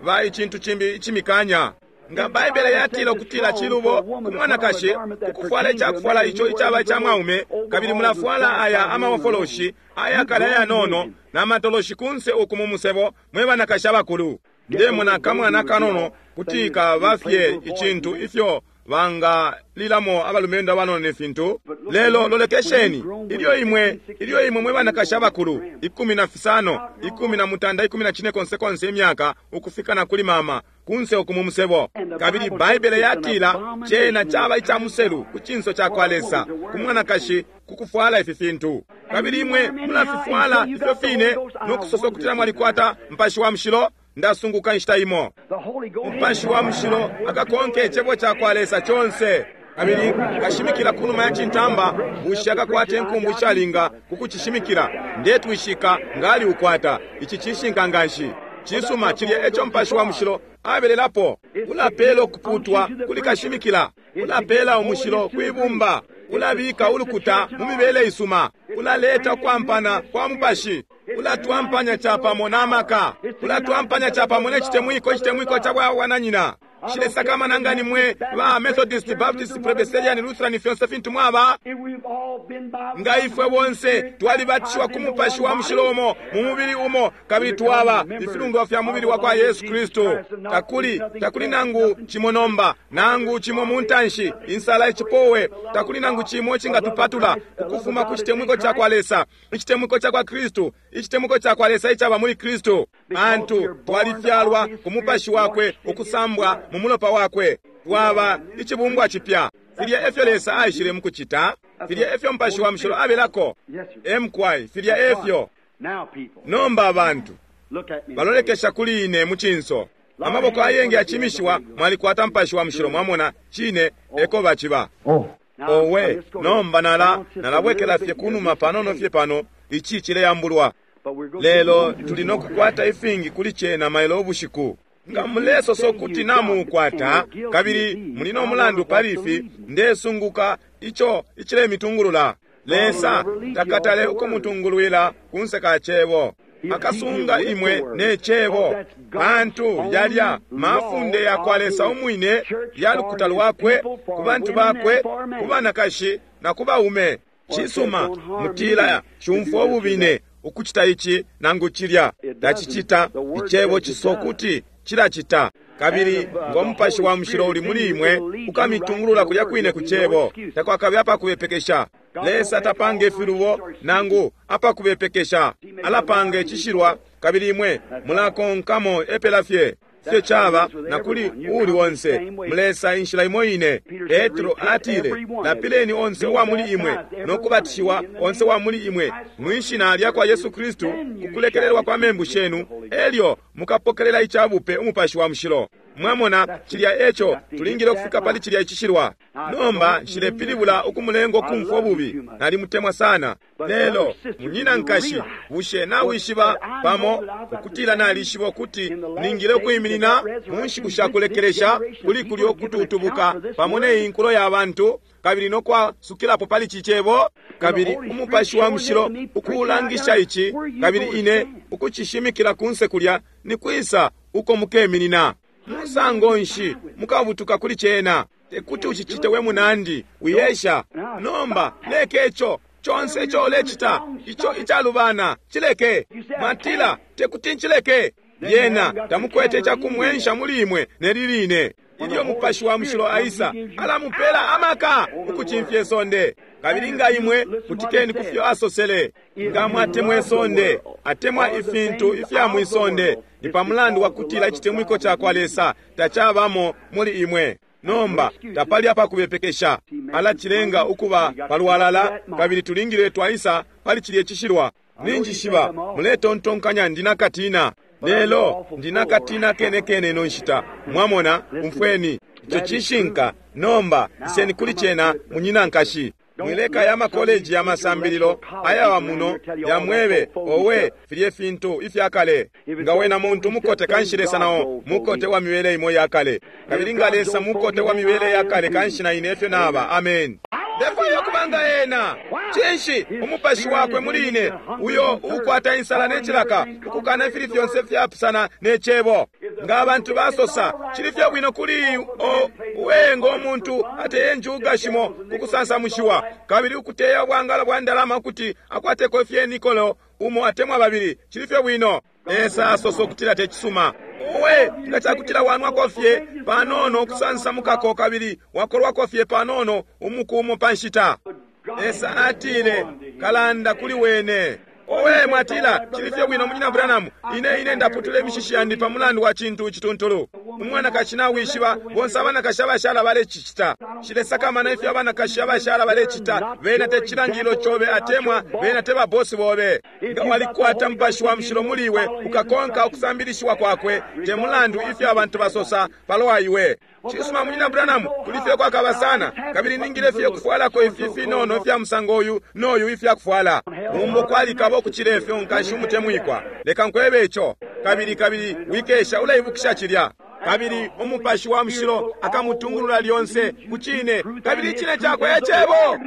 B: ba icintu cimbi icimikanya. Nga Baibele yatila ukutila cilubo ku mwanakashi ukufwala icakufwala ico icaba ica mwaume, kabili mulafwala aya amawofoloshi ayakale ayanono na matoloshi kunse uku mu musebo, mwe banakashi abakulu. Ndemona akamwana kanono kuti kaba fye icintu ifyo bangalilamo abalumendo abanono ne fintu. Lelo lolekesheni, ilyo imwe, ilyo imwe mwe banakashi abakulu, 15, 19, 14 konse konse imyaka, ukufika na kuli mama, kunse uku mu musebo. Kabili Baibele yatila cena caba ica muselu ku cinso ca kwa Lesa, ku mwanakashi kukufwala ifi fintu. Kabili imwe mulafifwala ifyo fine no kusosa ukutila mwalikwata Mupashi wa Mushilo. Ndasunguka inshita imo. Umupashi wa Mushilo akakonke Icebo cakwa Lesa conse. Kabili kashimikila kunuma ya cintamba, bushe akakwata inkumbu ishalinga ku kucishimikila? Ndetwishika nga aliukwata. Ici cishinka nganshi. Cisuma, cilya eco Mupashi wa Mushilo abelelapo. Ulapela ukuputwa kuli kashimikila, ulapela umushilo kwi bumba, ulabika ulukuta mu mibele isuma, ulaleta ukwampana kwa mupashi, ulatwampanya capamo na maka, ulatwampanya capamo ne citemwiko, icitemwiko ca bwananyina. Nshilesakamana nga ni mwe ba Methodist, Baptist, Presbyterian, Lutheran, fyonse fintu mwaba. Nga ifwe bonse twalibatishiwa ku Mupashi wa Mushilo umo, mu mubili umo, kabili twaba ifilundwa fya mubili wa kwa Yesu Kristu. Takuli, takuli nangu cimo nomba, nangu cimo mu ntanshi, insala, icipowe, takuli nangu cimo icingatupatula ukufuma ku citemwiko ca kwa Lesa, icitemwiko ca kwa Kristu, icitemwiko ca kwa Lesa icaba muli Kristu. Pantu twalifyalwa ku Mupashi wakwe, ukusambwa mu mulopa wakwe, twaba icibumbwa cipya. Filya efyo Lesa aishile mukucita, filya efyo Mupashi wa Mushilo abelako. Emkwai, filya efyo. Nomba abantu balolekesha kuli ine mu cinso, amaboko ayengi yacimishiwa, mwalikwata Mupashi wa Mushilo, mwamona, cine eko baciba. Owe, nomba nala nalabwekela fye kunuma panono fye pano, ici cileyambulwa. Lelo tuli no kukwata ifingi kuli cena mailo ubushiku. Nga mulesosa ukuti namuukwata, kabili muli no mulandu pali ifi, ndesunguka ico icilemitungulula. Lesa takatale ukumutungulwila kunse ka Cebo. Akasunga imwe ne Cebo, pantu yalya mafunde ya kwa Lesa umwine ya lukuta lwakwe, ku bantu bakwe, ku banakashi na ku baume. Cisuma, mutila, Nshumfwa ububine ukucita ici nangu cilya. Tacicita. Icebo cisokuti cilacita. Kabili ngo Mupashi wa Mushilo uli muli imwe, ukamitungulula kulya kwine ku Cebo. Takwakabe apakubepekesha. Lesa tapanga ifilubo nangu apakubepekesha. Alapanga icishilwa, kabili imwe mulakonkamo epela fye. Ifyo caba na kuli uuli onse, mulesa inshila imo ine. Petro atile, Lapileni onse uwa muli imwe, no kubatishiwa onse uwa muli imwe mwi shina lya kwa Yesu Kristu ku kulekelelwa kwa membu shenu, elyo mukapokelela ica bupe Umupashi wa Mushilo. Mwamona, cilya eco tulingile ukufika pali cilya icishilwa. Nomba nshilepilibula ukumulenga ukumfwa ububi, nalimutemwa sana. Lelo munyina nkashi, bushe nawishiba pamo ukutila nalishiba ukuti ningile ukwiminina mu nshiku sha kulekelesha kuli kulyo kututubuka pamo ne inkulo ya bantu, kabili no kwasukilapo pali ci cebo, kabili Umupashi wa Mushilo ukulangisha ici, kabili ine ukucishimikila kunse kulya, ni kwisa uko mukeminina? Musango nshi mukabutuka kuli cena? Tekuti ucicite we munandi, wiyesha. Nomba leke ico conse ico ulecita, ico icalubana, cileke. Mwatila, tekuti ncileke. Lyena tamukwete icakumwensha muli imwe neli line. Ilyo Mupashi wa Mushilo aisa, alamupela amaka ukucimfya isonde. Kabili nga imwe kutikeni ku fyo asosele, nga mwatemwa isonde, atemwa ifintu ifya mwi sonde, ni pa mulandu wa kutila icitemwiko ca kwa Lesa tacabamo muli imwe. Nomba tapali apakubepekesha, alacilenga ukuba palwalala, kabili tulingile twaisa pali cilye cishilwa. Ninjishiba muletontonkanya ndi nakatina, lelo ndi nakatina kene kene ino nshita. Mwamona, umfweni ico cishinka. Nomba iseni kuli cena, munyina nkashi. Mwileka ya makoleji ya masambililo ayawa muno yamwebe, owe, filye fintu ifya kale. Nga wena muntu mukote, kanshi Lesa nao mukote wa mibele imo ya kale. Kabili nga Lesa mukote wa mibele ya kale, kanshi na ine efyo naba. Amen. Ndefwaya ukuba nga ena. Cinshi? Umupashi wakwe muli ine, uyo ukwata insala ne cilaka, ukukana ifili fyonse fyapusana ne Cebo. Nga abantu basosa, cili fye bwino kuli uwe ngo muntu ateye njuga shimo ku kusansamushiwa, kabili ukuteya ubwangalo bwa ndalama ukuti akwateko fye nikolo umo atemwa babili, cili fye bwino. Lesa asosa ukutila te cisuma. Uwe, nga cakutila wanwako fye panono ukusansamukako kabili wakolwako fye panono umuku umo pa nshita. Lesa atile, kalanda kuli wene. Owe, mwatila, cili fye bwino, Munyina Branham, ine ine ndaputula imishishi yandi pa mulandu wa cintu icituntulu. Umwanakashi nawishiba, bonse abanakashi abashala balecicita. Nshilesakamana ifyo abanakashi abashala balecita, bena te cilangililo cobe atemwa bena te babosi bobe. Nga walikwata Mupashi wa Mushilo muli iwe, ukakonka ukusambilishiwa kwakwe, te mulandu ifyo abantu basosa palwa iwe. Cisuma, Munyina Branham, kuli fye kwakaba sana, kabili ningile fye kufwalako ifi finono ifya musango uyu no yu ifya kufwala. Mumbo kwalikaba ukucila ifyo, nkashi umutemwikwa. Leka nkwebe ico. Kabili, kabili wikesha uleibukisha cilya. Kabili Umupashi wa Mushilo akamutungulula lyonse ku Cine, kabili Icine Cakwe e Cebo.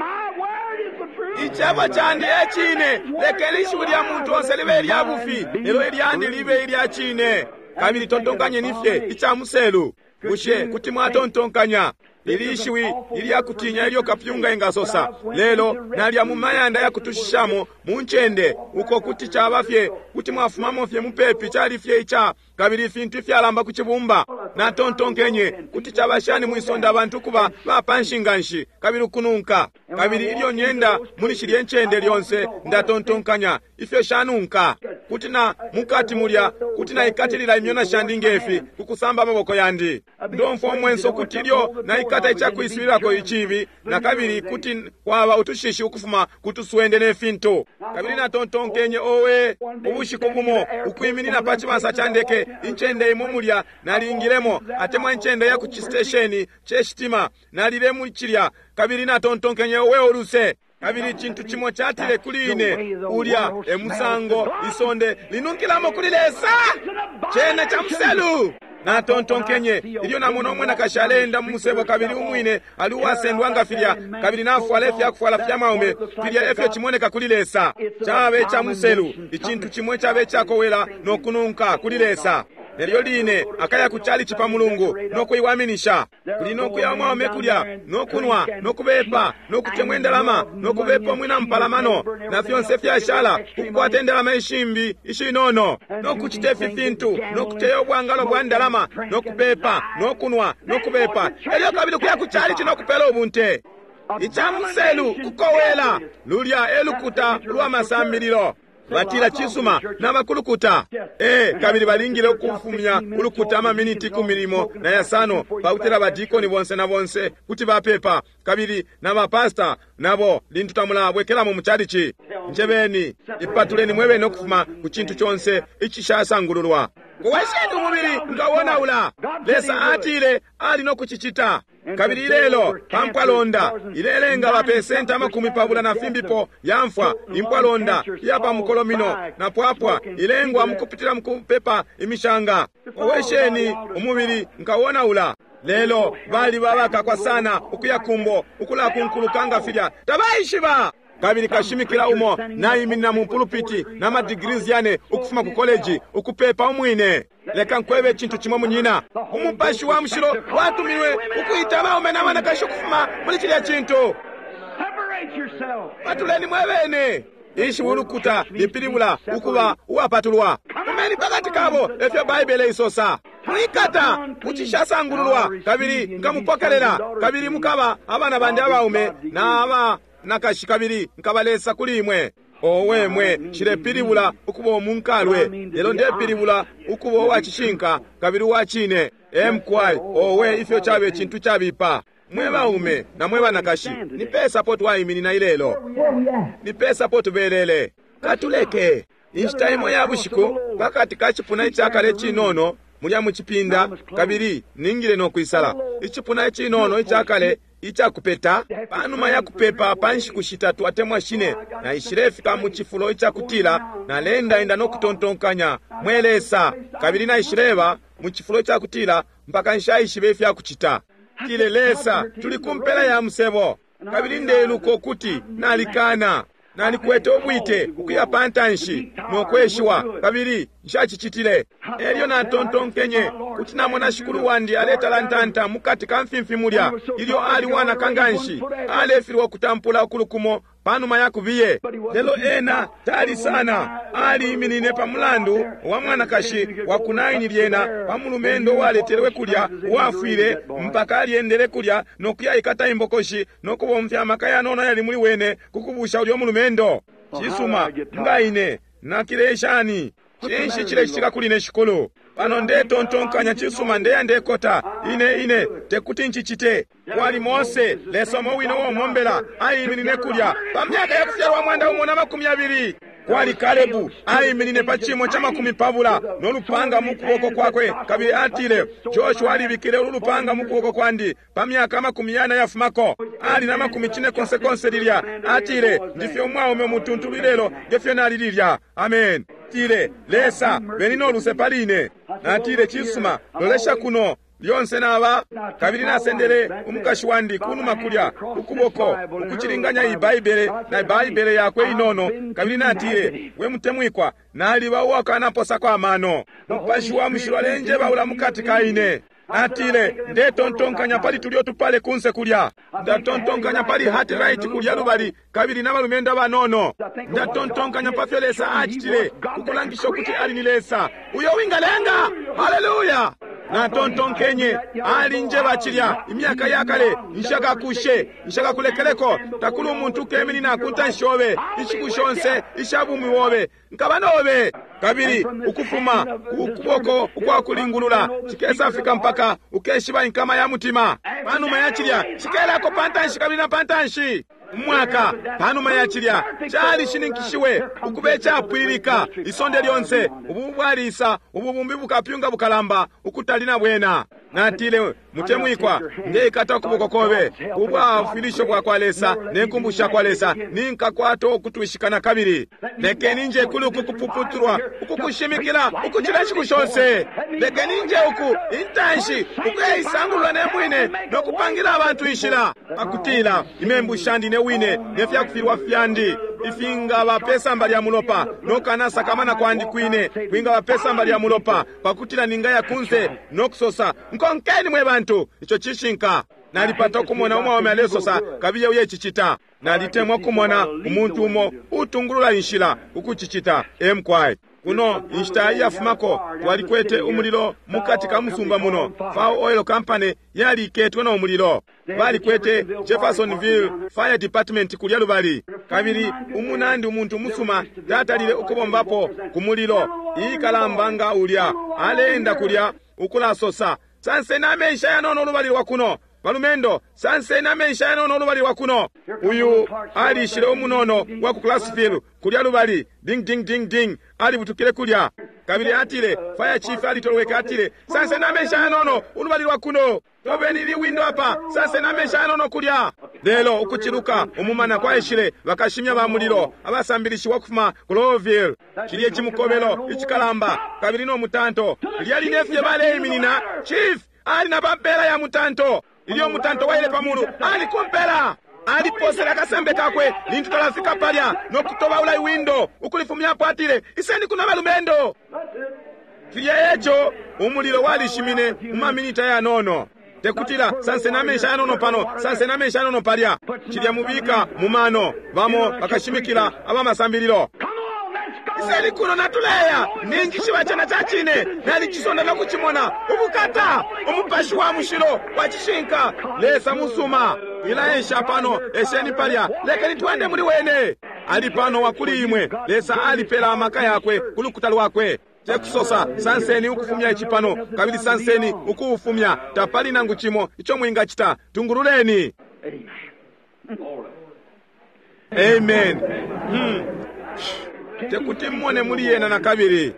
B: Icebo candi e Cine. Lekeni ishiwi lya muntu onse libe ilya bufi, lelo ilyandi libe ilya cine. Kabili tontonkanyeni fye ica muselu. Bushe kuti mwatontonkanya ili ishiwi ilya kutinya ilyo kapyunga engasosa? Lelo nalya mu mayanda ya kutushishamo mu ncende uko kuti caba fye, kuti mwafumamo fye mupepi, cali fye ica, kabili ifintu ifyalamba ku cibumba. Natontonkenye, kuti caba shani mwisonde abantu ukuba ba panshi nganshi kabili ukununka? Kabili ilyo nyenda muli shilye ncende lyonse, ndatontonkanya ifyo shanunka. Kuti na mukati mulya, kuti naikatilila imyona shandi ngefi ku kusamba amaboko yandi. Ndomfwa umwenso ukuti ilyo naikata icakwiswilako icibi, nakabili kuti kwaba utushishi ukufuma ku tuswende ne fintu. Kabili natontonkenye, owe, ubushiku bumo ukwiminina pa cibansa ca ndeke, incende imo mulya nalingilemo, atemwa incende ya ku cistesheni ce shitima, nalile muli cilya, kabili natontonkenye, owe, uluse. Kabili icintu cimo catile kuli ine, ulya e musango isonde linunkilamo kuli Lesa. Cena ca muselu. Natontonkenye ilyo namona umwanakashi aleenda mu musebo, kabili umwine ali uwasendwa nga filya, kabili nafwala ifyakufwala fya mwaume, filya efyo cimoneka kuli Lesa. Caba ica muselu, icintu cimo icaba icakowela no kununka kuli Lesa. Nelyo line akaya ku chalichi pa Mulungu no kuiwaminisha, kuli no kuya umwaume kulya no kunwa no kubepa no kutemwa indalama no kubepa umwina mupalamano na fyonse fyashala, ukukwata indalama ishimbi ishinono no kucita ifi fintu no kuteya ubwangalo bwa ndalama no kupepa no kunwa no kubepa, elyo kabili kuya ku chalichi no kupela ubunte. Ica muselu, kukowela, lulya e lukuta lwa masambililo. Batila, cisuma, nabakulukuta. Ee, kabili balingile ukufumya ulukuta amaminiti 15 na yasano pakutila badikoni bonse na bonse kuti bapepa, kabili na bapasta nabo lintu tamulabwekelamo mu chalichi. Njebeni, ipatuleni mwebene ukufuma ku cintu conse icishasangululwa. Kowesheni umubili nkawonaula. Lesa atile ali no kucicita. Kabili ilelo pa mpwalonda ilelenga bapesenti 20 na fimbipo yamfwa. Impwalonda iya pa mukolomino na pwapwa ilengwa mukupitila mukupepa imishanga. Kowesheni umubili nkawonaula. Lelo bali babakakwa sana ukuya kumbo ukulakunkuluka nga filya tabaishiba. Kabili kashimikila umo naiminina mu pulupiti na madigrees yane ukufuma ku koleji ukupepa umwine. Leka nkwebe icintu cimo, munyina. Umupashi wa Mushilo watuminwe ukuita abaume na banakashi ukufuma muli cilya cintu. Patuleni mwebene. Ishiwi ulukuta lipilibula ukuba uwapatulwa. Fumeni pakati kabo, efyo Baibele isosa. Mwikata kucishasangululwa, kabili nkamupokelela, kabili mukaba abana bandi abaume na aba nakashi, kabili nkaba Lesa kuli imwe. Owe mwe, nshilepilibula ukuba umunkalwe, lelo ndepilibula ukuba uwacishinka kabili uwacine. Mqy, owe ifyo cabe icintu cabipa. Mwe baume na mwe banakashi, ni pesa po twaiminina ilelo? Ni pesa po tubelele? Katuleke. Inshita imo ya bushiku, pakati ka cipuna icakale icinono mulya mu cipinda, kabili ningile no kwisala icipuna icinono icakale icakupeta. Panuma ya kupepa pa nshiku shitatu atemwa shine, naishilefika mu cifulo icakutila naleendaenda no kutontonkanya, mwe Lesa, kabili naishileba mu cifulo icakutila mpaka nshaishibe ifya kucita. Tile, Lesa, tuli ku mpela ya musebo, kabili ndeiluka ukuti nalikana. Nalikwete ubwite ukuya pa ntanshi no kweshiwa, kabili nshacicitile. Elyo natontonkenye kuti namona shikulu wandi aletalantanta mukati ka mfimfi mulya, ilyo ali wanaka nganshi, alefilwa ukutampula ukulukumo panuma ya kubiye. Lelo ena tali sana, aliiminine pa mulandu wa mwanakashi wa ku Naini, lyena pa mulumendo uwaletelwe kulya uwafwile, mpaka alyendele kulya no kuyaikata imbokoshi no kubomfya amaka yanono yali muli wene ku kubusha ulyo mulumendo. Cisuma, nga ine nakile shani? Cinshi cilecitika kuli ne, Shikulu? Pano ndetontonkanya, cisuma, ndeya ndekota. Ine, ine tekuti ncicite. Kwali Mose, Lesa umo wine uo mombela, aiminine kulya pa myaka ya kufyalwa 120. Kwali Kalebu, aiminine pa cimo ca 20 no lupanga mu kuboko kwakwe, kabili atile, Joshua alibikile ulu lupanga mu kuboko kwandi pa myaka 40 yafumako. Ali na 90 lilya. Atile, ndifye umwaume umutuntulu ilelo ngefyo nali lilya. Amen. Atile, Lesa, beni no luse pali ine. Natile, cisuma, lolesha kuno. Lyonse naba, kabili nasendele umukashi wandi kunuma kulya ukuboko ukucilinganya iyi Baibele na Baibele yakwe inono, kabili natile, we mutemwikwa, naliba uwakanaposako amano. Mupashi wa mushilo alenjebaula mukati ka ine. Natile, ndetontonkanya pali tulyo tupale kunse kulya. Ndatontonkanya pali Hattie Wright kulya lubali, kabili na balumendo abanono. Ndatontonkanya pa fyo Lesa acitile kukulangisha ukuti ali ni Lesa uyo wingalenga. Haleluya! Natontonkenye, alinjeba cilya imyaka yakale, nshakakushe, nshakakulekeleko, takuli umuntu ukeminina ku ntanshi yobe inshiku shonse isha bumi bobe, nkaba nobe. Kabili ukufuma ukuboko ukwakulingulula cikesafika mpaka ukeshiba inkama ya mutima. Panuma ya cilya cikelako pantanshi kabili na pantanshi. Umwaka panuma ya cilya calishininkishiwe ukuba icapwilika isonde lyonse. Ubu bwalisa ububumbi bukapyunga bukalamba ukutali na bwena. Natile, mutemwikwa, ndeikata ukuboko kobe ubwafwilisho bwa kwa Lesa ne nkumbu sha kwa Lesa, ninkakwata ukutwishikana kabili. Lekeni nje kuli uku kupuputulwa ukukushimikila ukucila inshiku shonse. Lekeni nje uku intanshi ukuyaisangulula ne mwine no kupangila abantu inshila, pakutila imembu shandi ne wine ne fyakufilwa fyandi ifingaba pesamba lya mulopa, no kanasakamana kwandi kwine kwingaba pesamba lya mulopa, pakutila ningaya kunse no kusosa, nkonkeni mwe bantu. Ico cishinka. Nalipata ukumona umwaume alesosa, kabiye uye cicita. Nalitemwa kumona umuntu umo utungulula inshila ukucicita. Emkwai kuno inshita iyafumako twalikwete umulilo mukati ka musumba muno. Fao Oil Company yaliketwe no mulilo. Balikwete Jeffersonville Fire Department kulya lubali, kabili umunandi umuntu musuma tatalile ukubombapo ku mulilo ikalamba nga ulya. Aleenda kulya ukulasosa, sanseni amenshi ayanono ulubali lwa kuno, balumendo, sanseni amenshi ayanono ulubali lwa kuno. Uyu alishile umunono wa ku Clarksville kulya lubali, ding ding ding ding, alibutukile kulya. Kabili atile, fire chief alitolweke, atile, sanseni amenshi ayanono ulubali lwa kuno, tobeni ili windo apa, sanseni amenshi ayanono kulya. Lelo ukuciluka umumana kwaishile bakashimya ba mulilo abasambilishiwa kufuma ku Louisville, cilye cimukobelo icikalamba kabili no mutanto. Lyali nefye baleiminina, chief ali na pampela ya mutanto. Ilyo mutanto waile pamulu ali kumpela, aliposele akasembe kakwe lintu talafika palya no kutobaula iwindo ukulifumyapo. Atile, iseni kuno balumendo. Filya eco umulilo walishimine mu maminita yanono. Tekutila sanseni amenshi ayanono pano, sanseni amenshi ayanono palya. Cilya mubika mu mano bamo bakashimikila abamasambililo. Iseni kuno natuleya, ninjishiba cena ca cine, nalicisonda no kucimona. Ubukata, umupashi wa mushilo wa cishinka, Lesa musuma. Ilaesha pano, esheni palya, lekeni twende muli wene. Ali pano wakuli imwe. Lesa alipela amaka yakwe ku lukuta lwakwe. Tekusosa sanseni ukufumya ici pano, kabili sanseni ukuufumya. Tapali nangu cimo ico mwingacita. Tungululeni. Amen. Tekuti mmone muli yena na kabili.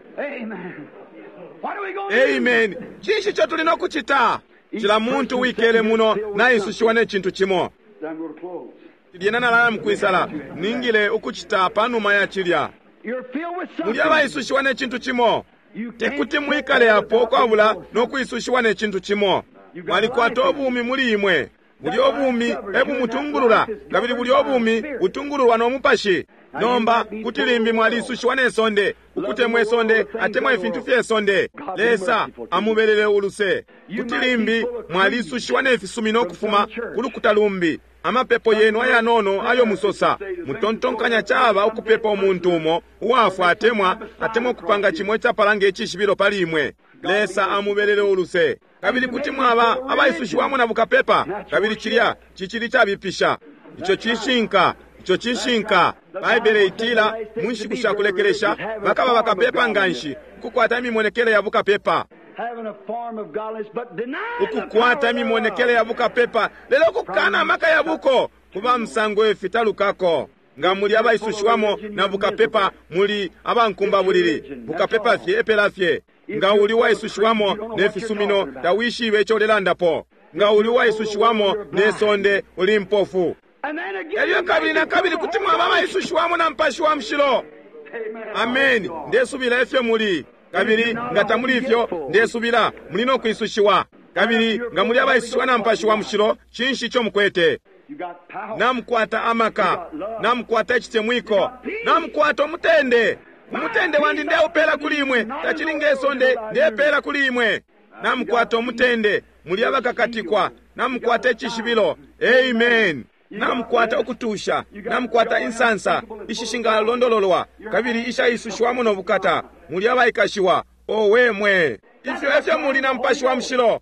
B: Amen. Cinshi ico tuli no kucita? Cila muntu wikele muno naisushiwa ne cintu cimo. Lyena nalaya mukwisala, ningile ukucita panuma ya cilya. Muli abaisushiwa ne cintu cimo. Tekuti mwikale apo ukwabula no kwisushiwa ne cintu cimo. Mwalikwata ubumi muli imwe. Buli obumi ebumutungulula, kabili buli obumi butungululwa no mupashi. Nomba kuti limbi mwalisushiwa ne sonde, ukutemwa isonde atemwa ifintu fye sonde. Lesa amubelele uluse. Kuti limbi mwalisushiwa ne fisumino ukufuma ku lukuta lumbi. Amapepo yenu ayanono ayo musosa, mutontonkanya caba ukupepa umuntu umo uwafwa atemwa atemwa ukupanga cimo icapala nge cishibilo pali imwe. Lesa amubelele uluse. Kabili kuti mwaba abaisushiwamo na bukapepa, kabili cilya cicili cabipisha. Ico cishinka. Ico cishinka. Baibele itila mu nshiku sha kulekelesha bakaba bakapepa nganshi, ukukwata imimonekele ya bukapepa. Ukukwata imimonekele ya bukapepa, lelo ukukana amaka ya buko, kuba musango ifi talukako. Nga muli abaisushiwamo na bukapepa, muli abankumbabulili, bukapepa fye epela fye. Nga uli waisushiwamo ne fisumino, tawishibe ico ulelandapo. Nga uli waisushiwamo ne sonde, uli mpofu. Elyo kabili na kabili kuti mwaba abaisushiwamo na Mupashi wa Mushilo. Ameni. Ndesubila ifyo muli. Kabili nga tamuli ifyo, ndesubila muli no kwisushiwa. Kabili nga muli abaisushiwa na Mupashi wa Mushilo, cinshi ico mukwete? Namukwata amaka, namukwata icitemwiko, namukwata umutende. Umutende wandi ndeupela kuli imwe, tacili nge sonde ndepela kuli imwe. Namukwata umutende, muli abakakatikwa, namukwata icishibilo. Amen. Namukwata ukutusha, namukwata insansa ishishingalondololwa kabili ishaisushiwamo no bukata, muli abaikashiwa. Owe mwe, ifyo efyo muli na Mupashi wa Mushilo.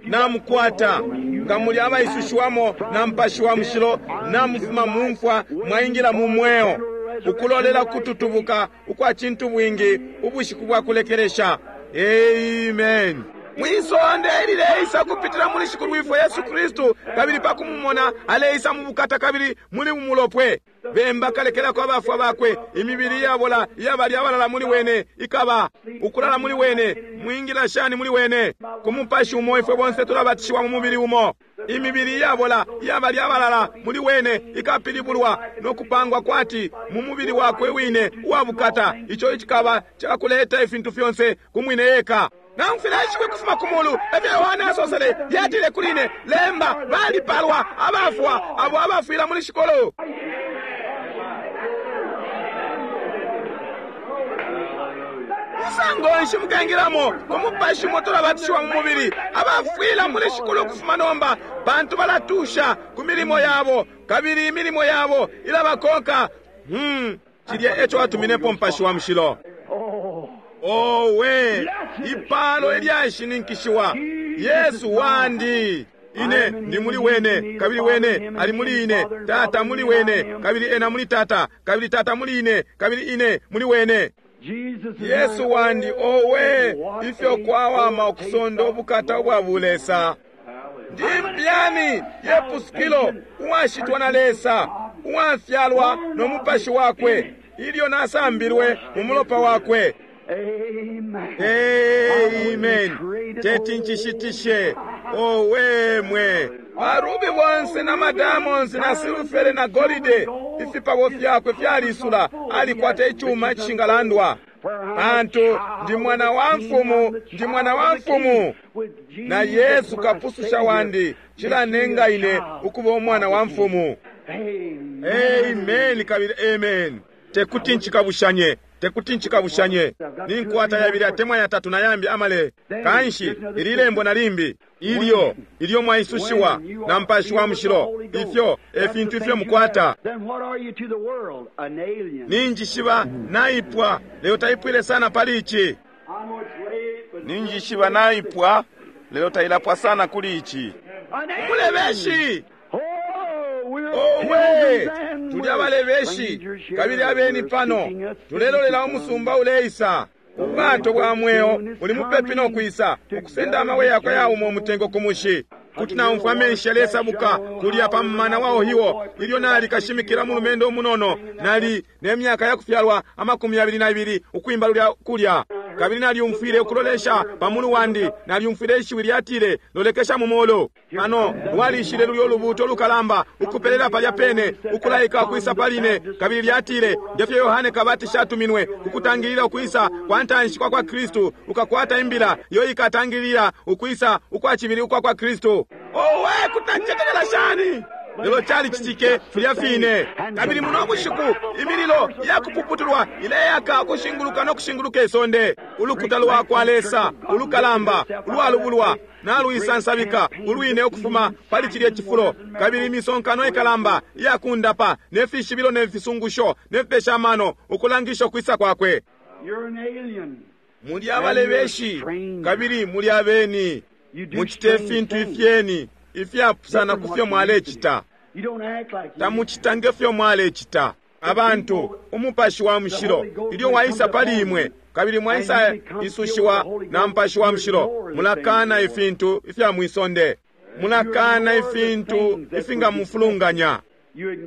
B: Namukwata. Nga muli abaisushiwamo na Mupashi wa Mushilo, namufuma mu mfwa mwaingila mu mweo, ukulolela kututubuka ukwa cintu bwingi ubushiku bwa kulekelesha. Amen. Mwisonde ilileisa kupitila muli Shikulwifwe Yesu Kristu, kabili pa kumumona aleisa mu bukata kabili muli umulopwe. Bemba kalekelako abafwa bakwe, imibili iyabola iyabali abalala muli wene ikaba ukulala muli wene. Mwingila shani muli wene? Ku mupashi umo ifwe bonse tulabatishiwa mu mubili umo. Imibili iyabola iyabali abalala muli wene ikapilibulwa no kupangwa kwati mu mubili wakwe wine uwa bukata, ico icikaba cakuleta ifintu fyonse ku mwine eka. Naumfwile ishiwi kufuma ku mulu, efyo Yohane asosele, lyatile kuli ine, lemba, balipalwa abafwa abo abafwila muli Shikulu. Musango nshi mukengilamo ku mupashi umo tulabatishiwa mu mubili? Abafwila muli Shikulu kufuma nomba, pantu balatusha ku milimo yabo, kabili imilimo yabo ilabakonka. Cilya eco atuminepo Mupashi wa Mushilo. Owe, ipalo ilyashininkishiwa! Yesu wandi, ine ndi muli wene, kabili wene ali muli ine. Tata muli wene, kabili ena muli Tata, kabili Tata muli ine, kabili ine muli wene. Yesu wandi, owe, ifyo kwawama ukusonda ubukata ubwa bulesa! Ndi mpyani yepusukilo, uwashitwa na Lesa, uwafyalwa no Mupashi wakwe, ilyo nasambilwe mu mulopa wakwe. Amen. Teti ncishitishe. Owe mwe, barubi bonse na madamonsi na silufere na golide, ifipabo fyakwe fyalisula, alikwata icuma icishingalandwa. Pantu ndi mwana wa mfumu, ndi mwana wa mfumu, na Yesu kapususha wandi cilanenga ine ukuba umwana wa mfumu. Amen kabili amen. Tekuti ncikabushanye, tekuti ncikabushanye. Ninkwata yabili atemwa yatatu na yambi amale. Kanshi ili lembo na limbi ilyo ilyo mwaisushiwa na Mupashi wa Mushilo, ifyo e fintu ifyo mukwata. Ninjishiba naipwa, lelo taipwile sana pali ici. Ninjishiba naipwa, lelo tailapwa sana kuli ici. Umulebeshi! Owe, tuli abalebeshi kabili abeni pano, tulelolela umusumba uleisa. Ubwato bwa mweo buli mupepi no kwisa, ukusenda amabwe yakwe yauma umutengo ku mushi. Kuti naumfwa amenshi yalesabuka kulya pa mumana wa Ohio ilyo nali kashimikila mulumendo umunono, nali ne myaka ya kufyalwa 22, ukwimba lulya kulya. Kabili nalyumfwile ukulolesha pa mulu wandi, nalyumfwile ishiwi lyatile, lolekesha mu mulu. Pano lwalishile lulyo lubuuto lukalamba ukupelela palya pene, ukulaika ukwisa paline. Kabili lyatile, ngefyo Yohane Kabatisha atuminwe kukutangilila ukwisa kwa ntanshi kwa kwa Kristu, ukakwata imbila iyo ikatangilila ukwisa ukwa cibili ukwa kwa Kristu. Owe, kutancetekela shani! Lelo calicitike filya fine. Kabili muno bushiku imililo yakupuputulwa ileyaka ukushinguluka no kushinguluka isonde. Ulukuta lwa kwa Lesa ulukalamba ulwalubulwa naluisansabika ulwine ukufuma pali cilye cifulo. Kabili imisonkano ikalamba iyakundapa ne fishibilo ne fisungusho ne fipesha amano ukulangisha ukwisa kwakwe. Muli abalebeshi kabili muli abeni, mucite ifintu ifyeni ifyapusana ku fyo mwalecita. Tamucita nge fyo mwalecita. Abantu, Umupashi wa Mushilo ilyo waisa pali imwe, kabili mwaisa isushiwa na Mupashi wa Mushilo, mulakana ifintu ifya mwisonde. Mulakana ifintu ifingamufulunganya.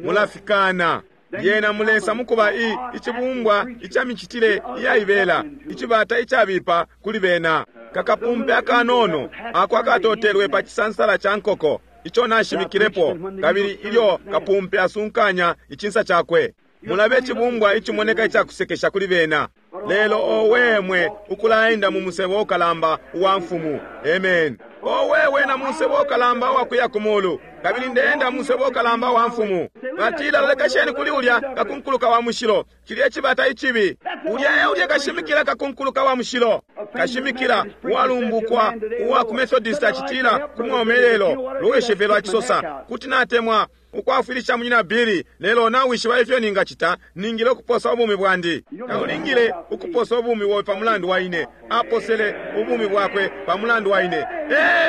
B: Mulafikana. Lyena mulesa mukuba i icibumbwa ica micitile iyaibela, icibata icabipa kuli bena. Kakapumpe akanono ako akatotelwe pa cisansala ca nkoko ico nashimikilepo, kabili ilyo kapumpe asunkanya icinsa cakwe. Mulabe icibumbwa icimoneka icakusekesha kuli bena. Lelo owe mwe ukulaenda mu musebo ukalamba uwa mfumu. Amen. Owe wena musebo ukalamba uwa kuya ku mulu, kabili ndeenda musebo ukalamba wa mfumu. Batila, lolekesheni kuli ulya kakunkuluka wa mushilo, cilya cibata icibi. Ulya e ulya kashimikila kakunkuluka wa mushilo, kashimikila uwalumbukwa uwa ku Methodist acitila ku mwomelelo loweshefelo acisosa, kuti natemwa ukwafwilisha munyina Billy, lelo nawishiba ifyo ningacita, ningile ukuposa ubumi bwandi. Taulingile ukuposa ubumi bobe pa mulandu wa ine. Aposele ubumi bwakwe pa mulandu wa ine.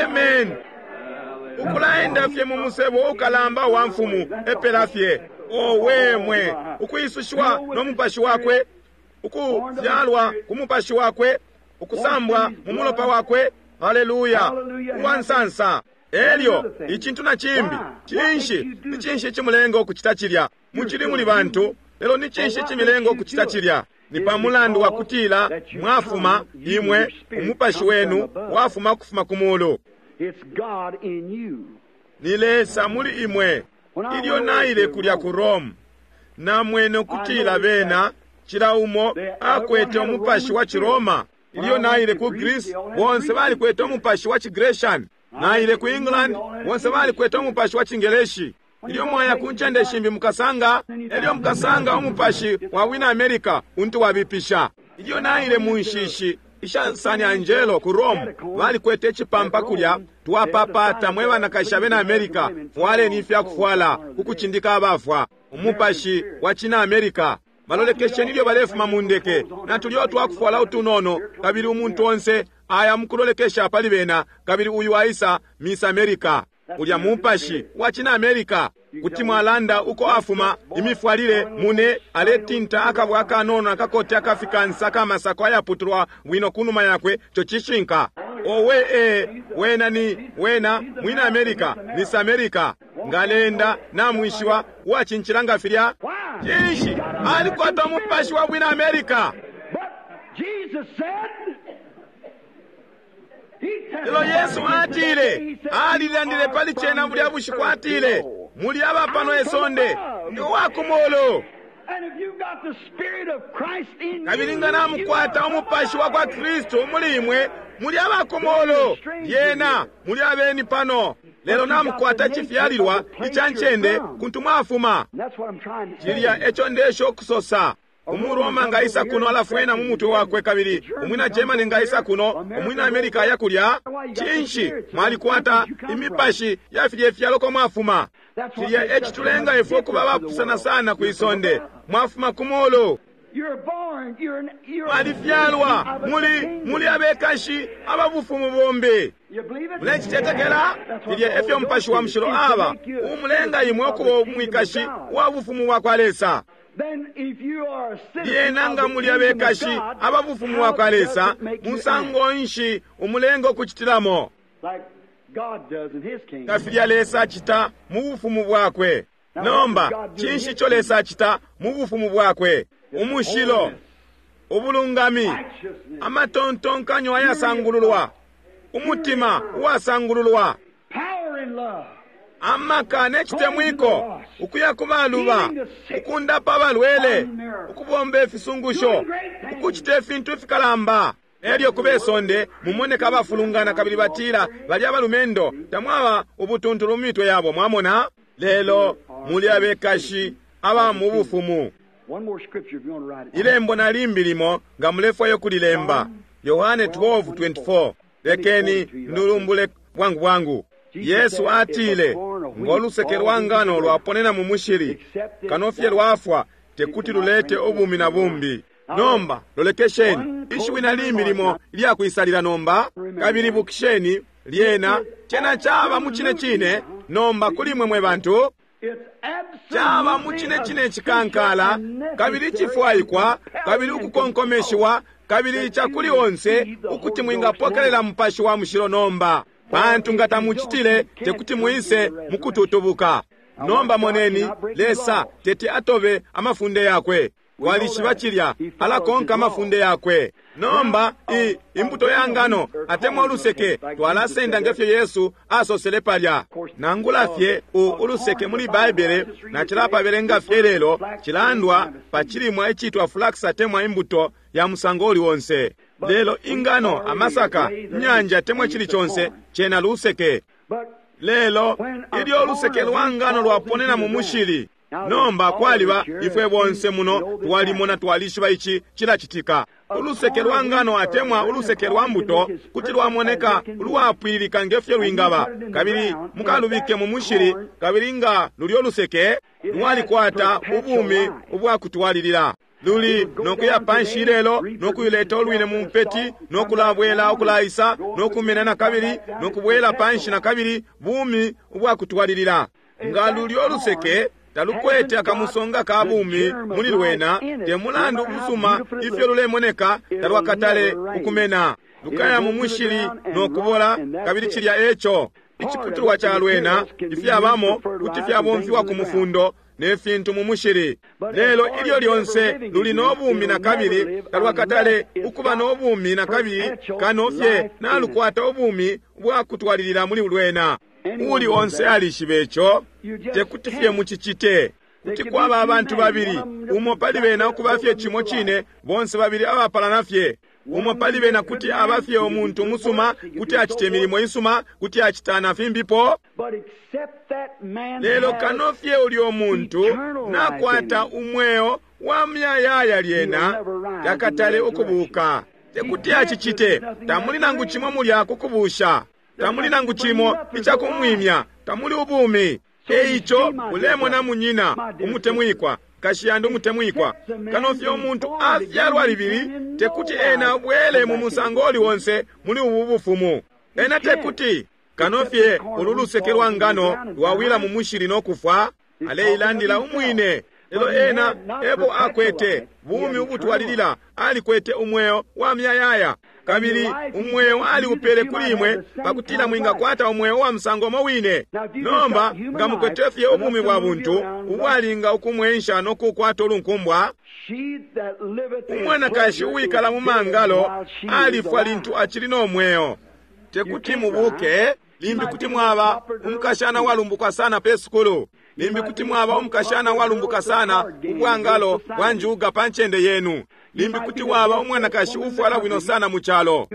B: Amen. Ukulaenda fye mu musebo ukalamba wa mfumu epela fye. Owe mwe, ukwisushiwa no mupashi wakwe, ukufyalwa ku mupashi wakwe, ukusambwa mu mulopa wakwe. Haleluya! Uwansansa. Elyo icintu na cimbi, cinshi ni cinshi icimulenga ukucita cilya? Mucili muli bantu, lelo ni cinshi icimilenga ukucita cilya? Ni pa mulandu wa kutila mwafuma imwe, umupashi wenu wafuma kufuma ku mulu. Ni Lesa muli imwe. Ilyo naile kulya ku Rome, namwene ukutila bena cila umo akwete umupashi wa Ciroma. Ilyo naile ku Greece, bonse balikwete umupashi wa Cigrecian. Naile ku England, bonse balikwete umupashi wa Cingeleshi. Ilyo mwaya ku ncende shimbi mukasanga, elyo mukasanga umupashi wa wina America untu wabipisha. Ilyo naile mu nshishi isha San Angelo ku Rome, balikwete icipampa kulya, twapapata mwe banakashi abena America, fwaleni ifyakufwala ku kucindika abafwa. Umupashi wa cina America. Balolekesheni ilyo balefuma mu ndeke, na tulyo twakufwala utunono, kabili umuntu onse aya mukulolekesha pali bena, kabili uyu aisa Miss America. Ulya mupashi wa cina America. Kuti mwalanda uko afuma, imifwalile mune aletinta akabwa akanono akakote akafikansa akamasako ayaputulwa bwino kunuma yakwe, co cishinka. Owe e wena ni wena mwina America, Miss America. Ngalenda namwishiwa uwacincila nga filya. Cinshi alikwata umupashi wa bwina America. Lelo Yesu atile, alilandile pali cena bulya bushiku, atile, muli aba pano isonde, ndi uwa ku mulu. Kabili nga namukwata umupashi wa kwa Kristu muli imwe, muli aba ku mulu, lyena muli abeni pano. Lelo namukwata icifyalilwa ica ncende kuntu mwafuma. Cilya eco ndesha ukusosa. Umuroma nga isa kuno alafwena mu mutwe wakwe, kabili umwina Germany nga isa kuno, umwina America aya kulya. Cinshi mwalikwata imipashi ya filye fyalo ko mwafuma. Cilya ecitulenga ifwe ukuba abapusana sana ku isonde. Mwafuma ku mulu. Mwalifyalwa muli abekashi ababufumu bombi. Mulecicetekela? Filya efyo Mupashi wa Mushilo aba, umulenga imwe ukuba umwikashi wa bufumu bwa kwa Lesa. Lyena nga muli abekashi ababufumu bwa kwa Lesa, musango nshi umulenga ukucitilamo? Nga filya Lesa acita mu bufumu bwakwe. Nomba, cinshi ico Lesa acita mu bufumu bwakwe? Umushilo, ubulungami, amatontonkanyo ayasangululwa, umutima uwasangululwa, amaka ne citemwiko, ukuya ku baluba, ukundapa abalwele, ukubomba ifisungusho, ukucita ifintu ifikalamba. Elyo ku besonde mumoneka abafulungana kabili batila bali abalumendo, tamwaba ubutuntulu mu mitwe yabo, mwamona? Lelo muli abekashi aba mu bufumu. Ilembo na limbi limo nga mulefwayo kulilemba, Yohane 12:24. Lekeni ndulumbule bwangu bwangu. Yesu atile, ngoluseke lwa ngano lwaponena mu mushili, kanofye lwafwa, tekuti lulete ubumi na bumbi. Nomba lolekesheni ishiwi na limbi limo ilya nomba, kabili bukisheni lyena cena caba mu cine cine nomba kuli mwe mwe bantu. Caba mu cine cine cikankala, kabili cifwaikwa, kabili ukukonkomeshiwa, kabili icakuli onse ukuti mwingapokelela Mupashi wa Mushilo nomba, pantu nga tamucitile tekuti mwise mukututubuka. Nomba moneni, Lesa teti atobe amafunde yakwe. Twalishiba cilya, alakonka amafunde yakwe. Nomba i imbuto ya ngano atemwa uluseke twalasenda nge fyo Yesu asosele palya. Nangula fye u uluseke muli Baibele nacilapabelenga fye lelo cilandwa pa cilimwa icitwa flax atemwa imbuto ya musango uli onse. Lelo ingano, amasaka, inyanja atemwa icili conse cena luseke. Lelo ilyo uluseke lwa ngano lwaponena mu mushili, nomba kwaliba ifwe bonse muno twalimona twalishiba ici cilacitika. Uluseke lwa ngano atemwa uluseke lwa mbuto kuti lwamoneka ulwapwililika nge fyo lwingaba, kabili mukalubike mu mushili, kabili nga lulyo luseke lwalikwata ubumi ubwakutwalilila. Luli nokuya panshi lelo nokuileta ulwine mu mpeti nokulabwela ukulaisa nokumena nakabili nokubwela panshi nakabili, bumi ubwakutwalilila. Nga lulyo luseke talukwete akamusonga ka bumi muli lwena, te mulandu ubusuma ifyo lulemoneka, talwakatale ukumena. Lukaya mu mushili nokubola, kabili cilya eco. Iciputulwa ca lwena ifyabamo kuti fyabomfiwa ku mufundo ne fintu mu mushili. Lelo ilyo lyonse luli no bumi nakabili, talwakatale ukuba no bumi nakabili kano fye nalukwata ubumi ubwakutwalilila muli lwena. Uuli onse alishiba ico, tekuti fye mucicite. Kuti kwaba abantu babili, umo pali bena ukuba fye cimo cine, bonse babili abapalana fye. Umo pali bena kuti aba fye umuntu umusuma, kuti acita imilimo isuma, kuti acita na fimbipo. Lelo kano fye ulyo muntu nakwata umweo wa muyayaya, lyena takatale ukubuka. Tekuti acicite, tamuli nangu cimo mulya kukubusha, tamuli nangu cimo icakumwimya, tamuli ubumi. Eico ulemona munyina umutemwikwa, nkashi yandi umutemwikwa, kano fye umuntu afyalwa libili, tekuti ena abwele mu musango uli onse muli ubu bufumu. Ena tekuti, kano fye ulu luseke lwa ngano lwawila mu mushili no kufwa, aleilandila umwine. Lelo ena ebo akwete bumi ubutwalilila, alikwete umweo wa muyayaya, kabili umweo aliupele kuli imwe pakutila mwingakwata umweo wa musango umo wine. Nomba nga mukwete fye ubumi bwa buntu ubwalinga ukumwensha no kukwata ulunkumbwa, umwanakashi uwikala mu mangalo alifwa lintu acili no mweo. Tekuti mubuke. Limbi kuti mwaba umukashana walumbuka sana pe sukulu, limbi kuti mwaba umukashana walumbuka sana ubwangalo bwa njuga pa ncende yenu, limbi kuti waba umwanakashi ufwala bwino sana mu calo,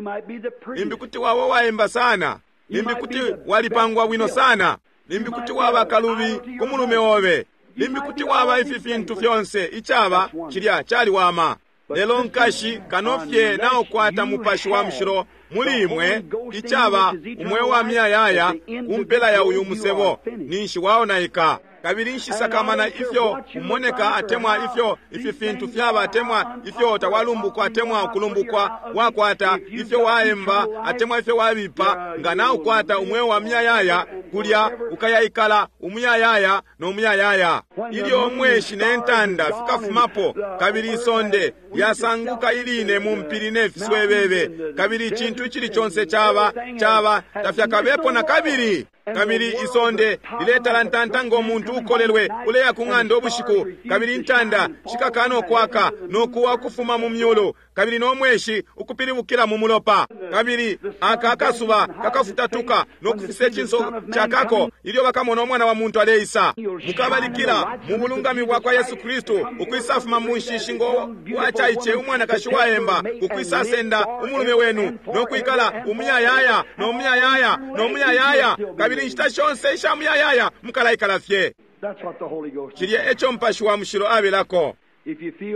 B: limbi kuti waba uwaemba sana, limbi kuti walipangwa bwino sana, limbi kuti waba kalubi ku mulume obe, limbi kuti waba ifi fintu fyonse. Icaba cilya caliwama. Lelo nkashi, kano fye naukwata Mupashi wa Mushilo muli imwe, icaba umweo wa muyayaya ku mpela ya uyu musebo, ninshi waonaika. Kabili nshisakamana ifyo umoneka atemwa ifyo ifi fintu fyaba atemwa ifyo tawalumbukwa atemwa ukulumbukwa wakwata, ifyo waemba atemwa ifyo wabipa, nga naukwata umweo wa muyayaya, kulya ukayaikala umuyayaya no muyayaya. Ilyo umweshi ne ntanda fikafumapo, kabili isonde lyasanguka iline mu mpili ne fiswebebe, kabili icintu icili conse caba caba tafyakabepo na kabili. Kabili isonde liletalantanta ngo muntu ukolelwe uleya ku ng'anda ubushiku, kabili intanda shikakana ukwaka no kuwa ukufuma mu myulu, kabili no mweshi ukupilibukila mu mulopa, kabili aka akasuba kakafutatuka no kufisa icinso cakako ilyo bakamona umwana wa muntu aleisa. Mukabalikila mu bulungami bwa kwa Yesu Kristu ukwisafuma mu nshishi ngo wacaice umwanakashi waemba, ukwisasenda umulume wenu no kwikala umuyayaya no muyayaya no muyayaya, kabili inshita shonse isha muyayaya mukalaikala fye. Cilya eco Mupashi wa Mushilo abelako.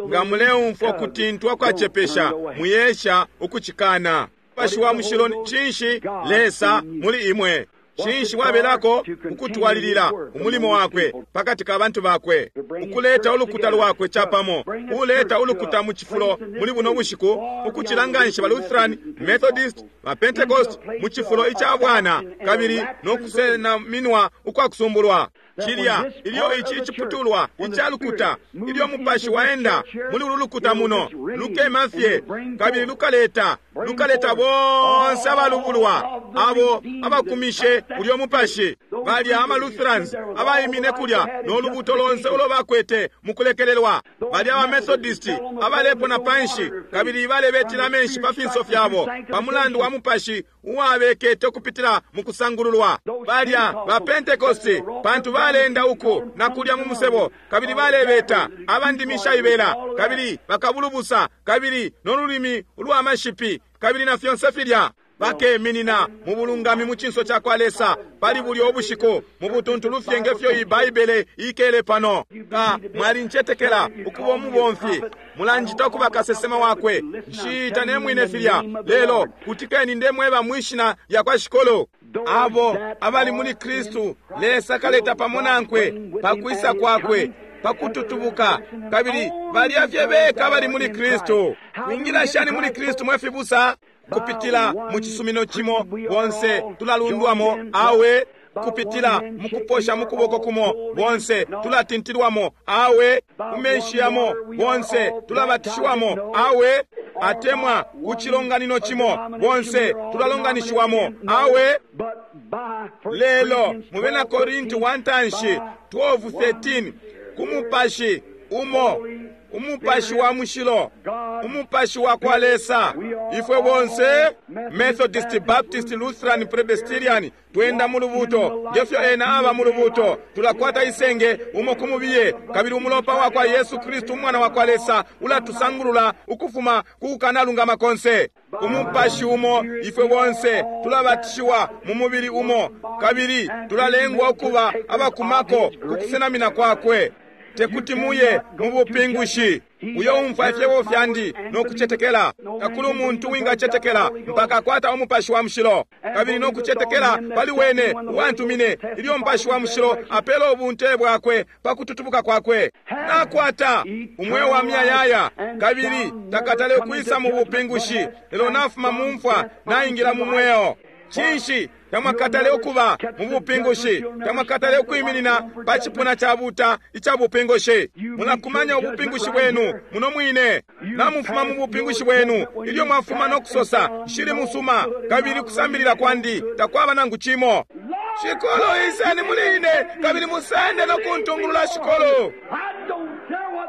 B: Nga muleumfwa ukutintwa kwacepesha, muyesha ukucikana. Mupashi wa Mushilo cinshi? Lesa muli imwe. Cinshi wabelako? Ukutwalilila umulimo wakwe pakati ka bantu bakwe, ukuleta ulukuta lwakwe capamo, uleta ulukuta mu cifulo muli buno bushiku, ukucila nganshi ba Lutheran, Methodist, ba Pentecost mu cifulo ica bwana, kabili no kusenaminwa ukwa kusumbulwa. Cilya ilyo ici iciputulwa ica lukuta, ilyo Mupashi waenda muli ulu lukuta muno, lukema fye kabili lukaleta, lukaleta bonse abalubulwa abo abakumishe ulyo Mupashi. Balya ama Lutherans abaimine kulya no lubuto lonse ulo bakwete mukulekelelwa, balya aba Methodist abalepona panshi kabili balebetila amenshi pa finso fyabo pa mulandu wa Mupashi uwabekete ukupitila mukusangululwa, balya ba Pentecost pantu balenda uku na kulya mu musebo kabili balebeta abandimi shaibela kabili bakabulubusa kabili no lulimi ulwa mashipi kabili na fyonse filya. Bakeminina mu bulungami mu cinso ca kwa Lesa pali bulyo ubushiku mu butuntulu fye nge fyo iyi Baibele ikele pano. Nga mwalincetekela ukuba umubomfi, mulanjita ukuba kasesema wakwe, nshiita ne mwine filya, lelo kutikeni ndemweba mwi shina lya kwa Shikulu. Abo abali muli Kristu, Lesa kaleta pamo nankwe pa kwisa kwakwe, pa kututubuka, kabili balya fye beka abali muli Kristu. Mwingila shani muli Kristu mwe fibusa? Kupitila mu cisumino cimo bonse tulalundwamo, awe kupitila mu kuposha mu kuboko kumo bonse tulatintilwamo, awe ku menshi yamo bonse tulabatishiwamo, awe atemwa ku cilonganino cimo bonse tulalonganishiwamo, awe. Lelo mu bena Korinti wa ntanshi 12:13, ku Mupashi umo, Umupashi wa Mushilo, Umupashi wa kwa Lesa, ifwe bonse Methodist, Baptist, Lutheran, Presbyterian twenda mu lubuto ngefyo ena aba mu lubuto. Tulakwata isenge umo ku mubiye, kabili umulopa wa kwa Yesu Kristu umwana wa kwa Lesa ulatusangulula ukufuma ku kukanalungama konse. Umupashi umo ifwe bonse tulabatishiwa mu mubili umo, kabili tulalengwa ukuba abakumako ku kusenamina kwakwe. Tekuti muye mu bupingushi. Uyo umfwa ifyebo fyandi no kucetekela, takuli umuntu wingacetekela mpaka akwata Umupashi wa Mushilo, kabili no kucetekela pali wene uwantumine. Ilyo Mupashi wa Mushilo apela ubunte bwakwe pa kututubuka kwakwe, nakwata umweo wa muyayaya, kabili takatale ukwisa mu bupingushi, lelo nafuma mu mfwa naingila mu mweo. Cinshi tamwakatale ukuba mu bupingushi? Tamwakatale ukwiminina pa cipuna ca buta ica bupingushi. Mulakumanya ubupingushi bwenu muno mwine. Namufuma mu bupingushi bwenu ilyo mwafuma no kusosa, nshili musuma, kabili kusambilila kwandi takwaba nangu cimo. Shikulu, iseni muli ine kabili musende no kuntungulula. Shikulu,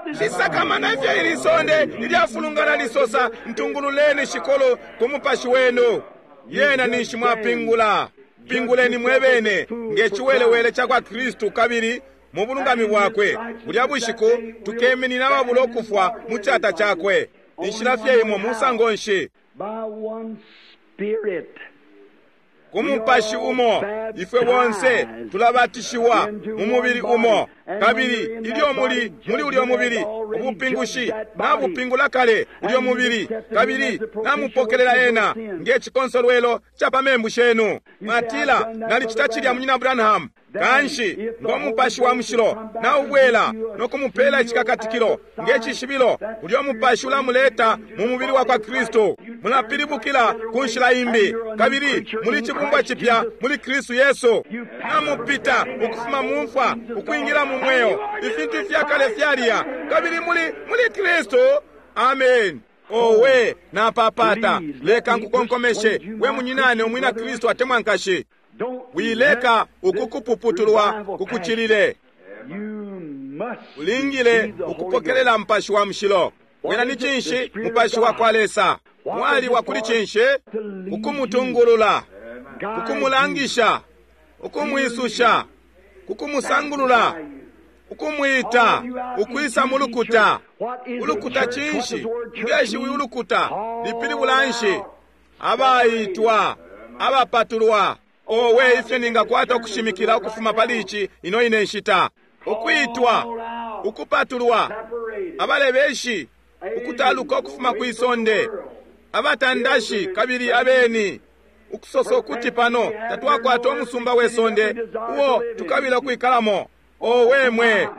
B: nshisakamana ifyo ili sonde ilyafulungana lisosa, ntungululeni Shikulu ku Mupashi wenu. Yena ninshi mwapingula. Pinguleni mwebene nge ciwelewele ca kwa Kristu kabili mu bulungami bwakwe. Bulya bushiku tukeminina ababula ukufwa mu cata cakwe. Inshila fye imo musango nshi? Ku Mupashi umo ifwe bonse tulabatishiwa mu mubili umo, kabili ilyo muli muli ulyo mubili, ubupingushi nabupingula kale ulyo mubili, kabili namupokelela ena nge cikonsolwelo ca pa membu shenu. Mwatila, nalicita cilya munyina Branham. Kanshi ngo Mupashi wa Mushilo naubwela no kumupela icikakatikilo nge cishibilo, ulyo Mupashi ulamuleta mu mubili wa kwa Kristu. Mulapilibukila ku nshila imbi, kabili muli cibumbwa cipya muli Kristu Yesu. Namupita ukufuma mu mfwa ukwingila mu mweo. Ifintu ifyakale fyaliya, kabili muli muli Kristu. Amen. Owe, napapata leka nkukonkomeshe we munyinane umwina Kristu atemwa nkashi. Wileka ukukupuputulwa kukucilile. Ulingile ukupokelela Mupashi wa Mushilo. Wena ni cinshi? Mupashi wa kwa Lesa wali wa kuli cinshi? Ukumutungulula, ukumulangisha, ukumwisusha, kukumusangulula, ukumwita ukwisa mu lukuta. Ulukuta cinshi? Ngeshiwi ulukuta lipilibula nshi? Abaitwa, abapatulwa. Owe, ifyo ningakwata ukushimikila ukufuma pali ici ino ine nshita. Ukwitwa, ukupatulwa, abalebeshi, ukutaluka ukufuma kwi sonde, abatandashi kabili abeni, ukusosa ukuti pano tatwakwata umusumba we sonde uo tukabila ukwikalamo. Owe mwe!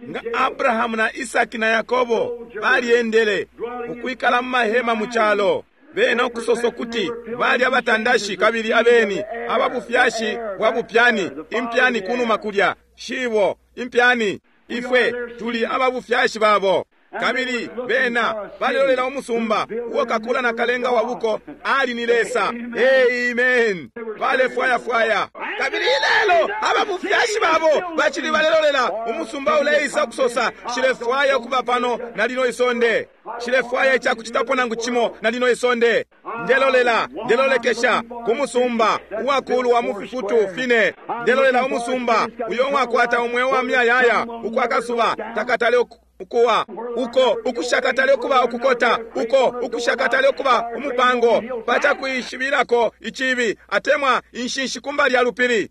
B: Nga Abrahamu na Isaki na Yakobo balyendele ukwikala mu mahema mu calo. Bena ukusosa kuti bali abatandashi kabili abeni, ababufyashi bwa bupyani, impyani kunuma kulya, shibo, impyani. Ifwe tuli ababufyashi babo. Kabili bena balelolela umusumba uo kakula na kalenga wa buko ali ni Lesa. Amen. Balefwayafwaya. Kabili ilelo ababufyashi babo bacili balelolela umusumba uleisa kusosa, nshilefwaya ukuba pano na lino isonde. Nshilefwaya icakucitapo nangu cimo na lino isonde. Ndelolela, ndelolekesha ku musumba uwakulwa mu fifutu fine. Ndelolela umusumba uyo uwakwata umweo wa muyayaya, uko akasuba takatale ukuwa, uko ukushakatale ukuba ukukota, uko ukushakatale ukuba umupango pacakuishibilako icibi atemwa inshinshi kumbali ya lupili.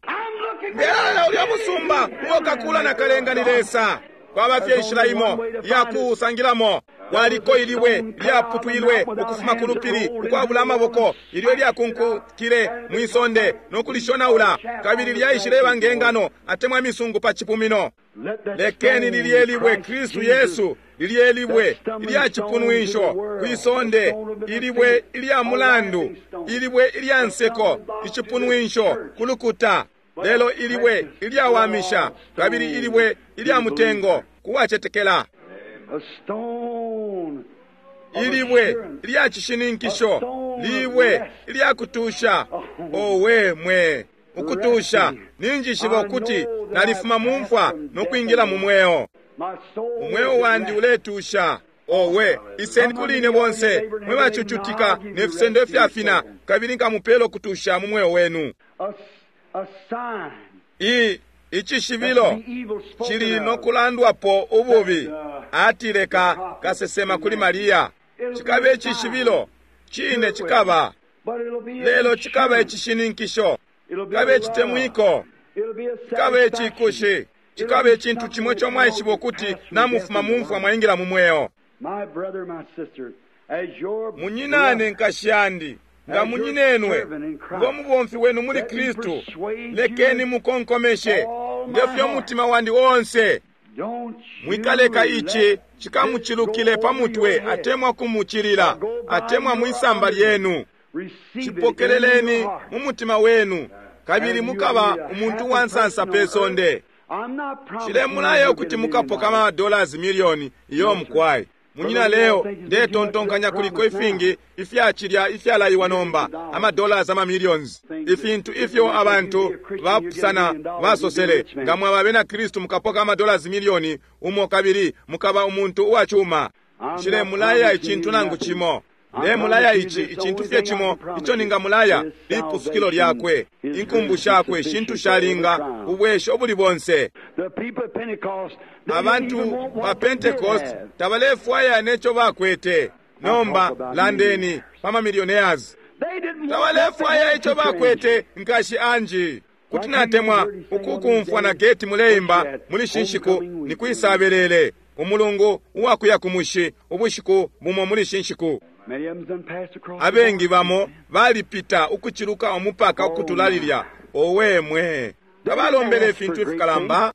B: Ndelolela ulya musumba uo kakula na kalenga ni Lesa. Kwaba fye inshila imo iya kuusangilamo. Kwaliko ilibwe lyaputwilwe ukufuma ku lupili ukwabula amaboko, ilyo lyakunkukile mwi sonde no kulishonaula, kabili lyaishileba nge ngano atemwa imisungu pa cipumino. Lekeni lilye libwe, Kristu Yesu, lilye libwe ilya cipunwisho kwi sonde, ilibwe ilya mulandu, ilibwe ilya nseko, icipunwisho ku lukuta, lelo ilibwe ilyawamisha kabili ilibwe ilya mutengo kuwacetekela. Ilibwe ilya cishininkisho, libwe ilya kutusha. Owe mwe, ukutusha! Ninjishiba ukuti nalifuma mu mfwa no kwingila mu mweo. Umweo wandi uletusha. Owe, iseni kuli ine bonse mwe bacucutika ne fisendo ifyafina, kabili nkamupela ukutusha mu mweo wenu. I icishibilo cili no kulandwapo ububi, atile ka kasesema kuli Maria. Cikaba icishibilo, cine cikaba, lelo cikaba icishininkisho, cikaba icitemwiko, cikaba icikushi, cikaba icintu cimo ico mwaishiba ukuti namufuma mu mfwa mwaingila mu mweo. Munyinane, nkashi yandi, nga munyinenwe, ngo mubomfi wenu muli Kristu, lekeni mukonkomeshe ngefyo umutima wandi onse. Mwikaleka ici cikamucilukile pa mutwe atemwa kumucilila atemwa mwisamba lyenu. Cipokeleleni mu mutima wenu, kabili mukaba umuntu wa nsansa pe sonde. Cilemulaya ukuti mukapoka ama dollars milioni iyo mukwai. Munyina leo, ndetontonkanya kuliko ifingi ifyacilya ifyalaiwa nomba, ama dollars ama millions, ifintu ifyo abantu bapusana basosele. Nga mwaba abena Kristu mukapoka ama dollars milioni umo kabili mukaba umuntu uwacuma. Nshilemulaya icintu nangu cimo. Ndemulaya ici icintu fye cimo ico ningamulaya, lipusukilo lyakwe, inkumbu shakwe, shintu shalinga ubwesho ubuli bonse. Abantu ba Pentecost tabalefwaya neco bakwete. Nomba landeni pa ma millionaires. Tabalefwaya ico bakwete, nkashi Anji. Kuti natemwa ukukumfwa na geti muleimba muli shinshiku ni kwisabelele umulungu uwakuya ku mushi ubushiku bumo muli shinshiku. Abengi bamo balipita ukuciluka umupaka ukutula lilya. Owe mwe, tabalombele ifintu ifikalamba,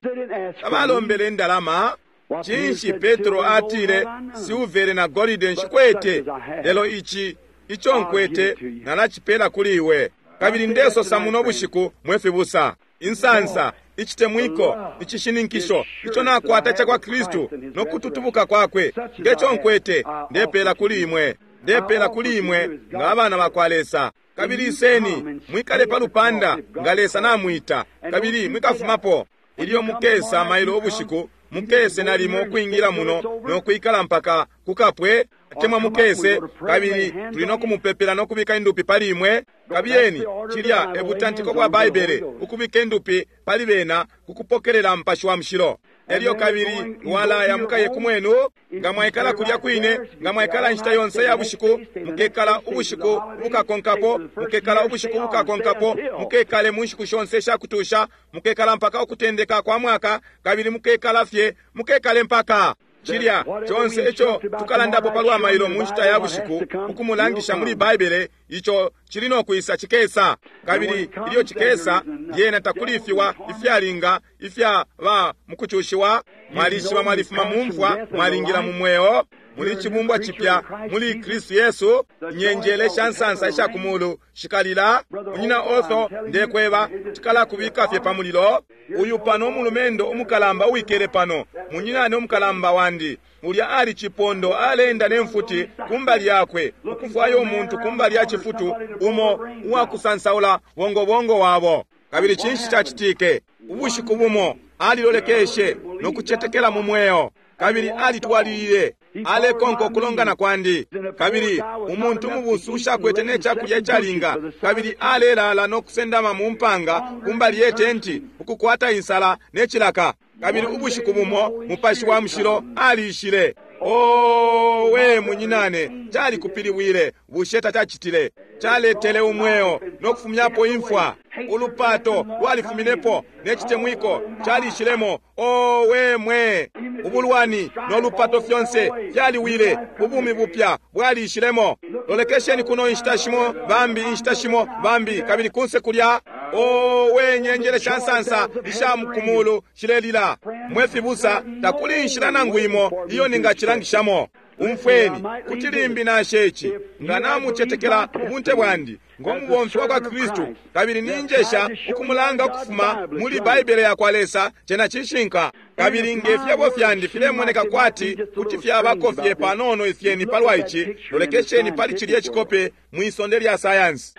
B: tabalombele indalama. Cinshi Petro atile, silvere na golide nshikwete, lelo ici ico nkwete nalacipela kuli iwe. Kabili ndesosa muno bushiku, mwe fibusa, insansa, icitemwiko, icishininkisho ico nakwata ca kwa Kristu no kututubuka kwakwe, ngeco nkwete ndepela kuli imwe, ndepela kuli imwe nga abana ba kwa Lesa. Kabili iseni mwikale pa lupanda nga Lesa namwita, kabili mwikafumapo. Ilyo mukesa mailo ubushiku, mukese nalimo ukwingila muno no kwikala mpaka kukapwe, atemwa mukese kabili tuli no kumupepela no kubika indupi pali imwe. Kabiyeni, cilya e butantiko bwa Baibele, ukubika indupi pali bena kukupokelela Mupashi wa Mushilo. Elyo kabili walaya mukaye kumwenu, nga mwaikala kulya kwine, nga mwaikala inshita yonse ya bushiku, mukekala ubushiku bukakonkapo, mukekala ubushiku bukakonkapo, mukekale mu nshiku shonse shakutusha, mukekala mpaka ukutendeka kwa mwaka, kabili mukekala fye, mukekale mpaka cilya conse ico tukalandapo palwa mailo mu nshita ya bushiku, ukumulangisha muli Baibele, ico cili no kwisa cikesa. Kabili ilyo cikesa, lyena takuli ifiwa ifyalinga ifya ba mukucushiwa. Mwalishiba mwalifuma mu mfwa, mwalingila mu mweo. Muli cibumbwa cipya muli Kristu Yesu. Inyenjele sha nsansa isha ku mulu shikalila. Munyina Otho, ndekweba, tikalakubika fye pa mulilo. Uyu pano umulumendo umukalamba uwikele pano, munyinane umukalamba wandi, ulya ali cipondo aleenda ne mfuti kumbali yakwe, ukufwaya umuntu kumbali ya cifutu umo uwakusansaula bongobongo wabo. Kabili cinshi cacitike? Ubushiku bumo alilolekeshe no kucetekela mu mweo, kabili alitwalilile alekonka ukulongana kwandi. Kabili umuntu umubusu ushakwete ne cakulya icalinga, kabili alelala no kusendama mu mpanga kumbali ye tenti, ukukwata insala ne cilaka. Kabili ubushiku bumo Mupashi wa Mushilo aliishile. Owe, munyinane, calikupiliwile. Bushe tacacitile? Caletele umweo no kufumyapo imfwa. Ulupato lwalifuminepo ne citemwiko calishilemo. Owe mwe, ubulwani no lupato fyonse fyaliwile, ubumi bupya bwalishilemo. Lolekesheni kuno inshita shimo bambi, inshita shimo bambi, kabili kunse kulya. Owe, nyenjele sha nsansa isha kumulu shilelila. Mwe fibusa, takuli inshila nangu imo iyo ningacilangishamo. Umfweni, kuti limbi nashe ici, nga namucetekela ubunte bwandi ngo mubomfi wa kwa Kristu, kabili ninjesha ukumulanga ukufuma muli Baibele ya kwa Lesa, cena cishinka. Kabili nge fyebo fyandi filemoneka kwati kuti fyabako fye panono ifyeni palwa ici, lolekesheni pali cilye cikope mwi sonde lya sayansi.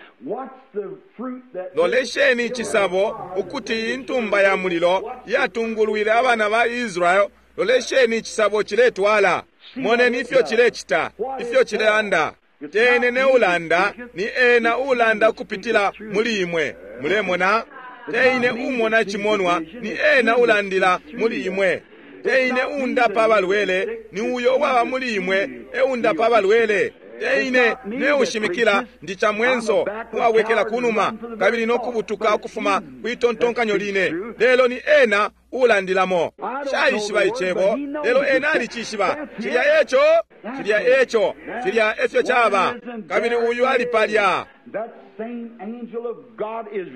B: Lolesheni icisabo ukuti intumba ya mulilo yatungulwile abana ba Israel. Lolesheni icisabo ciletwala. Moneni ifyo cilecita, ifyo cilelanda. Tene ne ulanda, ni ena ulanda ukupitila muli imwe. Mulemona? Teine umona cimonwa, ni ena ulandila muli imwe. Teine undapa abalwele, ni uyo uwaba muli imwe eundapa abalwele. Teine neushimikila, ndi chamwenso uwawekela kunuma kabili nokubutuka ukufuma kwitontonkanyo line, lelo ni ena ulandilamo. Shaishiba icebo, lelo ena alicishiba. Cilya eco, cilya eco, cilya efyo caba. Kabili uyu ali palya.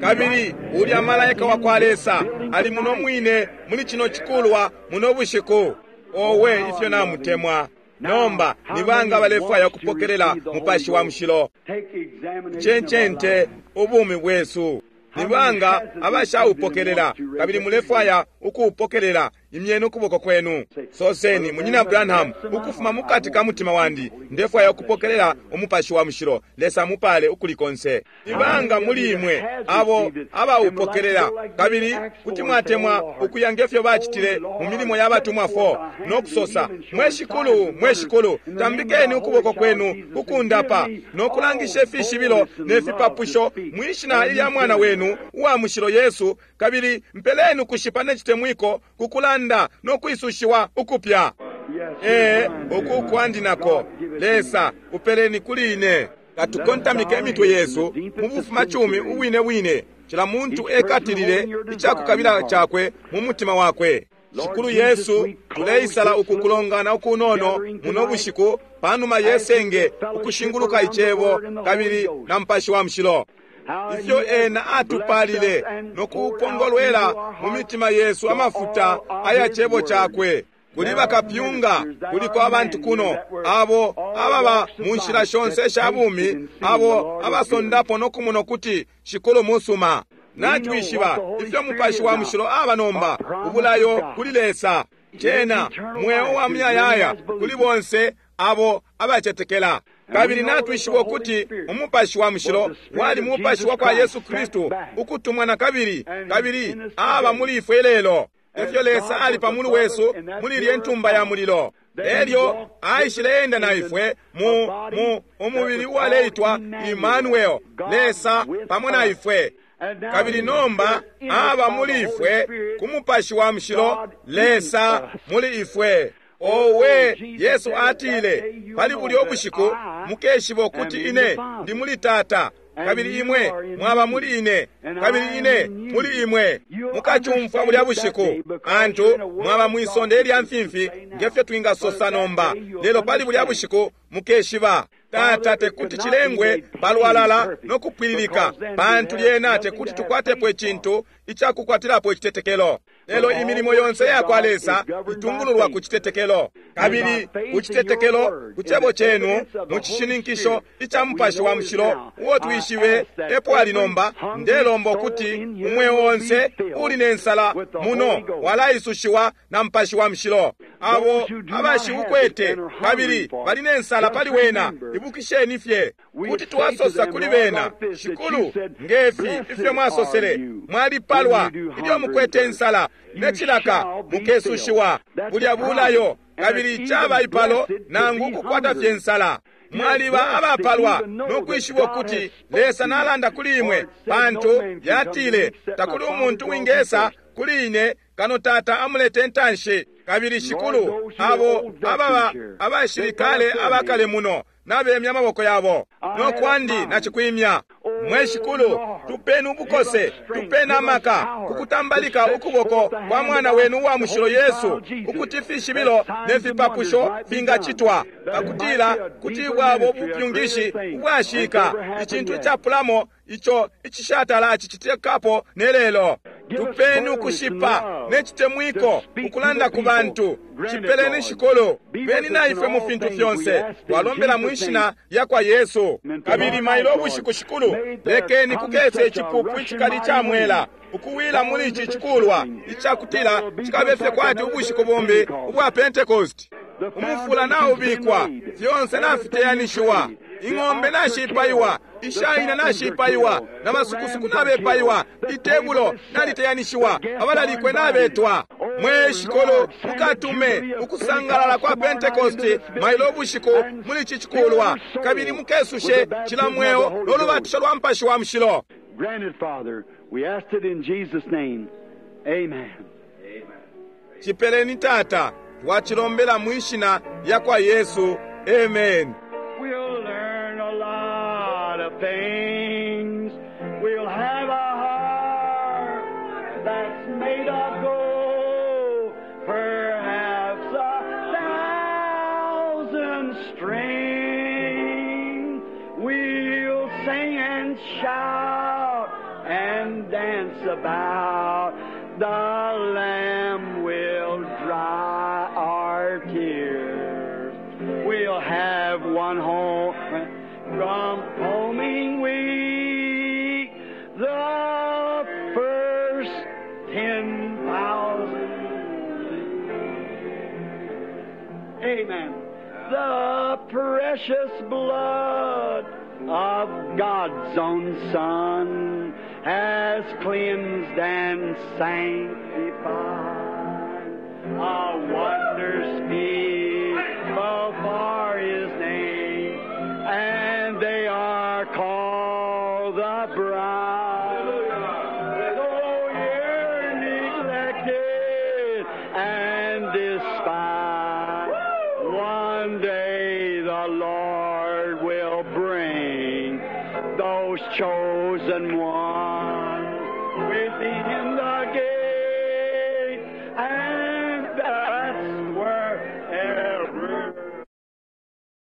B: Kabili ulya malaika wa kwa Lesa ali muno mwine muli cino cikulwa muno bushiku. Owe, ifyo namutemwa! Nomba ni banga balefwaya ukupokelela Mupashi wa Mushilo? Cencente ubumi bwesu. Ni banga abashaupokelela kabili mulefwaya ukuupokelela? Imyeni ukuboko kwenu. Soseni, Munyina Branham, ukufuma mukati ka mutima wandi ndefwaya ukupokelela Umupashi wa Mushilo. Lesa mupale ukuli konse. Ni banga muli imwe abo abaupokelela kabili kuti mwatemwa ukuya ngefyo bacitile mu milimo ya batumwa 4 no kusosa, mwe Shikulu, mwe Shikulu, tambikeni ukuboko kwenu kukundapa no kulangisha ifishibilo ne fipapusho mwi shina ilya mwana wenu uwa mushilo Yesu, kabili mpeleni ukushipa ne citemwiko kukulanda no kwisushiwa ukupya. Ee, uku kwandi nako. Lesa, upeleni kuli ine. Katukontamike imitwe yesu mu bufumacumi ubwine bwine, cila muntu ekatilile icakukabila cakwe mu mutima wakwe. Shikulu Yesu, tuleisala uku kulongana ukunono muno bushiku panuma yesenge ukushinguluka icebo kabili na Mupashi wa Mushilo. Ifyo ena atupalile no kupongolwela mu mitima yesu amafuta aya cebo cakwe. Kuli bakapyunga, kuliko abantu kuno abo ababa mu nshila shonse isha bumi, abo abasondapo no kumona ukuti Shikulu musuma. Natwishiba ifyo Mupashi wa Mushilo aba nomba, ubulayo kuli Lesa, cena mweo wa muyayaya kuli bonse abo abacetekela. Kabili natwishiba ukuti Umupashi wa Mushilo wali Mupashi wa kwa Yesu Kristu ukutumwa na kabili, kabili aba muli ifwe lelo. Efyo Lesa ali pa mulu wesu muli ilye ntumba ya mulilo. Elyo aishile enda na ifwe mu umubili uwaleitwa Emmanuel, Lesa pamo na ifwe. Kabili nomba aba muli ifwe ku Mupashi wa Mushilo, Lesa muli ifwe. Owe, Yesu atile, pali bulyo bushiku mukeshiba ukuti ine ndi muli Tata, kabili imwe mwaba muli ine, kabili ine muli imwe. Mukacumfwa bulya bushiku, antu mwaba mwisonde ilya mfimfi ngefyo twingasosa nomba, lelo pali bulya bushiku mukeshiba. Tata tekuti cilengwe palwalala no kupwililika, pantu lyena tekuti tukwatepo icintu icakukwatilapo icitetekelo. Lelo imilimo yonse ya kwa Lesa itungululwa ku citetekelo, kabili ku citetekelo ku cebo cenu, mu cishininkisho ica Mupashi wa Mushilo uo twishibe epo ali nomba. Ndelomba ukuti umweo onse uli ne nsala muno walaisushiwa na Mupashi wa Mushilo. Abo abashiukwete kabili bali ne nsala pali wena, ibukisheni fye kuti twasosa kuli bena, Shikulu, ngefi ifyo mwasosele, mwalipalwa ilyo mukwete insala ne cilaka, mukesushiwa. Bulya bulayo, kabili caba ipalo nangu ukukwata fye nsala. Mwaliba abapalwa no kwishiba ukuti Lesa nalanda kuli imwe, pantu yatile takuli umuntu wingesa kuli ine kano Tata amulete intanshi. Kabili Shikulu, abo ababa abashilikale abakale muno nabemya amaboko yabo, no kwandi nacikwimya. Mwe Shikulu, tupeni ubukose, tupeni amaka kukutambalika ukuboko kwa mwana wenu uwa mushilo Yesu, ukuti ifishibilo ne fipapusho fingacitwa, pakutila kuti bwabo bupyungishi ubwashika, icintu icapulamo ico icishatala acicitikapo ne lelo. Tupeni ukushipa ne citemwiko ukulanda ku bantu. Cipeleni, Shikulu. Beni na ifwe mu fintu fyonse, twalombela mwi shina lya kwa Yesu. Kabili mailo ubushiku, Shikulu, lekeni kukese icipupu icikali ica mwela ukuwila muli ici cikulwa, icakutila cikabe fye kwati ubushiku bumbi ubwa Pentecost. Umufula naubikwa, fyonse nafiteyanishiwa, ing'ombe nashipaiwa, ishaina nashipaiwa, na masukusuku nabepaiwa, itebulo naliteyanishiwa, abalalikwe nabetwa. Mwe Shikulu, mukatume ukusangalala kwa Pentekosti mailo ubushiku muli ici cikulwa, kabili mukesushe cila mweo no lubatisho lwa Mupashi wa Mushilo.
A: Grant it, Father. We asked it in Jesus' name. Amen.
B: Cipeleni, Tata, twacilombela mwi shina lya kwa Yesu. Amen.
A: We'll learn a lot of things. We'll have a heart that's made of gold. Perhaps a thousand strings. We'll sing and shout and dance about. The Lamb will dry our tears. We'll have one home from homing week. The first 10,000. Amen. The precious blood of God's own Son has cleansed and sanctified. A wonder speakable for His name, and they are called the bride. Though you're neglected and despised, one day the Lord will bring those chosen ones with Him.